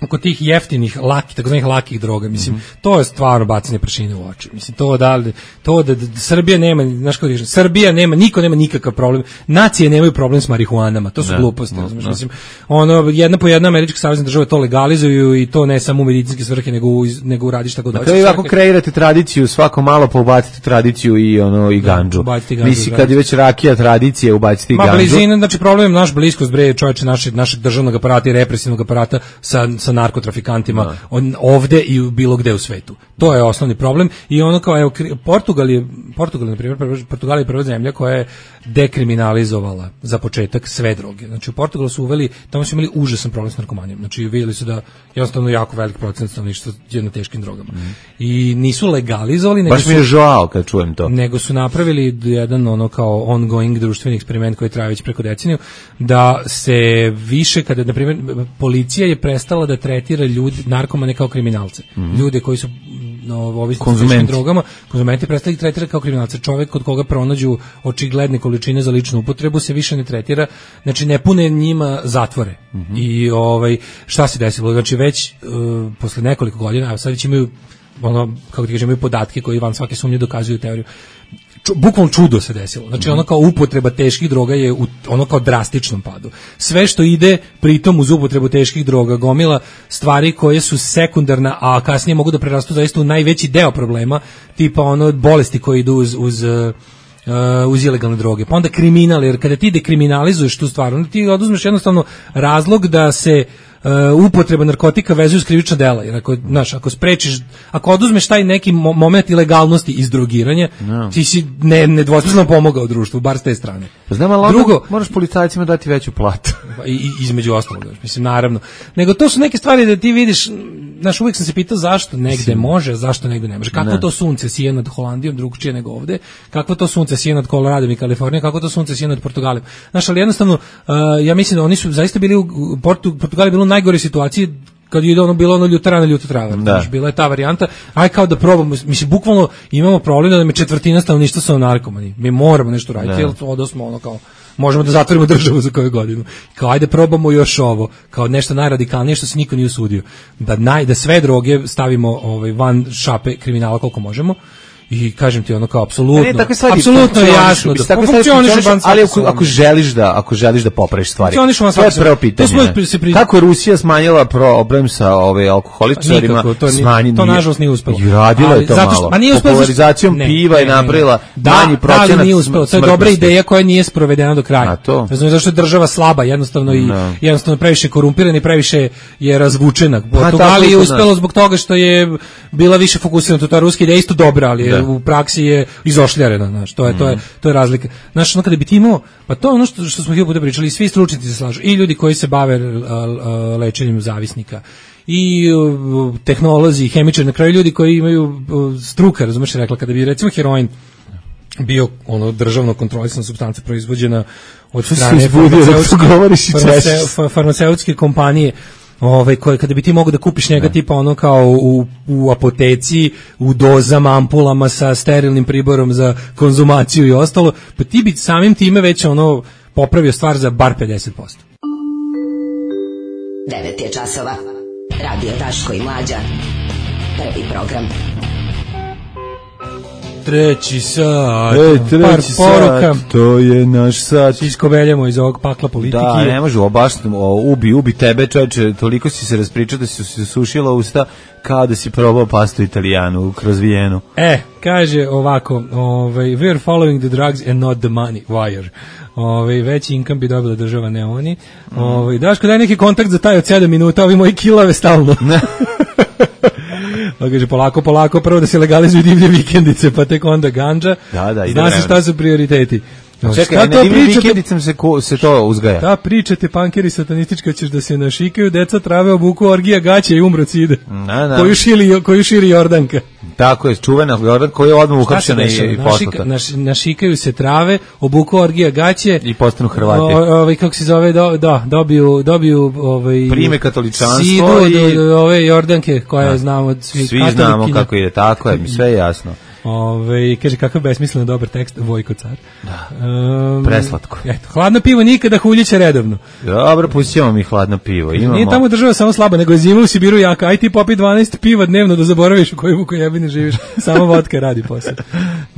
oko tih jeftinih laki, takozvanih lakih droga, mislim, mm-hmm. to je stvarno bacanje prašine u oči. Mislim, to da li, to da, da, da Srbija nema, znaš kako kažem, Srbija nema, niko nema nikakav problem. Nacije nemaju problem s marihuanama, to su ne, gluposti, no, znaš, no. Mislim, ono, jedna po jedna američka savezna država to legalizuju i to ne samo u medicinske svrhe, nego u, nego u radi šta god hoće. Dakle, ako kreirate tradiciju, svako malo pa ubacite tradiciju i ono, i ganđu. Da, mislim, kad je već rakija tradicije, ubacite i ganđu. Ma, blizina, znači, problem je naš bliskost, bre, čovječe, našeg, našeg državnog aparata i represivnog aparata sa, sa narkotrafikantima no. on, ovde i bilo gde u svetu. To je osnovni problem i ono kao, evo, Portugal je, Portugal, na primjer, Portugal je prva zemlja koja je dekriminalizovala za početak sve droge. Znači, u Portugalu su uveli, tamo su imali užasan problem s narkomanijom. Znači, vidjeli su da jednostavno jako velik procent stanovništva je na teškim drogama. Mm. I nisu legalizovali, nego baš mi je žao kad čujem to. Nego su napravili jedan ono kao ongoing društveni eksperiment koji traje već preko deceniju, da se više, kada, na primjer, policija je prestala da tretira ljudi, narkomane kao kriminalce. Mm. Ljude koji su no, ovisni s teškim drogama, konzumenti prestali ih tretira kao kriminalce. Čovjek kod koga pronađu očigledne količine za ličnu upotrebu se više ne tretira, znači ne pune njima zatvore. Mm-hmm. I ovaj, šta se desilo? Znači već uh, posle nekoliko godina, a sad već imaju ono, kako ti kažem, imaju podatke koji van svake sumnje dokazuju teoriju. Ču, bukvalno čudo se desilo. Znači ono kao upotreba teških droga je u ono kao drastičnom padu. Sve što ide pritom uz upotrebu teških droga, gomila stvari koje su sekundarna, a kasnije mogu da prerastu zaista u najveći deo problema, tipa ono bolesti koje idu uz, uz Uh, uz ilegalne droge, pa onda kriminal, jer kada ti dekriminalizuješ tu stvar, onda ti oduzmeš jednostavno razlog da se uh, upotreba narkotika vezuje uz krivična dela, jer ako, znaš, ako sprečiš, ako oduzmeš taj neki mo- moment ilegalnosti iz drogiranja, no. ti si ne, nedvosmisleno pomogao društvu, bar s te strane. Znam, ali drugo, moraš policajcima dati veću platu. I, i, između ostalog, mislim, naravno. Nego to su neke stvari da ti vidiš, znaš, uvijek sam se pitao zašto negde može, zašto negde ne može. Kako ne. To sunce sije nad Holandijom, drugčije nego ovde, kako to sunce sije nad Koloradom i Kalifornijom, kako to sunce sije nad Portugalom. Znaš, ali jednostavno, uh, ja mislim da oni su zaista bili u Portu, Portugal je bilo u najgore situaciji kad je ono bilo ono ljutarana ljuta trava. Znaš, bila je ta varijanta. Aj kao da probamo, mislim, bukvalno imamo problem da nam je četvrtina stanovništva su narkomani. Mi moramo nešto raditi, jer onda smo ono kao možemo da zatvorimo državu za koju godinu. Kao ajde probamo još ovo, kao nešto najradikalnije što se niko nije usudio. Da naj da sve droge stavimo ovaj van šape kriminala koliko možemo. I kažem ti ono kao apsolutno, apsolutno je jasno da funkcioniše, ali ako, ako želiš da ako želiš da popraviš stvari, to je prvo pitanje. Kako je Rusija smanjila problem sa ove alkoholičarima, smanjili to nažalost nije uspelo. I radila je to malo. Popularizacijom piva je napravila manji procenat. Da, nije uspelo. To je dobra ideja koja nije sprovedena do kraja. Ne znam zašto je država slaba, jednostavno i jednostavno previše korumpirana i previše je razvučena. Portugal je uspelo zbog toga što je bila više fokusirana, ta ruska ideja isto dobra, ali u praksi je izošljarena, znaš, to je, mm. to je, to je razlika. Znaš, ono kada bi ti imao, pa to je ono što, što smo hiljadu puta pričali, svi stručnjaci se slažu, i ljudi koji se bave a, a, lečenjem zavisnika, i a, tehnolozi, hemičari, na kraju ljudi koji imaju a, struka, razumeš, rekla, kada bi recimo heroin bio ono državno kontrolisana supstanca proizvođena od strane farmaceutske, farmaceutske kompanije, ovaj koje kada bi ti mogao da kupiš njega ne. tipa ono kao u, u apoteci u dozama, ampulama sa sterilnim priborom za konzumaciju i ostalo, pa ti bi samim time već ono popravio stvar za bar pedeset posto. devet je časova. Radio Daško i Mlađa. Prvi program. Treći sat, e, treći par poruka. Sat, to je naš sat. Iskoveljamo iz ovog pakla politike. Da, ne može, baš ubi, ubi tebe, čovječe, toliko si se raspričao da si se sušila usta kao da si probao pastu italijanu kroz Vijenu. E, kaže ovako, ovaj, we are following the drugs and not the money, wire. Ovaj, veći income bi dobila država, ne oni. Mm. Ovaj, Daško, daj neki kontakt za taj od sedam minuta, ovi moji kilave stalno. Pa kaže, polako, polako, prvo da se legalizuju divlje vikendice, pa tek onda gandža. Da, da, zna se šta su prioriteti. Čekaj, na divljim vikendicama se, se to uzgaja. Da, pričate, pankeri satanistički, ćeš da se našikaju, deca trave obuku, orgija gaće i umro cide. Da, da. Koju, šili, koju širi Jordanka. Tako je, čuvena Jordan koja je odmah uhapšena i poslata. Naš, našikaju se trave, obuku orgija gaće. I postanu Hrvati. Ovaj, kako se zove, do, da, dobiju, dobiju ovaj, prime katoličanstvo sidu i do, do, ove Jordanke koja da. znamo od svih svi znamo kako je, tako je, sve je jasno. Ove, kaže, kakav besmisleno dobar tekst, Vojko car. Da, um, preslatko. Eto, hladno pivo nikada, huljiće redovno. Dobro, pustimo mi hladno pivo. Imamo... Nije tamo država samo slaba, nego je zima u Sibiru jaka. Aj ti popi dvanaest piva dnevno da zaboraviš u kojoj vuku jebini živiš. Samo vodka radi posle.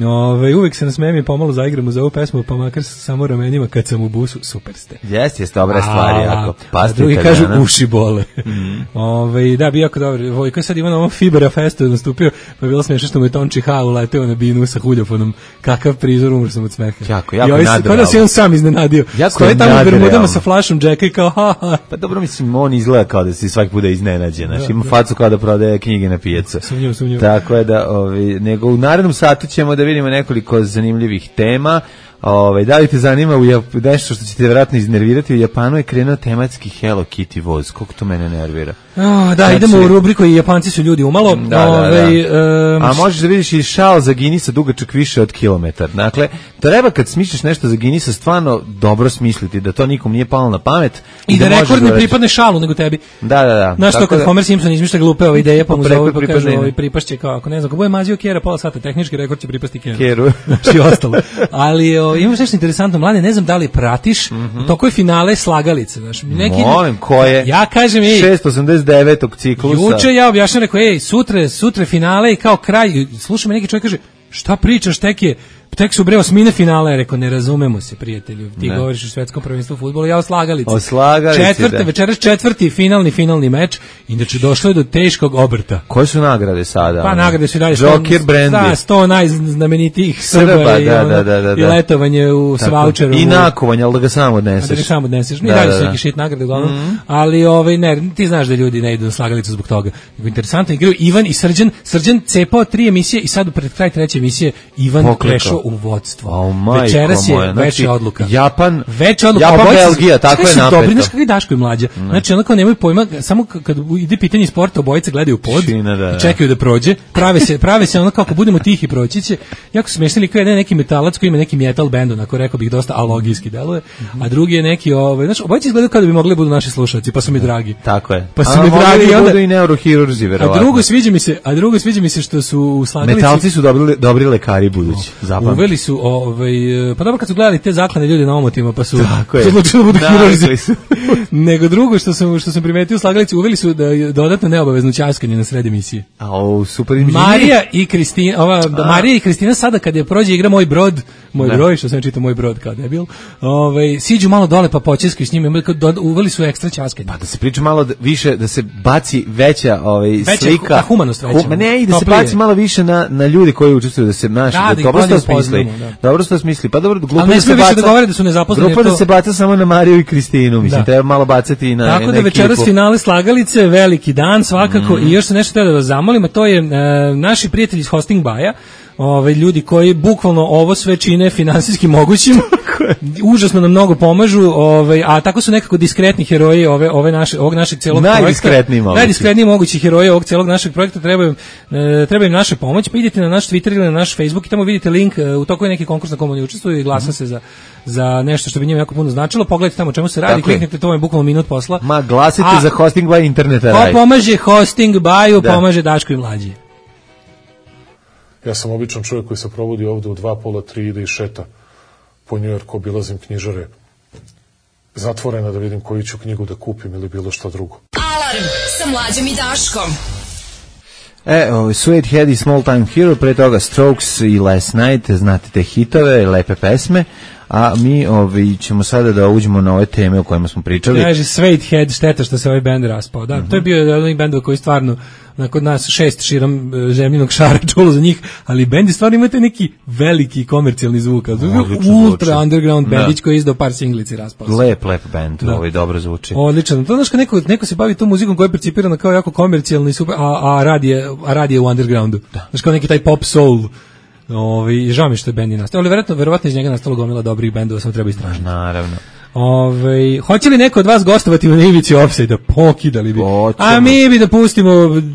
Ove, uvek se nasmejem i pomalo zaigramo za ovu pesmu, pa makar samo ramenima kad sam u busu, super ste. Jeste, jeste, dobra stvar, jako. A drugi kažu uši bole. Mm. Ove, da, bi jako dobro. Vojko sad ima na ovom Fibera Festu nastupio, pa je bilo smiješno što mu je Tonči Ha uleteo na binu sa huljofonom. Kakav prizor, umr sam od smeha. Jako, jako nadrealno. Kao da se on sam iznenadio. Stoje tamo u bermudama sa flašom Jacka i kao ha ha. Pa dobro, mislim, on izgleda kao da si svaki put iznenađen. Znaš, ima facu kao da prodaje knjige na pijacu. Sumnjivo, sumnjivo. Tako je da, ovi, nego u narednom satu ćemo da vidimo nekoliko zanimljivih tema. Ove, da li te zanima u Jap... nešto što će te vjerojatno iznervirati, u Japanu je krenuo tematski Hello Kitty voz, koliko to mene nervira. Oh, da, znači, idemo u rubriku i Japanci su ljudi umalo. Da, Ove, da, da. Um, A možeš da vidiš i šal za Guinnessa dugačak više od kilometar. Dakle, treba kad smišljaš nešto za Guinnessa stvarno dobro smisliti, da to nikom nije palo na pamet. I, I da, da rekord ne pripadne šalu nego tebi. Da, da, da. Znaš to kad da... Homer Simpson izmišlja glupe ove ideje, pa mu zove pa kažu ovaj pripašće kao, ako ne znam, ako bude mazio Kjera pola sata, tehnički rekord će pripasti Kjeru. Kjeru. Znači ostalo. Ali o, imaš nešto interesantno, mlade, ne znam da li pratiš, mm -hmm. to koje finale slagalice, znaš. Neki, molim, koje? Ja kažem, ej, šesto osamdeset devetog ciklusa. Juče ja objašnjam, rekao, ej, sutra, sutra finale i kao kraj, slušaj me neki čovjek kaže, šta pričaš, tek je, tek su bre osmine finale, ja rekao, ne razumemo se, prijatelju, ti ne. govoriš o svetskom prvenstvu fudbalu, ja o slagalici. O slagalici, Četvrte, da. Večeras četvrti finalni, finalni meč, inače došlo je do teškog obrta. Koje su nagrade sada? Pa nagrade su dalje Joker Brandy. sto najznamenitijih Srba i, da, da, da, da, da. i letovanje u s vaučerom. I nakovanje, ali da ga samo odneseš. Da ga samo odneseš. Mi da, dalje da, su neki shit nagrade uglavnom, mm -hmm. ali ovaj, ne, ti znaš da ljudi ne idu na slagalicu zbog toga. Interesantno, igraju Ivan i Srđan. Srđan cepao tri emisije i sad pred kraj treće emisije Ivan Poklekao. prešao u vodstvo. Oh, večeras je znači, veća odluka. Japan, veća odluka. Japan Belgija, tako je napeto. Dobri, znaš kakvi Daško i mlađa. Ne. Znači, onako nemaju pojma, samo kad ide pitanje sporta, obojice gledaju pod Šina, da, da. i čekaju da prođe. Prave se, prave se ono kako budemo tihi proći će. Jako su smešni kao jedan neki metalac koji ima neki metal band, onako rekao bih dosta alogijski deluje, mm -hmm. a drugi je neki, ovaj, znači, obojice izgledaju kao da bi mogli da budu naši slušalci, pa su mi dragi. Tako je. Pa su mi dragi i onda budu i neurohirurzi, verovatno. A drugo sviđa mi se, a drugo sviđa mi se što su u slagalici. Metalci su dobri dobri lekari budući. Zapamti. Uveli su ovaj, pa dobro kad su gledali te zaklane ljude na omotima, pa su odlučili da budu hirurzi. Nego drugo što sam što sam primetio u slagalici, uveli su da dodatno neobavezno ćaskanje na sred emisije. A o super im Marija i Kristina, ova da Marija i Kristina sada kad je prođe igra Moj brod, moj ne. broj, što sam čitao Moj brod kao debil. Ovaj siđu malo dole pa počeskaju s njima, uveli su ekstra ćaskanje. Pa da se priča malo više, da se baci veća ovaj veća, slika, humanost veća. Ma ne, i da se baci malo više na na ljudi koji učestvuju, da se naši da, da dobro što smisli. Da. Dobro što smisli. Pa dobro, glupo da se baca. Da govore da su nezaposleni. Grupa to... da se baca samo na Mariju i Kristinu, mislim, da. treba malo bacati i na Tako na da večeras finale slagalice, veliki dan svakako mm. i još se nešto treba da vas zamolim, a to je e, naši prijatelji iz Hosting Baja. Ove ljudi koji bukvalno ovo sve čine finansijski mogućim. Užasno nam mnogo pomažu, ovaj, a tako su nekako diskretni heroji ove ove naše ovog našeg celog projekta. Najdiskretniji mogući. Najdiskretniji mogući heroji ovog celog našeg projekta trebaju e, treba im naša pomoć. Pa idite na naš Twitter ili na naš Facebook i tamo vidite link, e, u toku je neki konkurs na kom oni učestvuju i glasa mm -hmm. se za za nešto što bi njima jako puno značilo. Pogledajte tamo o čemu se radi, tako kliknite, to vam je bukvalno minut posla. Ma glasite a, za Hosting by interneta. Ko pomaže Hosting by-u, da. pomaže Daško i mlađi. Ja sam običan čovjek koji se probudi ovde u dva pola, tri, ide i šeta po Njujorku, obilazim knjižare zatvorena da vidim koju ću knjigu da kupim ili bilo šta drugo. Alarm sa Mlađom i Daškom. E, o, Sweet Head i Small Time Hero, pre toga Strokes i Last Night, znate te hitove, lepe pesme, a mi ovi, ćemo sada da uđemo na ove teme o kojima smo pričali. Kaže Sweet Head, šteta što se ovaj band raspao. Da, mm -hmm. to je bio jedan od bendova koji stvarno na kod nas šest širom zemljinog šara čulo za njih, ali bendi stvarno imate neki veliki komercijalni zvuk, ultra zvuči. Underground bendić koji je izdao par singlici raspao. Lep, lep band, da. Ovaj dobro zvuči. Odličan. To znaš kad neko, neko se bavi tom muzikom koja je percipirana kao jako komercijalna i super, a, a radi je, a radi je u undergroundu. Da. Znaš kao neki taj pop soul. Ovi, žao mi što je bend i nastao, ali verovatno, verovatno iz njega nastalo gomila dobrih bendova, samo treba istražiti. Naravno. Ove, hoće li neko od vas gostovati u Ivici Offside-a? Pokidali bi. Hoćemo. A mi bi da pustimo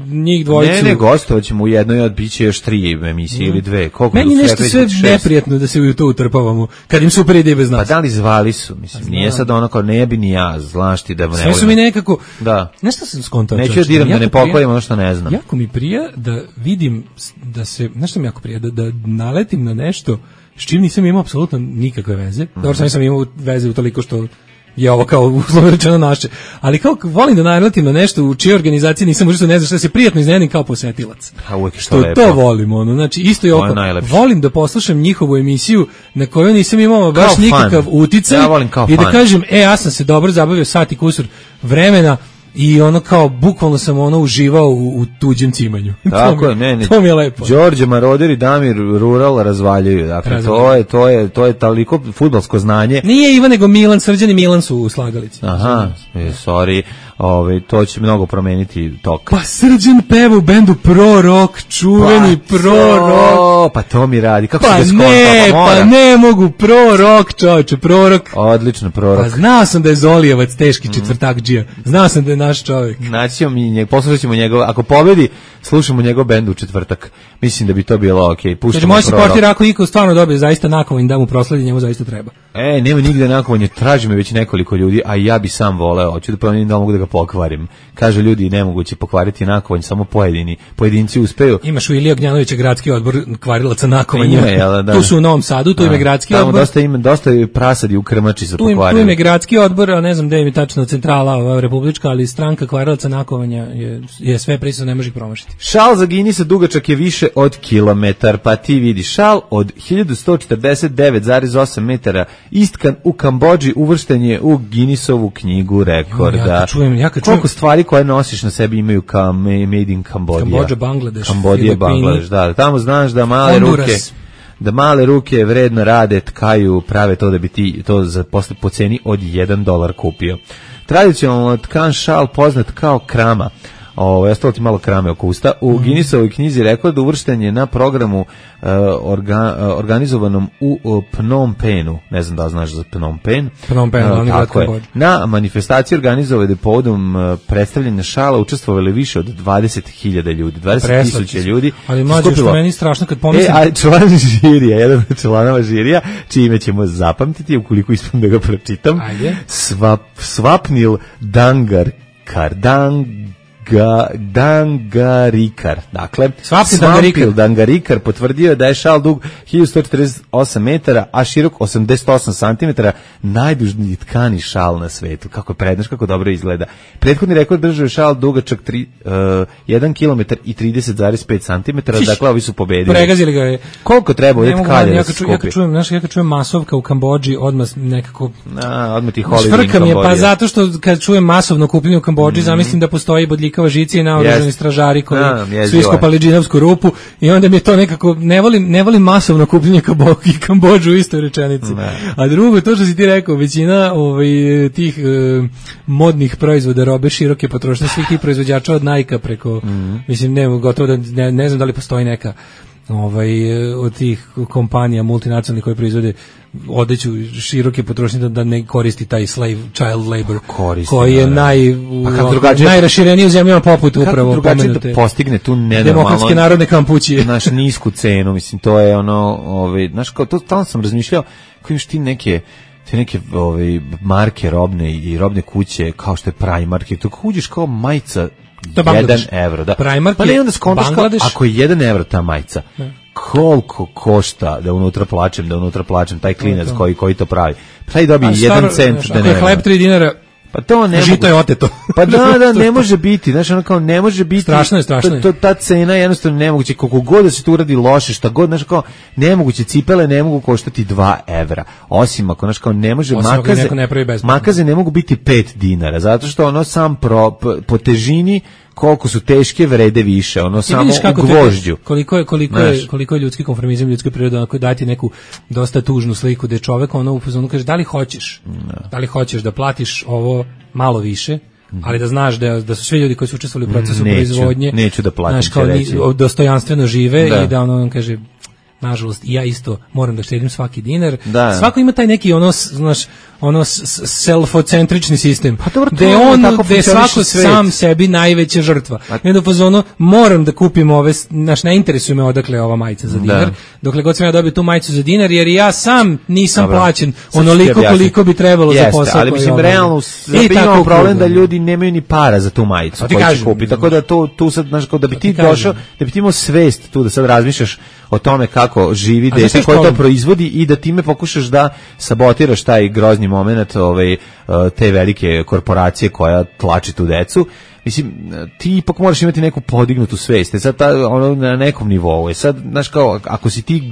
njih dvojicu. Ne, ne, gostovat ćemo u jednoj, od biće još tri emisije mm. ili dve. Koliko meni nešto sve neprijatno da se u to utrpavamo, kad im super ide bez nas. Pa da li zvali su, mislim, Znam. nije sad ono kao ne bi ni ja, znaš ti da ne sve su mi nekako, da. nešto sam skontao. Neću diram da ne pokojim ono što ne znam. Jako mi prija da vidim, da se, nešto mi jako prija, da, da naletim na nešto s čim nisam imao apsolutno nikakve veze. Mm. Dobro, sam nisam imao veze u toliko što je ovo kao uslovno rečeno naše. Ali kao volim da naletim na nešto u čijoj organizaciji nisam možda ne znam šta se prijatno iznenadim kao posetilac. A uvijek je što lepo. To volim, ono. Znači, isto je oko. Volim da poslušam njihovu emisiju na kojoj nisam imao baš kao nikakav fan. uticaj. Ja volim kao I da fan. kažem, e, ja sam se dobro zabavio sat i kusur vremena i ono kao, bukvalno sam ono uživao u, u tuđem cimanju. Tako je, ne, ne. To mi je lepo. Đorđe Maroder i Damir Rural razvaljuju. Dakle, razvaljuju. to je, to je, to je toliko fudbalsko znanje. Nije Ivan, nego Milan, Srđan i Milan su u slagalici. Aha, e, sorry. Ove, to će mnogo promeniti tok. Pa Srđan peva u bendu Pro Rock, čuveni pa Pro to, Rock. Pa to mi radi. Kako pa se deskonta? Ne, pa, pa ne mogu Pro Rock, čovječe, Pro Rock. Odlično, Pro Rock. Pa znao sam da je Zolijevac teški četvrtak džija. Znao sam da je naš čovjek. Naćemo mi njeg, poslušat ćemo njegov, ako pobedi, slušamo njegov bend u četvrtak. Mislim da bi to bilo okej. Okay. Znači, može se portir ako Iko stvarno dobije zaista nakovanje da mu prosledi, njemu zaista treba. E, nema nigde nakovanje, traži me već nekoliko ljudi, a ja bi sam voleo, hoću da promenim da mogu da ga pokvarim. Kaže ljudi, nemoguće pokvariti nakovanje, samo pojedini, pojedinci uspeju. Imaš u Ilija Gnjanovića gradski odbor kvarilaca nakovanja. Ima, jel, da. Tu su u Novom Sadu, tu ima gradski tamo odbor. Dosta ima, dosta je prasadi u krmači za pokvariti. Tu ima gradski odbor, a ne znam gde im je tačno centrala republička, ali stranka kvarilaca nakovanja je, je sve prisutno, ne može ih promašiti. Šal za Ginisa dugačak je više od kilometar, pa ti vidi šal od hiljadu sto četrdeset devet zarez osam metara istkan u Kambodži uvršten je u Guinnessovu knjigu rekorda. Ja kad čujem, ja kad čujem. Koliko stvari koje nosiš na sebi imaju kao made in Cambodia. Kambodža, Bangladeš, Kambodija, Bangladeš, da. Tamo znaš da male Honduras. ruke da male ruke vredno rade, tkaju, prave to da bi ti to za posle po ceni od jedan dolar kupio. Tradicionalno tkan šal poznat kao krama. Ovo, ja stalo ti malo krame oko usta. U mm. Guinnessovoj knjizi rekorda uvršten je na programu uh, orga, uh, organizovanom u uh, Phnom Penhu. Ne znam da znaš za Phnom Penh. Phnom Penh, uh, tako je. Na manifestaciji organizovane povodom uh, predstavljanja šala učestvovali više od dvadeset hiljada ljudi. dvadeset tisuća ljudi. Ali mlađe, što meni strašno kad pomislim. E, a član žirija, jedan od članova žirija, čime ćemo zapamtiti, ukoliko ispam da ga pročitam. Ajde. Svap, Svapnil Dangar Kardang Ga, Dangarikar. Dakle, Svampil Dangarikar potvrdio da je šal dug hiljadu sto četrdeset osam metara, a širok osamdeset osam santimetara, najdužniji tkani šal na svetu. Kako je prednaš, kako dobro izgleda. Prethodni rekord držao je šal dugačak tri, uh, jedan kilometar i trideset zarez pet santimetara, dakle ovi su pobedili. Pregazili ga je. Koliko treba ovdje tkalja da se skupi? Ja kad čujem, znaš, ja kad čujem masovka u Kambodži, odmah nekako... A, odmah ti holiday in Kambodža. Pa zato što kad čujem masovno kupljenje u Kambodži, mm-hmm. zamislim da postoji bodljika žici i naoružani yes. stražari koji no, su iskopali džinovsku rupu i onda mi je to nekako, ne volim, ne volim masovno kupljenje i Kambodžu u istoj rečenici. Ne. A drugo, to što si ti rekao, većina ovaj, tih uh, modnih proizvoda, robe široke potrošnje, svih tih proizvođača od Nike preko, mm-hmm. mislim, ne, gotovo da, ne, ne znam da li postoji neka ovaj, od tih kompanija multinacionalnih koje proizvode odeću široke potrošnje da, da ne koristi taj slave child labor koristi, koji je naj, pa najrašireniji u zemljama poput upravo pomenute. Da postigne tu nenormalno demokratske narodne kampućije. Naš nisku cenu, mislim, to je ono, ovaj, znaš, kao, to stalno sam razmišljao, kako imaš ti neke te neke ovaj, marke robne i robne kuće, kao što je Primark, to kako uđeš kao majica jedan evro, da. Primark pa ne onda skontaš kao, ako je jedan evro ta majica, ne. Koliko košta da unutra plačem, da unutra plačem, taj klinac koji, koji to pravi. Taj dobije jedan cent. Ako je hleb tri dinara, pa to ne žito je oteto. Pa da, da, ne može biti, znači ono kao ne može biti. Strašno je, strašno je. To, ta cena je jednostavno nemoguće, koliko god da se tu uradi loše, šta god, znači kao nemoguće, cipele ne mogu koštati dva evra. Osim ako, znači kao ne može, osim makaze, ne makaze ne mogu biti pet dinara, zato što ono sam pro, po težini koliko su teške vrede više, ono samo u gvožđu. Koliko je, koliko je, koliko je ljudski konformizam, ljudska priroda, onako dati neku dosta tužnu sliku da je čovek ono u fazonu kaže da li hoćeš, no. da li hoćeš da platiš ovo malo više, ali da znaš da, da su svi ljudi koji su učestvovali u procesu neću, proizvodnje, neću da platim, znaš, kao ni, dostojanstveno žive da. I da ono on kaže nažalost, i ja isto moram da štedim svaki dinar. Da. Svako ima taj neki ono, znaš, ono selfocentrični sistem. Pa dobro, gde on, gde svako svet. Sam sebi najveća žrtva. I onda fazono, moram da kupim ove, znaš, ne interesuje me odakle ova majica za dinar, da. Dokle god sam ja dobio tu majicu za dinar, jer ja sam nisam dobro. Plaćen onoliko koliko bi trebalo Jeste, za posao. Ali mislim, realno, imamo problem da ljudi nemaju ni para za tu majicu koju će kupiti. Tako da to, tu sad, znaš, da bi ti došao, da bi ti imao svest tu, da sad razmišljaš o tome kako živi dete koje to proizvodi i da time pokušaš da sabotiraš taj grozni moment ovaj, te velike korporacije koja tlači tu decu. Mislim, ti ipak moraš imati neku podignutu svest. Sad ta, ono, na nekom nivou. Sad, znaš, kao, ako si ti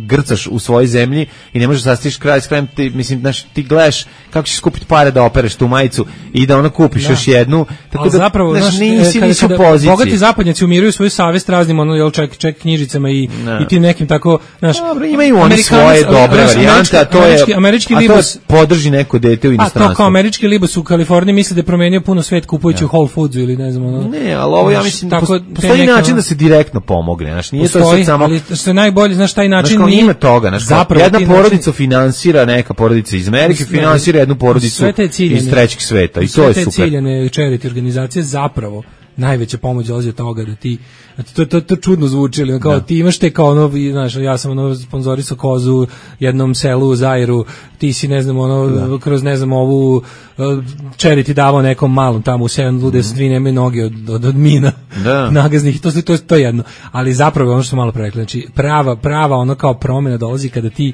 grcaš u svojoj zemlji i ne možeš da sastiš kraj s krajem, ti, mislim, znaš, ti gledaš kako ćeš skupiti pare da opereš tu majicu i da ono kupiš da. Još jednu. Tako ali da, zapravo, znaš, nisi, kada, nisi u poziciji. Bogati zapadnjaci umiruju svoju savest raznim, ono, jel, ček, ček knjižicama i, i tim nekim tako, znaš, dobro, imaju oni svoje dobre varijante, a to je, američki, američki a libos, to je podrži neko dete u inostranstvu. A to kao američki libos u Kaliforniji misle da je promenio puno svet kupujući u Whole Foodsu ili ne znam, ono. Ne, ali ovo ja mislim da postoji neka, način da se direktno pomogne, znači nije postoji, to sad samo ali što je najbolje, znaš, taj način znaš, nije ima toga, znači jedna porodica način... finansira neka porodica iz Amerike, finansira jednu porodicu ciljene, iz trećeg sveta i to je super. Sve te ciljene charity organizacije zapravo najveća pomoć dolazi od toga da ti to to to čudno zvuči, ali kao da. Ti imaš te kao ono, znaš, ja sam ono sponzorisao kozu jednom selu u Zairu, ti si ne znam ono da. Kroz ne znam ovu charity davao nekom malom tamo u Seven Lude, mm-hmm. Svi nemaju noge od, od, od mina da. Nagaznih, to, to, to je jedno, ali zapravo ono što smo malo prerekli, znači prava, prava ono kao promjena dolazi kada ti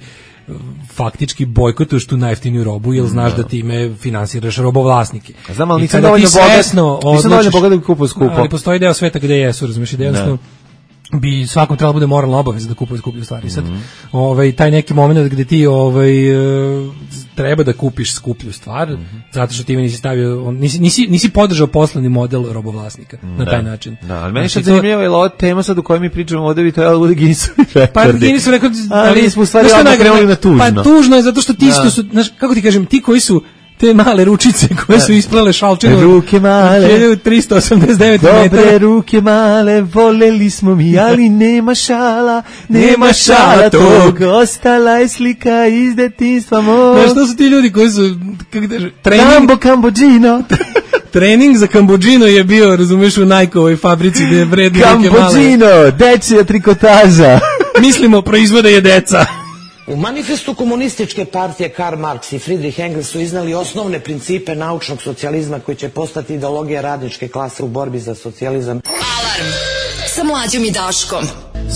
faktički bojkotuješ tu najjeftiniju robu, jer znaš da time finansiraš robovlasnike. Znam, ali nisam dovoljno bogat, nisam dovoljno bogat da kupujem skupo. Ali postoji deo sveta gde jesu, razumiješ, da jednostavno bi svakom trebalo bude moralna obaveza da kupuje skuplju stvari. Sad, mm-hmm. ovaj, taj neki moment gde ti ovaj, treba da kupiš skuplju stvar, mm-hmm. zato što ti nisi stavio, nisi, nisi, nisi podržao poslovni model robovlasnika da. Na taj način. Da, ali meni znači, je zanimljivo, je ova tema sad u kojoj mi pričamo ovdje bi trebalo bude Guinnessovi rekordi. Pa Guinnessu rekord, ali smo u stvari odmah krenuli na tužno. Pa tužno je zato što ti da. Su, znaš, kako ti kažem, ti koji su te male ručice koje su isplele šalčinu ruke male tristo osamdeset devet metara. Dobre ruke male, voleli smo mi, ali nema šala, nema šala tog, ostala je slika iz detinjstva mog. Znaš, to su ti ljudi koji su, kako da trening... Kambo, Kambodžino. Trening za Kambodžino je bio, razumeš, u Nike-ovoj fabrici gde je vredno ruke male. Kambodžino, dečija trikotaža. Mislimo, proizvode je deca. U manifestu komunističke partije Karl Marx i Friedrich Engels su iznali osnovne principe naučnog socijalizma koji će postati ideologija radničke klase u borbi za socijalizam. Alarm sa Mlađom i Daškom.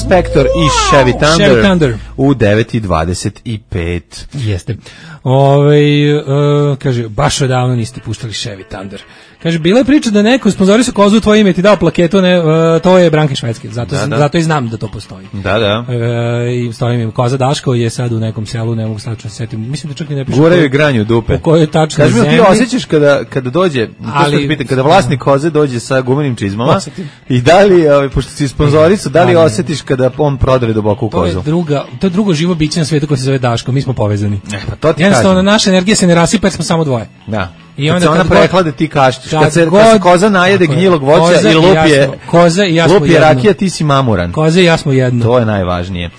Spector i Chevy Thunder, Chevy Thunder u devet i dvadeset pet. Jeste. Ove, uh, kaže, baš odavno niste puštali Chevy Thunder. Kaže, bila je priča da neko sponzorisao kozu u tvoje ime ti dao plaketu, ne, uh, to je Branke Švedske, zato, da, da. Zato i znam da to postoji. Da, da. Uh, I stoji mi, koza Daško je sad u nekom selu, ne mogu slačno se setim, mislim da čak i ne piše. Guraju granju dupe. U kojoj je tačno zemlji. Kaži mi, ti osjećaš kada, kada dođe, ali, pitan, kada vlasnik koze dođe sa gumenim čizmama i da li, ovaj, pošto si sponzorisao, da li ali, osjetiš kada on prodre duboko u kozu? To je, druga, to je drugo živo biće na svijetu koje se zove Daško, mi smo povezani. E, pa to ti jednostavno, naša energija se ne rasipa jer smo samo dvoje. Da. I kad onda se ona prehlade ti kašćeš, kad, kad se god, kad se koza najede gnjilog voća i lupje, koza i ja lupje rakija, ti si mamuran. Koza i ja smo jedno. To je najvažnije.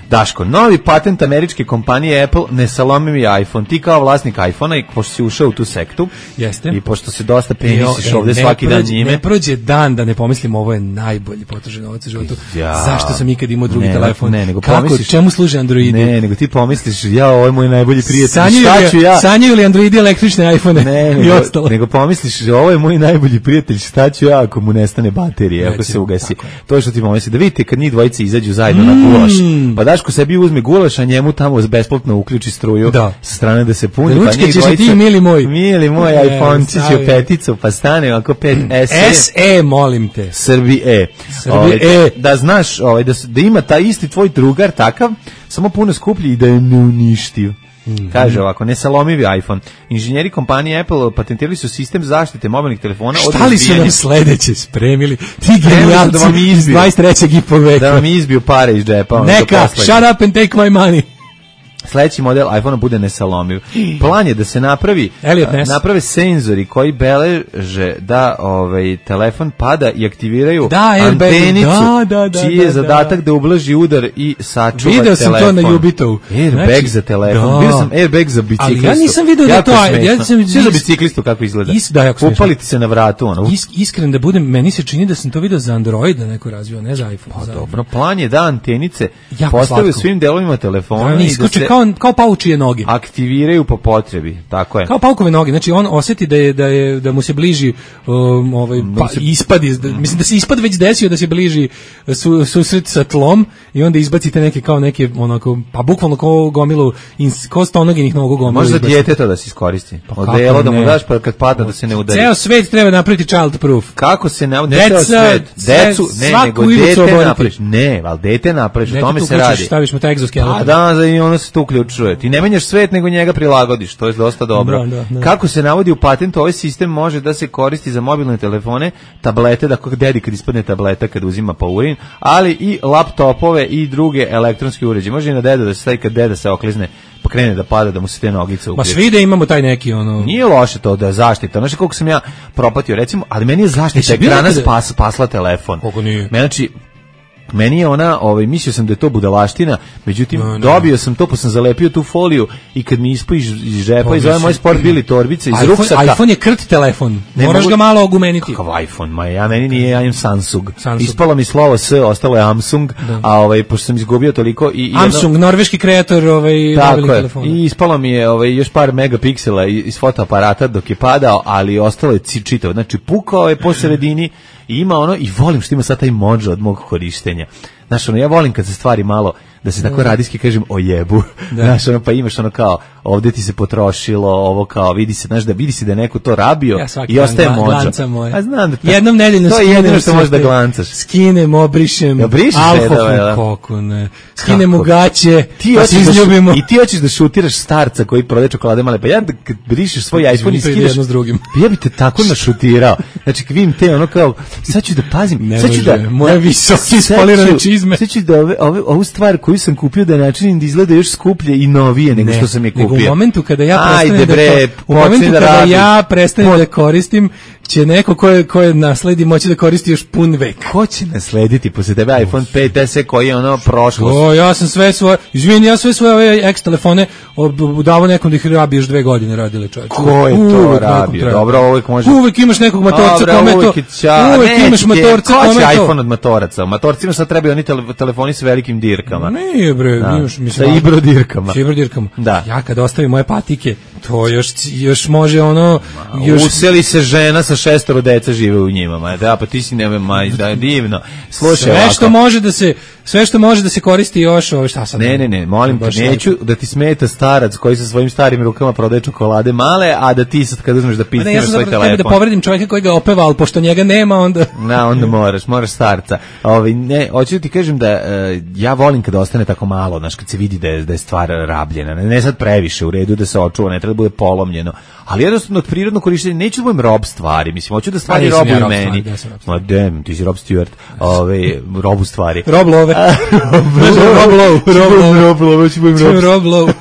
Daško, novi patent američke kompanije Apple, nesalomivi iPhone. Ti kao vlasnik iPhona i pošto si ušao u tu sektu, jeste. I pošto se dosta penisiš ovde svaki prođe, dan njime. Ne prođe dan da ne pomislim ovo je najbolji potrošen novac u životu. Ja, zašto sam ikad imao drugi ne, telefon? Ne, nego kako, pomisliš, čemu služe Androidi? Ne, nego ti pomisliš, ja, ovo je moj najbolji prijatelj. Sanjaju šta ću ja? Sanjaju li Androidi električne iPhone? Ne, nego, i ostalo. Nego pomisliš, ovo je moj najbolji prijatelj, šta ću ja ako mu nestane baterije, ako se ugasi. To je što ti pomisliš. Da vidite kad njih dvojice izađu zajedno mm. na gulaš. Pa Daško sebi uzme gulaš, a njemu tamo besplatno uključi struju da. Sa strane da se puni. Ručke pa ćeš dvojica, ti, mili moj. Mili moj e, iPhone-čić u peticu, pa stane ako pet S E. S E, molim te. Srbi E. Srbi ovaj, E. Da znaš ovaj, da, da ima taj isti tvoj drugar takav, samo puno skuplji i da je ne uništio. Mm-hmm. Kaže ovako, nesalomivi iPhone. Inženjeri kompanije Apple patentirali su sistem zaštite mobilnih telefona od šta li su nam sledeće spremili? Ti genijalci da vam iz dvadeset trećeg i po veka. Da vam izbiju pare iz džepa. Neka, shut up and take my money. sledeći model iPhonea bude nesalomiv. Plan je da se napravi naprave senzori koji beleže da ovaj telefon pada i aktiviraju da, antenicu, da, da, da, čiji je da, zadatak da ublaži udar i sačuva video telefon. Video sam to na Jubitovu. Airbag znači, za telefon. Da. Bio sam airbag za biciklistu. Ali ja nisam video da to... Ja sam, sve za biciklistu kako izgleda. Is, da, upaliti se na vratu. Ono. Is, iskren da budem, meni se čini da sam to video za Android da neko razvio, ne za iPhone. Pa za dobro, plan je da antenice postave svim delovima telefona da, i da se kao, kao paučije noge. Aktiviraju po potrebi, tako je. Kao paukove noge, znači on osjeti da je da je da mu se bliži um, ovaj pa, se... ispad iz, da, mislim da se ispad već desio da se bliži su, susret sa tlom i onda izbacite neke kao neke onako pa bukvalno kao gomilu ko stonoginih nogu gomilu. Može za dijete to da se iskoristi. Pa odelo da mu daš pa kad pada da se ne udari. Ceo svet treba napraviti child proof. Kako se ne ne ceo svet, decu, ne nego dete napraviš. Ne, al dete napraviš, o tome se radi. Staviš mu taj egzoskeleton. A da, da i ono se tu uključuje. Ti ne menjaš svet nego njega prilagodiš, to je dosta dobro. Da, da, da. Kako se navodi u patentu, ovaj sistem može da se koristi za mobilne telefone, tablete, da kako dedi kad ispadne tableta kad uzima pa urin, ali i laptopove i druge elektronske uređaje. Može i na dedu da se stavi kad deda se oklizne pa krene da pada da mu se te nogice uključe. Ma svi da imamo taj neki ono. Nije loše to da zaštita. Znaš koliko sam ja propatio recimo, ali meni je zaštita ekrana spas, spasla telefon. Koliko nije? Znači meni je ona, ovaj, mislio sam da je to budalaština, međutim, no, no. dobio sam to, pa sam zalepio tu foliju i kad mi ispo iz, iz žepa, iz ove moje sport bili torbice, iz iPhone, ruksaka. iPhone je krt telefon, ne moraš mogu... ga malo ogumeniti. Kakav iPhone, ma ja meni nije, ja imam Samsung. Samsung. Ispalo mi slovo S, ostalo je Samsung, da. A ovaj, pošto sam izgubio toliko... I, Samsung, jedno... norveški kreator ovaj, mobilnih telefona. I ispalo mi je ovaj, još par megapiksela iz fotoaparata dok je padao, ali ostalo je čitao. Znači, pukao je po sredini i ima ono, i volim što ima sad taj modža od mog korištenja. Znaš, ono, ja volim kad se stvari malo, da se tako radijski kažem o jebu. Da. Znaš, ono, pa imaš ono kao, ovdje ti se potrošilo, ovo kao, vidi se, znaš, da vidi se da je neko to rabio ja i ostaje mođa. A znam da ta, jednom nedeljno to je jedino što možeš da glancaš. Skinem, obrišem, ja, alkohol, kako ne, skinem u gaće, pa se izljubimo. I ti hoćeš da šutiraš starca koji prodaje čokolade male, pa ja kad brišeš svoj iPhone i skideš, jedno s drugim. Ja bi te tako našutirao. Znači, kad vidim te, ono kao, sad ću da pazim, ne sad ću da... Moje visoki spolirane čizme. Sad ću da ove, ove, ovu stvar koju sam kupio da načinim da izgleda još skuplje i novije nego ne, što sam je kupio. Nego u momentu kada ja prestanem Ajde, bre, da, u momentu da kada radiš. ja prestanem da koristim, će neko ko je, ko je nasledi moći da koristi još pun vek. Ko će naslediti posle tebe iPhone pet es koji je ono prošlost? O, ja sam sve svoje, izvini, ja sve svoje ove ex telefone davo nekom da ih rabi još dve godine radile čovječe. Ko je to uvek rabio? Dobro, uvek može. Uvek imaš nekog matorca kome to. Uvek imaš matorca kome to. Ko će iPhone od matoraca? U matorcima sad trebaju oni telefoni s velikim dirkama. Nije bre, imaš mislim. Sa ibro dirkama. Sa ibro dirkama. Da. Ja kad ostavim moje patike, to još još može ono još useli se žena sa šestoro dece žive u njima, ma da pa ti si ne maj da je divno. Slušaj, sve ovako. Što može da se sve što može da se koristi još, ovo šta sad. Ne, ne, ne, molim te, neću da ti smeta starac koji sa svojim starim rukama prodaje čokolade male, a da ti sad kad uzmeš da picneš ja svoj telefon. Ja da povredim čovjeka koji ga opeva, al pošto njega nema, onda na, onda moraš, moraš starca. Ovaj ne, hoću da ti kažem da uh, ja volim kada ostane tako malo, znaš, kad se vidi da je da je stvar rabljena. Ne, ne sad previše, u redu da se očuva, ne treba da bude polomljeno. Ali jednostavno od prirodnog korištenja neću da budem rob stvari, mislim, hoću da stvari robuju ja meni. Ma dem, ti si Rob Stewart, ovaj robu stvari. Rob Love. Rob Love, Rob Love, hoću budem rob. Rob Love.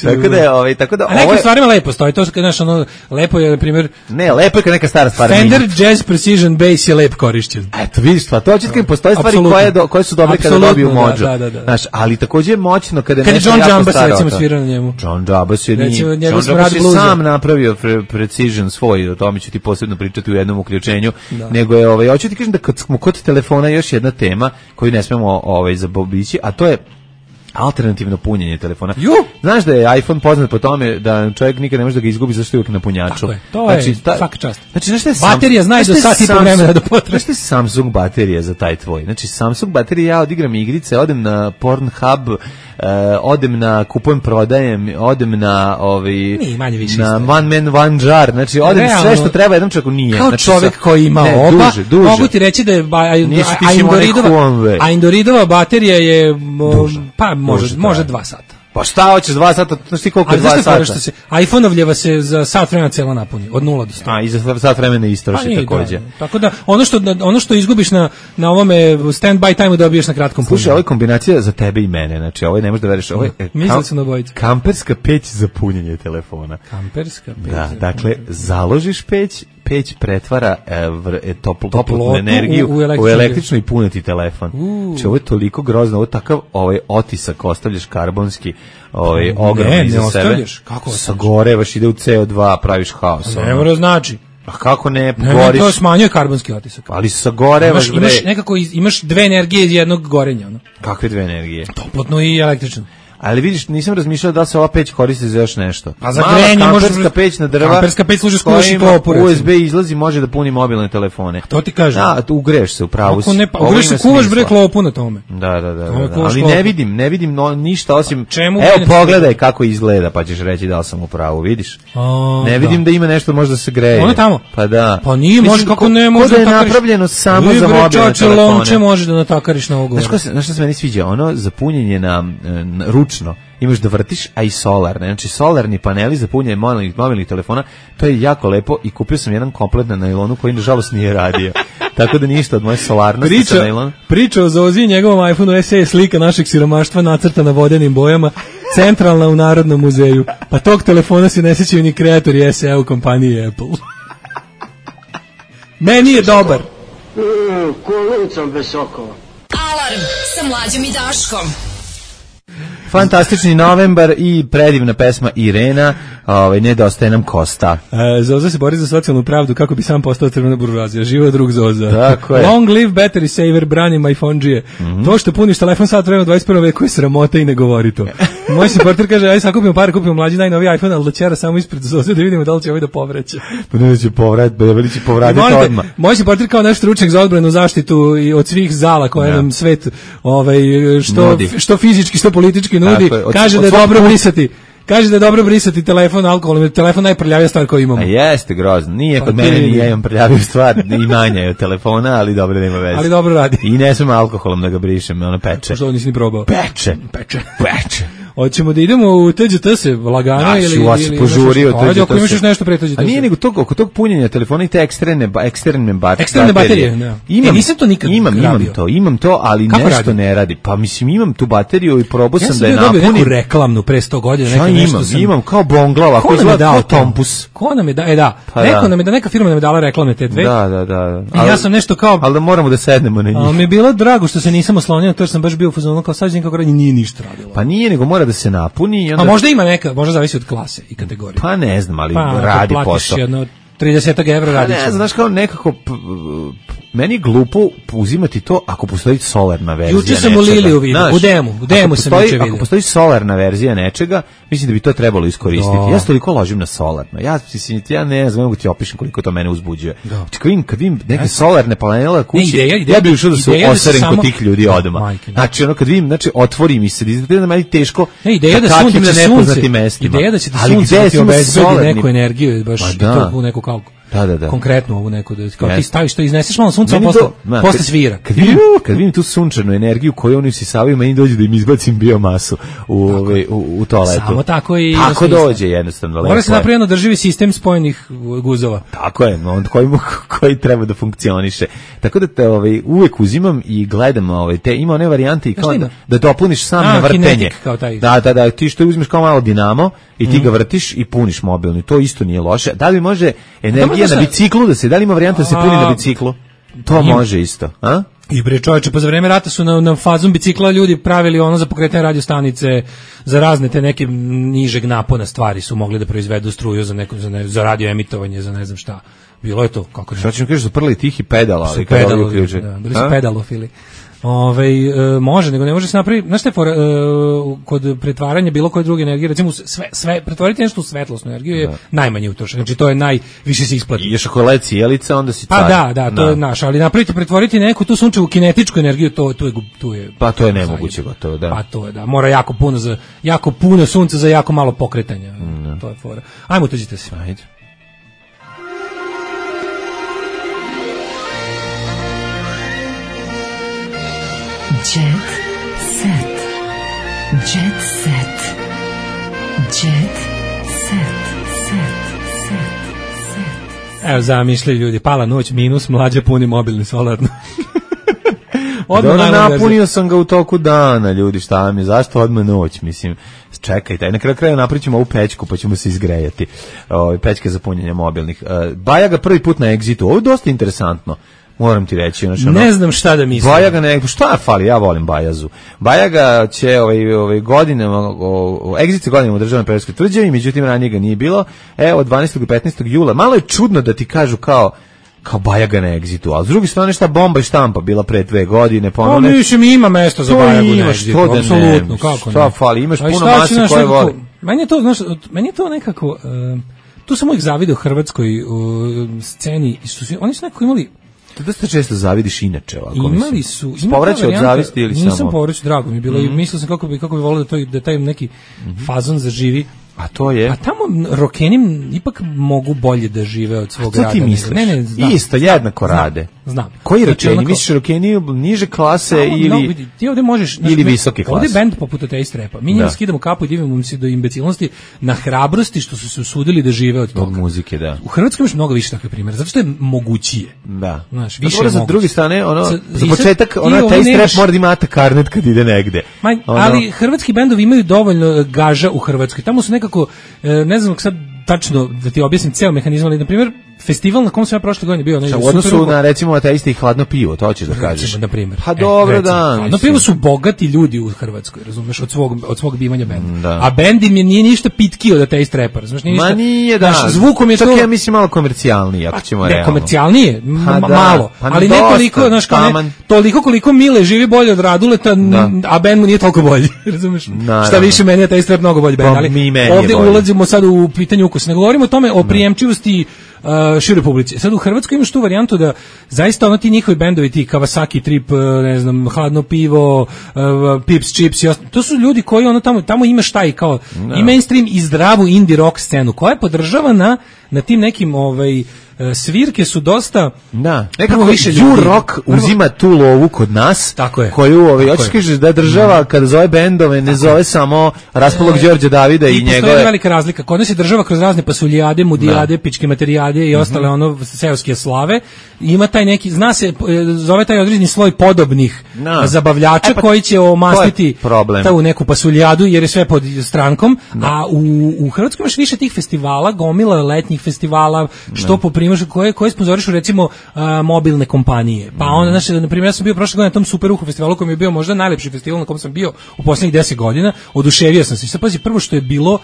Tako da je, ovaj, tako da ovo. A nekim stvarima lepo stoji, to kad naš ono lepo je na primjer. Ne, lepo je kad neka stara stvar. Fender Jazz Precision Bass je lep korišćen. Eto, vidiš, pa to hoće kad postoje stvari koje do, koje su dobre kada dobiju mođu. Da, da, da. Znaš, ali takođe je moćno kada nešto jako staro. Kad John Jambas recimo svira na njemu. John Jambas je ni John Jambas je sam napravio Precision svoj, o tome ću ti posebno pričati u jednom uključenju, da. Nego je, ovaj, hoću ti kažem da kad smo kod telefona još jedna tema koju ne smemo ovaj, zabobići, a to je alternativno punjenje telefona. Ju! Znaš da je iPhone poznat po tome da čovjek nikad ne može da ga izgubi zašto je uvijek na punjaču. Tako je, to znači, je ta, svaka čast. Znači, znaš šta je baterija Sam, znaš da sat i po vremena da potraje. Znaš šta je Samsung baterija za taj tvoj? Znači, Samsung baterija, ja odigram igrice, odem na Pornhub, uh, odem na kupujem, prodajem, odem na ovaj nije, manje više na isto. One man, one jar, znači odem realno, sve što treba jednom čovjeku nije. Kao znači, čovjek koji ima ne, oba, duže, duže. Mogu ti reći da je Aindoridova, Aindoridova baterija je duže, pa može, duže može dva sata. Pa šta hoćeš dva sata, znaš ti koliko je dva sata? Se, iPhone-ovljeva se za sat vremena celo napuni, od nula do sto. A, i za sat vremena istroši takođe. Da, tako da, ono što, ono što izgubiš na, na ovome stand-by time-u dobiješ na kratkom punjenju. Slušaj, ovo je kombinacija za tebe i mene, znači ovo ne možeš da veriš. Ovo je kam, kamperska peć za punjenje telefona. Kamperska peć. Da, dakle, založiš peć, peć pretvara e, vr, e, topl, toplotnu energiju u, u, električnu. u električnu i puneti telefon. Znači, ovo je toliko grozno, ovo je takav ovaj, otisak, ostavljaš karbonski, ovaj, ogromni iza sebe. Ne, ne kako sagorevaš, ide u C O dva, praviš haos. Ne mora znači. A kako ne, ne goriš? To smanjuje karbonski otisak. Ali sagorevaš, bre. Imaš nekako, imaš dve energije iz jednog gorenja. No? Kakve dve energije? Toplotnu i električnu. Ali vidiš, nisam razmišljao da se ova peć koristi za još nešto. Pa za grejanje može kamperska peć na drva. Kamperska peć služi skuvaši klopu. U S B izlazi, može da puni mobilne telefone. To ti kažem. Da, tu ugreš se u pravu. Ako ne, pa ugreš se, kuvaš bre klopu na tome. Da, da, da. da, da. Ali ne vidim, ne vidim no, ništa osim. Čemu evo pogledaj kako izgleda, pa ćeš reći da li sam u pravu, vidiš? A, ne vidim da. da ima nešto možda se greje. Ono tamo. Pa da. Pa nije, može kako ne može da je napravljeno samo za mobilne telefone. Lonče može da natakariš na ovo. Znaš šta se meni sviđa? Ono za punjenje na ručno. Imaš da vrtiš, a i solarne. Znači, solarni paneli za punjenje mobilnih, mobilnih telefona, to je jako lepo i kupio sam jedan komplet na nailonu koji, nažalost, nije radio. Tako da ništa od moje solarnosti priča, sa nailona. Priča o Zozi i njegovom iPhoneu S E je slika našeg siromaštva nacrtana vodenim bojama, centralna u Narodnom muzeju. Pa tog telefona se ne sjećaju ni kreatori S E u kompaniji Apple. Meni je dobar. Mm, Kolucom bez sokova. Alarm sa Mlađom i Daškom. Fantastični novembar i predivna pesma Irena, ovaj, nedostaje nam Kosta. E, Zoza se bori za socijalnu pravdu kako bi sam postao crvena buržoazija. Živo drug Zoza. Tako je. Long live battery saver, brani my phone-đije. Mm-hmm. To što puniš telefon sat vremena u dvadeset prvom veku je sramota i ne govori to. Moj supporter kaže, aj sad kupimo pare, kupimo mlađi najnoviji iPhone, ali da ćera samo ispred Zoze da vidimo da li će ovaj da povreće. Pa ne će povratiti, da li će povratiti odmah. Moj supporter kao naš stručnjak za odbranu, zaštitu i od svih zala koje ja. nam svet ovaj, što, što fizički, što politički nudi, je, kaže da je dobro brisati. Kaže da je dobro brisati telefon alkoholom, jer telefon najprljavija stvar koju imamo. A jeste grozno. Nije kod mene, ni ja imam prljaviju stvar, i manje je od telefona, ali dobro nema veze. Ali dobro radi. I ne smem alkoholom da ga brišem, ono peče. Što nisi ni probao? Peče. Peče. Peče. Hoćemo da idemo u T Đ T se lagano ili ili ili požurio T Đ T se. Ako imaš još nešto pre T Đ T se. A nije nego tog oko tog punjenja telefona i te eksterne eksterne baterije. Eksterne baterije, da. Imam, e, nisam to nikad imam, imam to, imam to, ali kako nešto radi? ne radi. Pa mislim imam tu bateriju i probao sam da je napunim. Ja sam napunim. reklamnu pre sto godina, neka nešto imam, sam... imam kao bonglava, koji izgleda kao Tompus. Ko nam je da, e da. Pa neko da. nam je da neka firma nam je dala reklame te dve. Da, da, da. I ja sam nešto kao, al da moramo da sednemo na njih. Al mi je bilo drago što se nisam oslonio, to što sam baš bio u fazonu kao sađen kako radi, nije ništa radilo. Pa nije, nego mora da se napuni i onda... A možda ima neka, možda zavisi od klase i kategorije. Pa ne znam, ali pa, radi posao. Jedno trideset evra radi. Ne, znaš kao nekako p, meni je glupo uzimati to ako postoji solarna verzija nečega. Juče sam u Liliju vidio, u demu, u demu sam juče vidio. Ako postoji solarna verzija nečega, mislim da bi to trebalo iskoristiti. Do. Ja se toliko ložim na solarno. Ja, ja ne znam, mogu ti opišem koliko to mene uzbuđuje. Kad vidim, kad vidim neke solarne panele kući, ideja, ideja, ja bih ušao da se oserem kod tih ljudi odmah. Znači, ono kad vidim, znači, otvori mi se, da je meni teško ideja da sunce na nepoznatim mestima. Ideja da će ti sunce ti obezbedi neku energiju, baš to u neku kao Da, da, da. Konkretno ovu neku da kao yes. ti staviš to, izneseš malo sunca, posle posle svira. Kad vidim, kad vidim tu sunčanu energiju koju oni usisavaju, meni dođe da im izbacim biomasu u ovaj u, u toaletu. Samo tako i tako dođe jednostavno. Mora se napraviti održivi sistem spojenih guzova. Tako je, on koji koji treba da funkcioniše. Tako da te ovaj uvek uzimam i gledam ovaj te ima one varijante i kao da, da dopuniš sam na vrtenje. Da, da, da, ti što uzmeš kao malo dinamo i ti mm. ga vrtiš i puniš mobilni. To isto nije loše. Da li može energija na biciklu da se, da li ima varijanta da se puni na biciklu? To ima. Može isto, a? I bre čoveče, pa za vreme rata su na, na fazom bicikla ljudi pravili ono za pokretanje radiostanice, za razne te neke nižeg napona stvari su mogli da proizvedu struju za neko za, ne, za radio emitovanje, za ne znam šta. Bilo je to kako. Šta ćemo kažeš za prli tihi pedala, ali kada pedalo, uključe. Da, bili su pedalofili. Ove, e, može, nego ne može se napraviti, znaš te, for, e, kod pretvaranja bilo koje druge energije, recimo sve, sve, pretvoriti nešto u svetlosnu energiju je da. najmanje utrošeno, znači to je najviše se isplati. I još ako je led cijelica, onda si car. Pa da, da, to da. je naš, ali napraviti, pretvoriti neku tu sunčevu kinetičku energiju, to, to, je, to je... Pa to je nemoguće gotovo, da. Pa to je, da, mora jako puno, za, jako puno sunca za jako malo pokretanja, mm. to je fora. Ajmo, tuđite se. Ajde. Jet set. Jet set. Jet set. Evo, zamišljaju ljudi, pala noć, minus, mlađe puni mobilni solarno. Odmah napunio sam ga u toku dana, ljudi, šta mi, zašto odmah noć, mislim, čekajte, na kraju kraja napričamo ovu pećku, pa ćemo se izgrejati, o, pećke za punjenje mobilnih. Baja ga prvi put na Exitu, ovo je dosta interesantno. Moram ti reći, znači, ono, ne znam šta da mislim. Bajaga ne, šta fali, ja volim Bajazu. Bajaga će ovaj ovaj godinama o Exit godinama u državnoj Perovskoj tvrđavi, međutim ranije ga nije bilo. Evo dvanaestog i petnaestog jula. Malo je čudno da ti kažu kao kao Bajaga na Exitu, a s druge strane šta bomba i štampa bila pre dve godine, ponovno. Pa mislim ima mesto za Bajagu na Exitu, apsolutno, kako ne. Šta fali, imaš puno mase koje voli. Meni je to, znaš, meni je to nekako uh, tu sam uvijek zavideo hrvatskoj uh, sceni, su, oni su nekako imali. Da ste često zavidiš inače ovako. Imali su, ima povraćaj od zavisti ili nisam samo. Nisam povraćaj, drago mi je bilo, mm. i mislio sam kako bi kako bi voleo da to da taj neki mm-hmm. fazon zaživi. A to je? A tamo rokeni ipak mogu bolje da žive od svog rada. A to ti misliš? Ne, ne, znam. Isto, jednako znam, rade. Znam. Koji znači, rokeni? Onako, misliš rokeni niže klase no, ili... No, vidi, ti ovde možeš... Ili znači, visoke klase. Ovde je band poput Ateist Rapa. Mi njima skidamo kapu i divimo se do imbecilnosti na hrabrosti što su se usudili da žive od toga. Od muzike, da. U Hrvatskoj imaš mnogo više takve primjera, zato što je mogućije. Da. Znaš, više je za druge strane, ono, za, za početak, ono, Ateist Rap mora da ima karnet kad ide negde. Ma, ono, ali hrvatski bendovi imaju dovoljno gaža u Hrvatskoj. Tamo su nekako, ne znam sad tačno da ti objasnim ceo mehanizam, ali na primjer festival na kom sam ja prošle godine bio, ne, u odnosu na recimo Ateisti i Hladno pivo, to hoćeš da kažeš. Na primjer. Pa dobro, da. Hladno pivo su bogati ljudi u Hrvatskoj, razumeš, od svog od svog bivanja benda. Da. A bend im je nije ništa pitki od Ateist Rapa, razumeš, nije ništa. Ma nije, da. Naš zvukom je čak to. Ja mislim malo komercijalnije, ako ćemo realno. Ne, komercijalnije, pa da, malo, pa ali ne toliko, znaš, kao ne, toliko koliko Mile živi bolje od Raduleta, da. A bend mu nije toliko bolji, razumeš? Naravno. Šta više, meni je Ateist Rap mnogo bolji bend, ali ovde ulazimo sad u pitanje ukusa. Ne govorimo o tome o prijemčivosti Uh, široj publici. Sad u Hrvatskoj imaš tu varijantu da zaista ono ti njihovi bendovi, ti Kawasaki Trip, ne znam, Hladno pivo, uh, Pips Chips, to su ljudi koji ono tamo, tamo ima šta i kao no. i mainstream i zdravu indie rock scenu koja je podržavana na tim nekim ovaj svirke su dosta da nekako više ju rock uzima tu lovu kod nas tako je koju ovaj hoćeš kažeš da država mm. kada zove bendove ne zove je. Samo Raspolog Đorđe Davida i, i njegove. Postoji velika razlika. Kod nas je država kroz razne pasuljade, mudijade, pičke materijade i ostale mm-hmm. ono seoske slave. Ima taj neki, zna se, zove taj određeni sloj podobnih no. zabavljača e, pa, koji će omastiti tu neku pasuljadu jer je sve pod strankom, no. a u, u Hrvatskoj imaš više tih festivala, gomila letnjih festivala, što no. po primjer koje koje sponzorišu recimo uh, mobilne kompanije. Pa onda znači na primjer ja sam bio prošle godine na tom Super Uhu festivalu koji mi je bio možda najlepši festival na kom sam bio u poslednjih deset godina. Oduševio sam se. Sad pazi, prvo što je bilo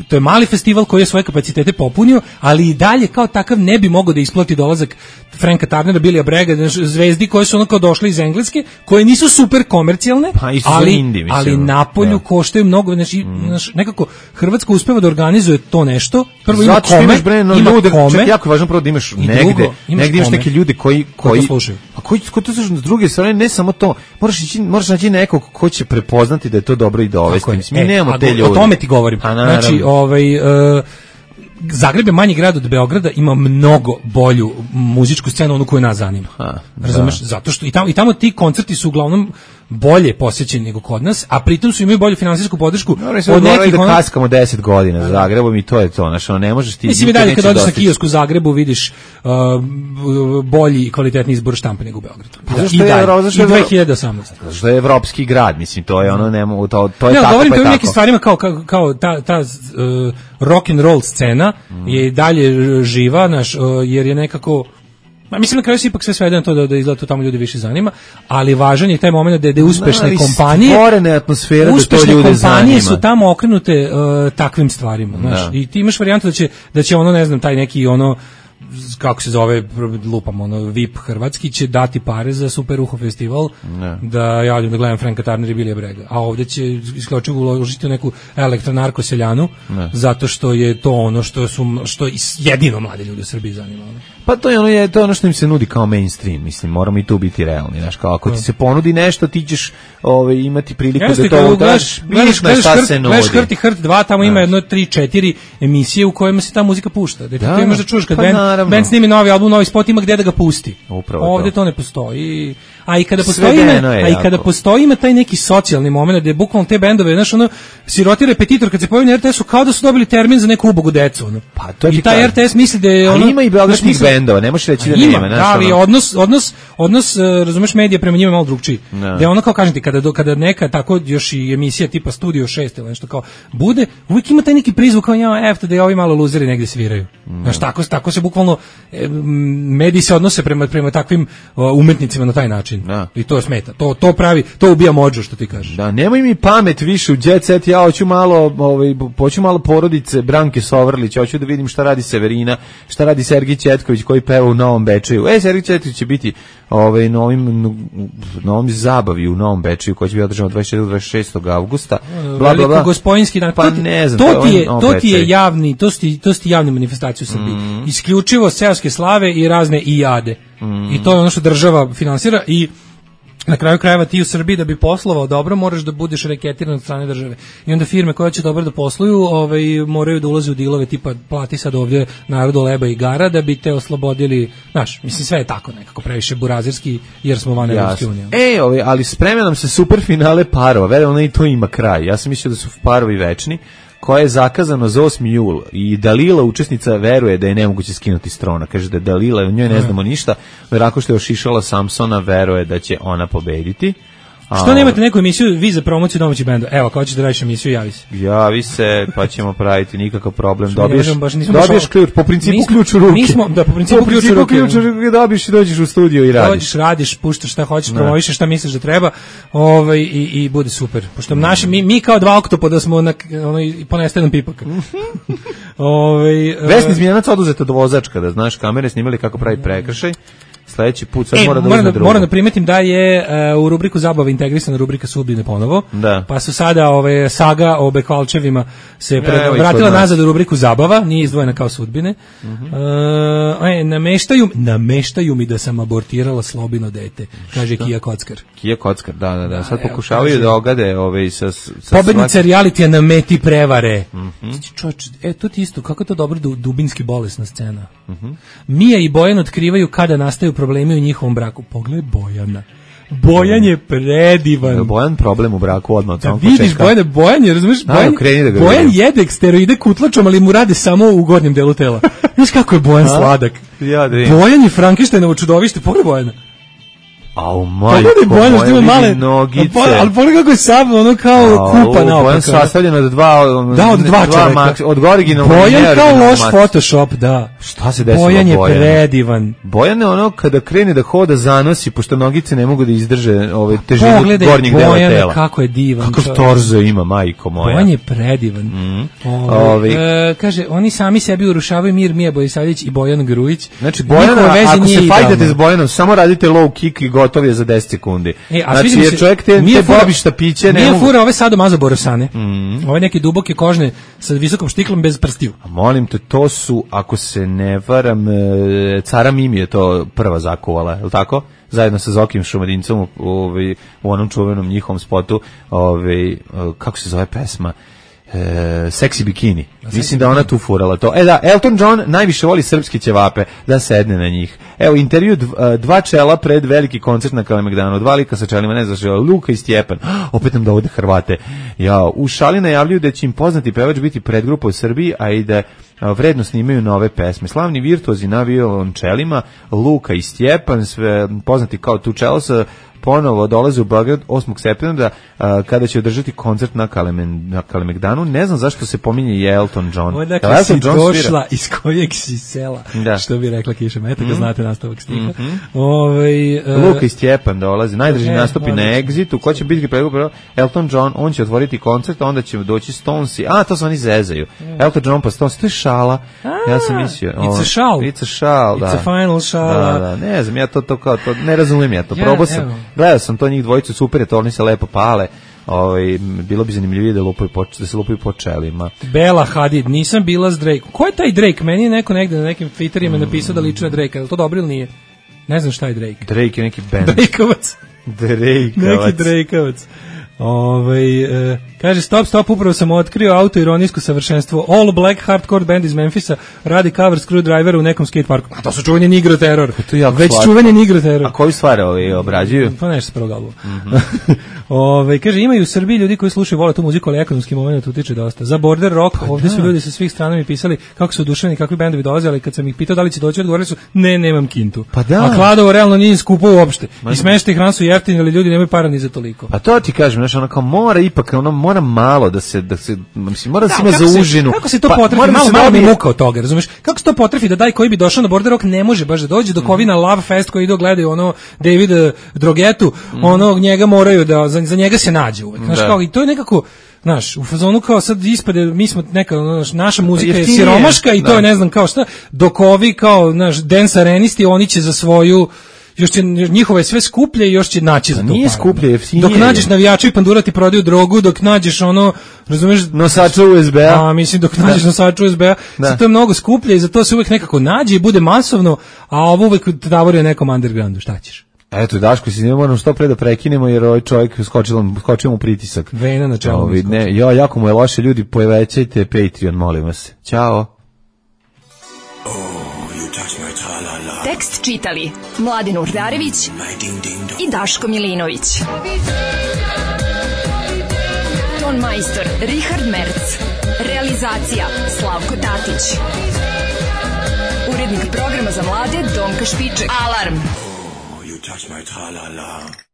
to je mali festival koji je svoje kapacitete popunio, ali i dalje kao takav ne bi mogao da isplati dolazak Franka Tarnera, Billya Bragga, zvezdi koje su onako došle iz Engleske, koje nisu super komercijalne, pa, ali, indie, ali napolju ja. koštaju mnogo, znači, mm. nekako Hrvatska uspeva da organizuje to nešto. Prvo ima zato kome, imaš bre, no, ima ljude, kome, čak jako važno prvo da imaš negde, drugo, imaš negde imaš neke ljude koji, koji, koji slušaju. A koji, koji to slušaju s druge strane, ne samo to, moraš, ići, moraš naći nekog ko će prepoznati da je to dobro i dovesti. Mislim, mi e, nemamo a, te ljude. O tome ti govorim. Znači, ovaj... Uh, Zagreb je manji grad od Beograda, ima mnogo bolju muzičku scenu, onu koju nas zanima. Ha, razumeš? Zato što i tamo, i tamo ti koncerti su uglavnom bolje posjećeni nego kod nas, a pritom su imaju bolju finansijsku podršku. No, od nekih da kaskamo deset godina za Zagrebom i to je to, znači ono ne možeš ti. Mislim i dalje kad dođeš na kiosk u Zagrebu vidiš uh, bolji i kvalitetniji izbor štampe nego u Beogradu. Pa da, i dalje, i dve hiljade osamnaeste. Što je evropski grad, mislim, to je ono, nemo, to, to je ne, tako, govorim pa je to tako. Nekim stvarima kao, kao, kao ta, ta uh, rock and roll scena mm. je i dalje živa, naš, uh, jer je nekako Ma mislim na kraju se ipak sve svede na to da da izgleda to tamo ljudi više zanima, ali važan je taj momenat da da uspešne no, kompanije, stvorene atmosfera da to ljude zanima. Uspešne kompanije su tamo okrenute uh, takvim stvarima, znaš. No. I ti imaš varijantu da će da će ono ne znam taj neki ono kako se zove lupam ono V I P hrvatski će dati pare za Super Uho festival ne. Da ja odem da gledam Franka Tarnera i Billya Bragga, a ovdje će isključivo uložiti u neku elektronarko seljanu ne. Zato što je to ono što su što jedino mlade ljudi u Srbiji zanima. Pa to je ono je to ono što im se nudi kao mainstream, mislim moramo i tu biti realni, znaš, kao ako ti se ponudi nešto ti ćeš ovaj imati priliku Jeste, da to daš, vidiš na šta se nudi. Gledaš Hrt i Hrt dva, tamo ima jedno tri četiri emisije u kojima se ta muzika pušta. Da ti to imaš da čuješ kad band naravno. band snimi novi album, novi spot, ima gde da ga pusti. Upravo Ovde to. to ne postoji. A i kada postoji, ima, a i jako. kada postoji ima taj neki socijalni moment gde bukvalno te bendove, znaš, ono, siroti repetitor kad se pojavi na er te esu kao da su dobili termin za neku ubogu decu, ono. Pa to I taj er te es misli da je ono. Ali ima i beogradskih bendova, ne možeš reći da ima, nema, da, ali odnos odnos odnos uh, razumeš, medija prema njima je malo drugčiji. Da je ono, kao kažem ti, kada do, kada neka tako još i emisija tipa Studio šest ili nešto kao bude, uvijek ima taj neki prizvuk kao ja, efte da je ovi malo luzeri negde sviraju. No. Znaš, tako tako se bukvalno e, mediji se odnose prema prema takvim uh, umetnicima na taj način. Da. I to smeta. To to pravi, to ubija modžu, što ti kažeš. Da, nemoj mi pamet više u jet set, ja hoću malo, ovaj hoću malo porodice Branke Sovrlić, hoću da vidim šta radi Severina, šta radi Sergij Četković koji peva u Novom Bečeju. E, Sergij Četković će biti ovaj novim novom zabavi u Novom Bečeju koji će biti održan dvadeset četvrtog do dvadeset šestog avgusta. Bla bla bla. Gospojinski dan. Pa ne znam, to ti je to ti je javni, to ti to ti javne manifestacije u Srbiji. Mm. Isključivo seoske slave i razne ijade. Mm. I to je ono što država finansira i na kraju krajeva ti u Srbiji da bi poslovao dobro moraš da budeš reketiran od strane države. I onda firme koje će dobro da posluju, ovaj moraju da ulaze u dilove tipa plati sad ovdje narodu leba i gara da bi te oslobodili. Znaš, mislim sve je tako nekako previše burazirski jer smo van Evropske unije. E, ovaj, ali sprema nam se super finale parova. Verujem, i to ima kraj. Ja sam mislio da su parovi večni, koje je zakazano za osmi jul i Dalila, učesnica, veruje da je nemoguće skinuti s trona. Kaže da je Dalila, o njoj ne znamo ništa, verako što je ošišala Samsona, veruje da će ona pobediti. Što nemate neku emisiju vi za promociju domaćih benda? Evo, kao ćeš da radiš emisiju, javi se. Javi se, pa ćemo praviti, nikakav problem. Dobiješ, baš, dobiješ ključ, po principu ključ u ruke. Mi smo, da, po principu, po principu ključ u ruke. Ključ u ruke dobiješ i dođeš u studio i radiš. Dođeš, radiš, puštaš šta hoćeš, promovišeš šta misliš da treba, ovaj, i, i bude super. Pošto mm. naši, mi, mi kao dva oktopoda smo na, ono, ponestajenom pipaka. ovaj, Vesni Zmijanac oduzeta do vozačka, da znaš, kamere snimali kako pravi prekršaj. Sledeći put sad e, mora da moram uzme drugo. Moram da primetim da je uh, u rubriku zabava integrisana rubrika sudbine ponovo. Da. Pa su sada ove saga o Bekvalčevima se pre, vratila nazad u rubriku zabava, nije izdvojena kao sudbine. Uh -huh. uh, e, nameštaju, nameštaju mi da sam abortirala slobino dete, kaže Šta? Kija Kockar. Kija Kockar, da, da, da. Sad pokušavaju kaže, da ogade ove sa, sa pobednica svaki... realitija na meti prevare. Uh -huh. Čoč, e, to ti isto, kako je to dobro dubinski bolesna scena. Uh -huh. Mija i Bojan otkrivaju kada nastaju problemi u njihovom braku. Pogled Bojana. Bojan je predivan. Bojan problem u braku odmah od samog početka. Vidiš Bojana, Bojan je, razumiješ, Bojan, da Bojan jede steroide kutlačom, ali mu rade samo u gornjem delu tela. Znaš kako je Bojan sladak. Ja, Bojan je Frankensteinovo čudovište, pogled Bojana. Au majko, Bojan moje male nogice. Ali pogledaj kako je sam, ono kao kupa naopako. Bojan sastavljen od dva, da, od dva, dva čoveka. Od originalnog. Bojan kao loš Photoshop, da. Šta se desilo Bojan? Bojan je predivan. Bojan je ono kada krene da hoda zanosi, pošto nogice ne mogu da izdrže ove težinu gornjeg dela Bojan, tela. Kako je divan. Kako torzo ima, majko moja. Bojan je predivan. Mm. Ove, Ove. E, kaže, oni sami sebi urušavaju mir, Mija Bojsavljević i Bojan Grujić. Znači, Bojan, ako se fajtate s Bojanom, samo radite low kick i gotov je za deset sekundi. E, a znači, jer čovjek te, te bobišta piće... Nije mogu... fura ove sadomazo borosane. Mm. Ove neke duboke kožne sa visokom štiklom bez prstiju. A molim te, to su, ako se ne varam, cara Mimi je to prva zakuvala, je li tako? Zajedno sa Zokim Šumadincom u, u, u onom čuvenom njihovom spotu, ove, kako se zove pesma? E, Sexy bikini. Da, mislim da ona tu furala to. E da, Elton John najviše voli srpske ćevape, da sedne na njih. Evo, intervju dva čela pred veliki koncert na Kalemegdanu. Dva lika sa čelima, ne znaš, Luka i Stjepan. Opet nam dovode Hrvate. Ja, u šali najavljuju da će im poznati pevač biti predgrupa u Srbiji, a i da vredno snimaju nove pesme. Slavni virtuozi na violončelima, Luka i Stjepan, sve poznati kao tu čelo sa ponovo dolaze u Beograd osmog septembra a, kada će održati koncert na, Kalemen, na Kalemegdanu. Ne znam zašto se pominje i Elton John. Odakle Elton si John došla, svira? Iz kojeg si sela, da. Što bi rekla Kiša Meta, kad mm. znate nastavak stiha. Mm -hmm. Ove, uh, Luka i Stjepan dolazi, najdrži e, nastupi na Exitu. Ko će biti predgrupa? Elton John, on će otvoriti koncert, onda će doći Stonesi. A, to se oni zezaju. Mm. Elton John pa Stonesi, to je šala. A, ja sam mislio. It's a šal. It's a šal, da. It's a final šala. Da, da, ne znam, ja to, to kao, to, ne razumijem ja to. Ja, probao sam. Evo. Gledao sam to njih dvojicu, super je to, oni se lepo pale. Ovaj, bilo bi zanimljivije da, lupaju po, da se lupaju po čelima. Bela Hadid, nisam bila s Drake. Ko je taj Drake? Meni je neko negde na nekim Twitterima mm. napisao da liči na Drake. Je li to dobro ili nije? Ne znam šta je Drake. Drake je neki band. Drakeovac. Drakeovac. Neki Drakeovac. Ovaj e, kaže stop stop upravo sam otkrio autoironijsko savršenstvo. All Black hardcore band iz Memfisa radi cover Screwdriver u nekom skate parku. A to su čuveni Nigro Terror. Već slatko. Čuveni Nigro Terror. A koji stvari ovi obrađuju? Pa nešto s prvog albuma. Mm-hmm. Ove, kaže imaju u Srbiji ljudi koji slušaju vole tu muziku, ali ekonomski moment utiče dosta. Za border rock pa ovdje da. Su ljudi sa svih strana mi pisali kako su oduševljeni, kakvi bendovi dolaze, ali kad sam ih pitao da li će doći, odgovorili su ne, nemam kintu. Pa da. A Kladovo realno nije skupo uopšte. I smeštaj hran su jeftini, ali ljudi nemaju para ni za toliko. Pa to ti kažem, znači ono kao mora ipak, ono mora malo da se da se mislim mora da se ima za užinu. Kako se to pa, potrefi? Malo malo mi muka od toga, razumeš? Kako se to potrefi da daj koji bi došao na border rock ne može baš da dođe do Kovina mm. Love Fest koji idu gledaju ono David Drogetu, mm. onog njega moraju da za, za njega se nađe uvek. Znaš kao i to je nekako znaš, u fazonu kao sad ispade, mi smo neka, naš, naša muzika je siromaška i to je ne znam kao šta, dok ovi kao, naš, dance arenisti, oni će za svoju, još će, njihove sve skuplje i još će naći za to. Nije skuplje, jeftinije. Dok nađeš navijača i pandura ti prodaju drogu, dok nađeš ono, razumeš, nosača U S B-a. A, mislim, dok nađeš da. nosača U S B-a, to je mnogo skuplje i za to se uvek nekako nađe i bude masovno, a ovo uvek tavoruje nekom undergroundu, šta ćeš? Eto, Daško, si ne moramo što pre da prekinemo, jer ovaj čovjek skočio, skočio mu pritisak. Vena na čelu. Ovi, ne, jo, jako mu je loše, ljudi, povećajte Patreon, molim vas. Ćao. Oh, tekst čitali Mladin Urdarević i Daško Milinović. Ton majstor Richard Merc. Realizacija Slavko Tatić. Urednik programa za mlade Donka Špiček. Alarm! Touch my tra-la-la.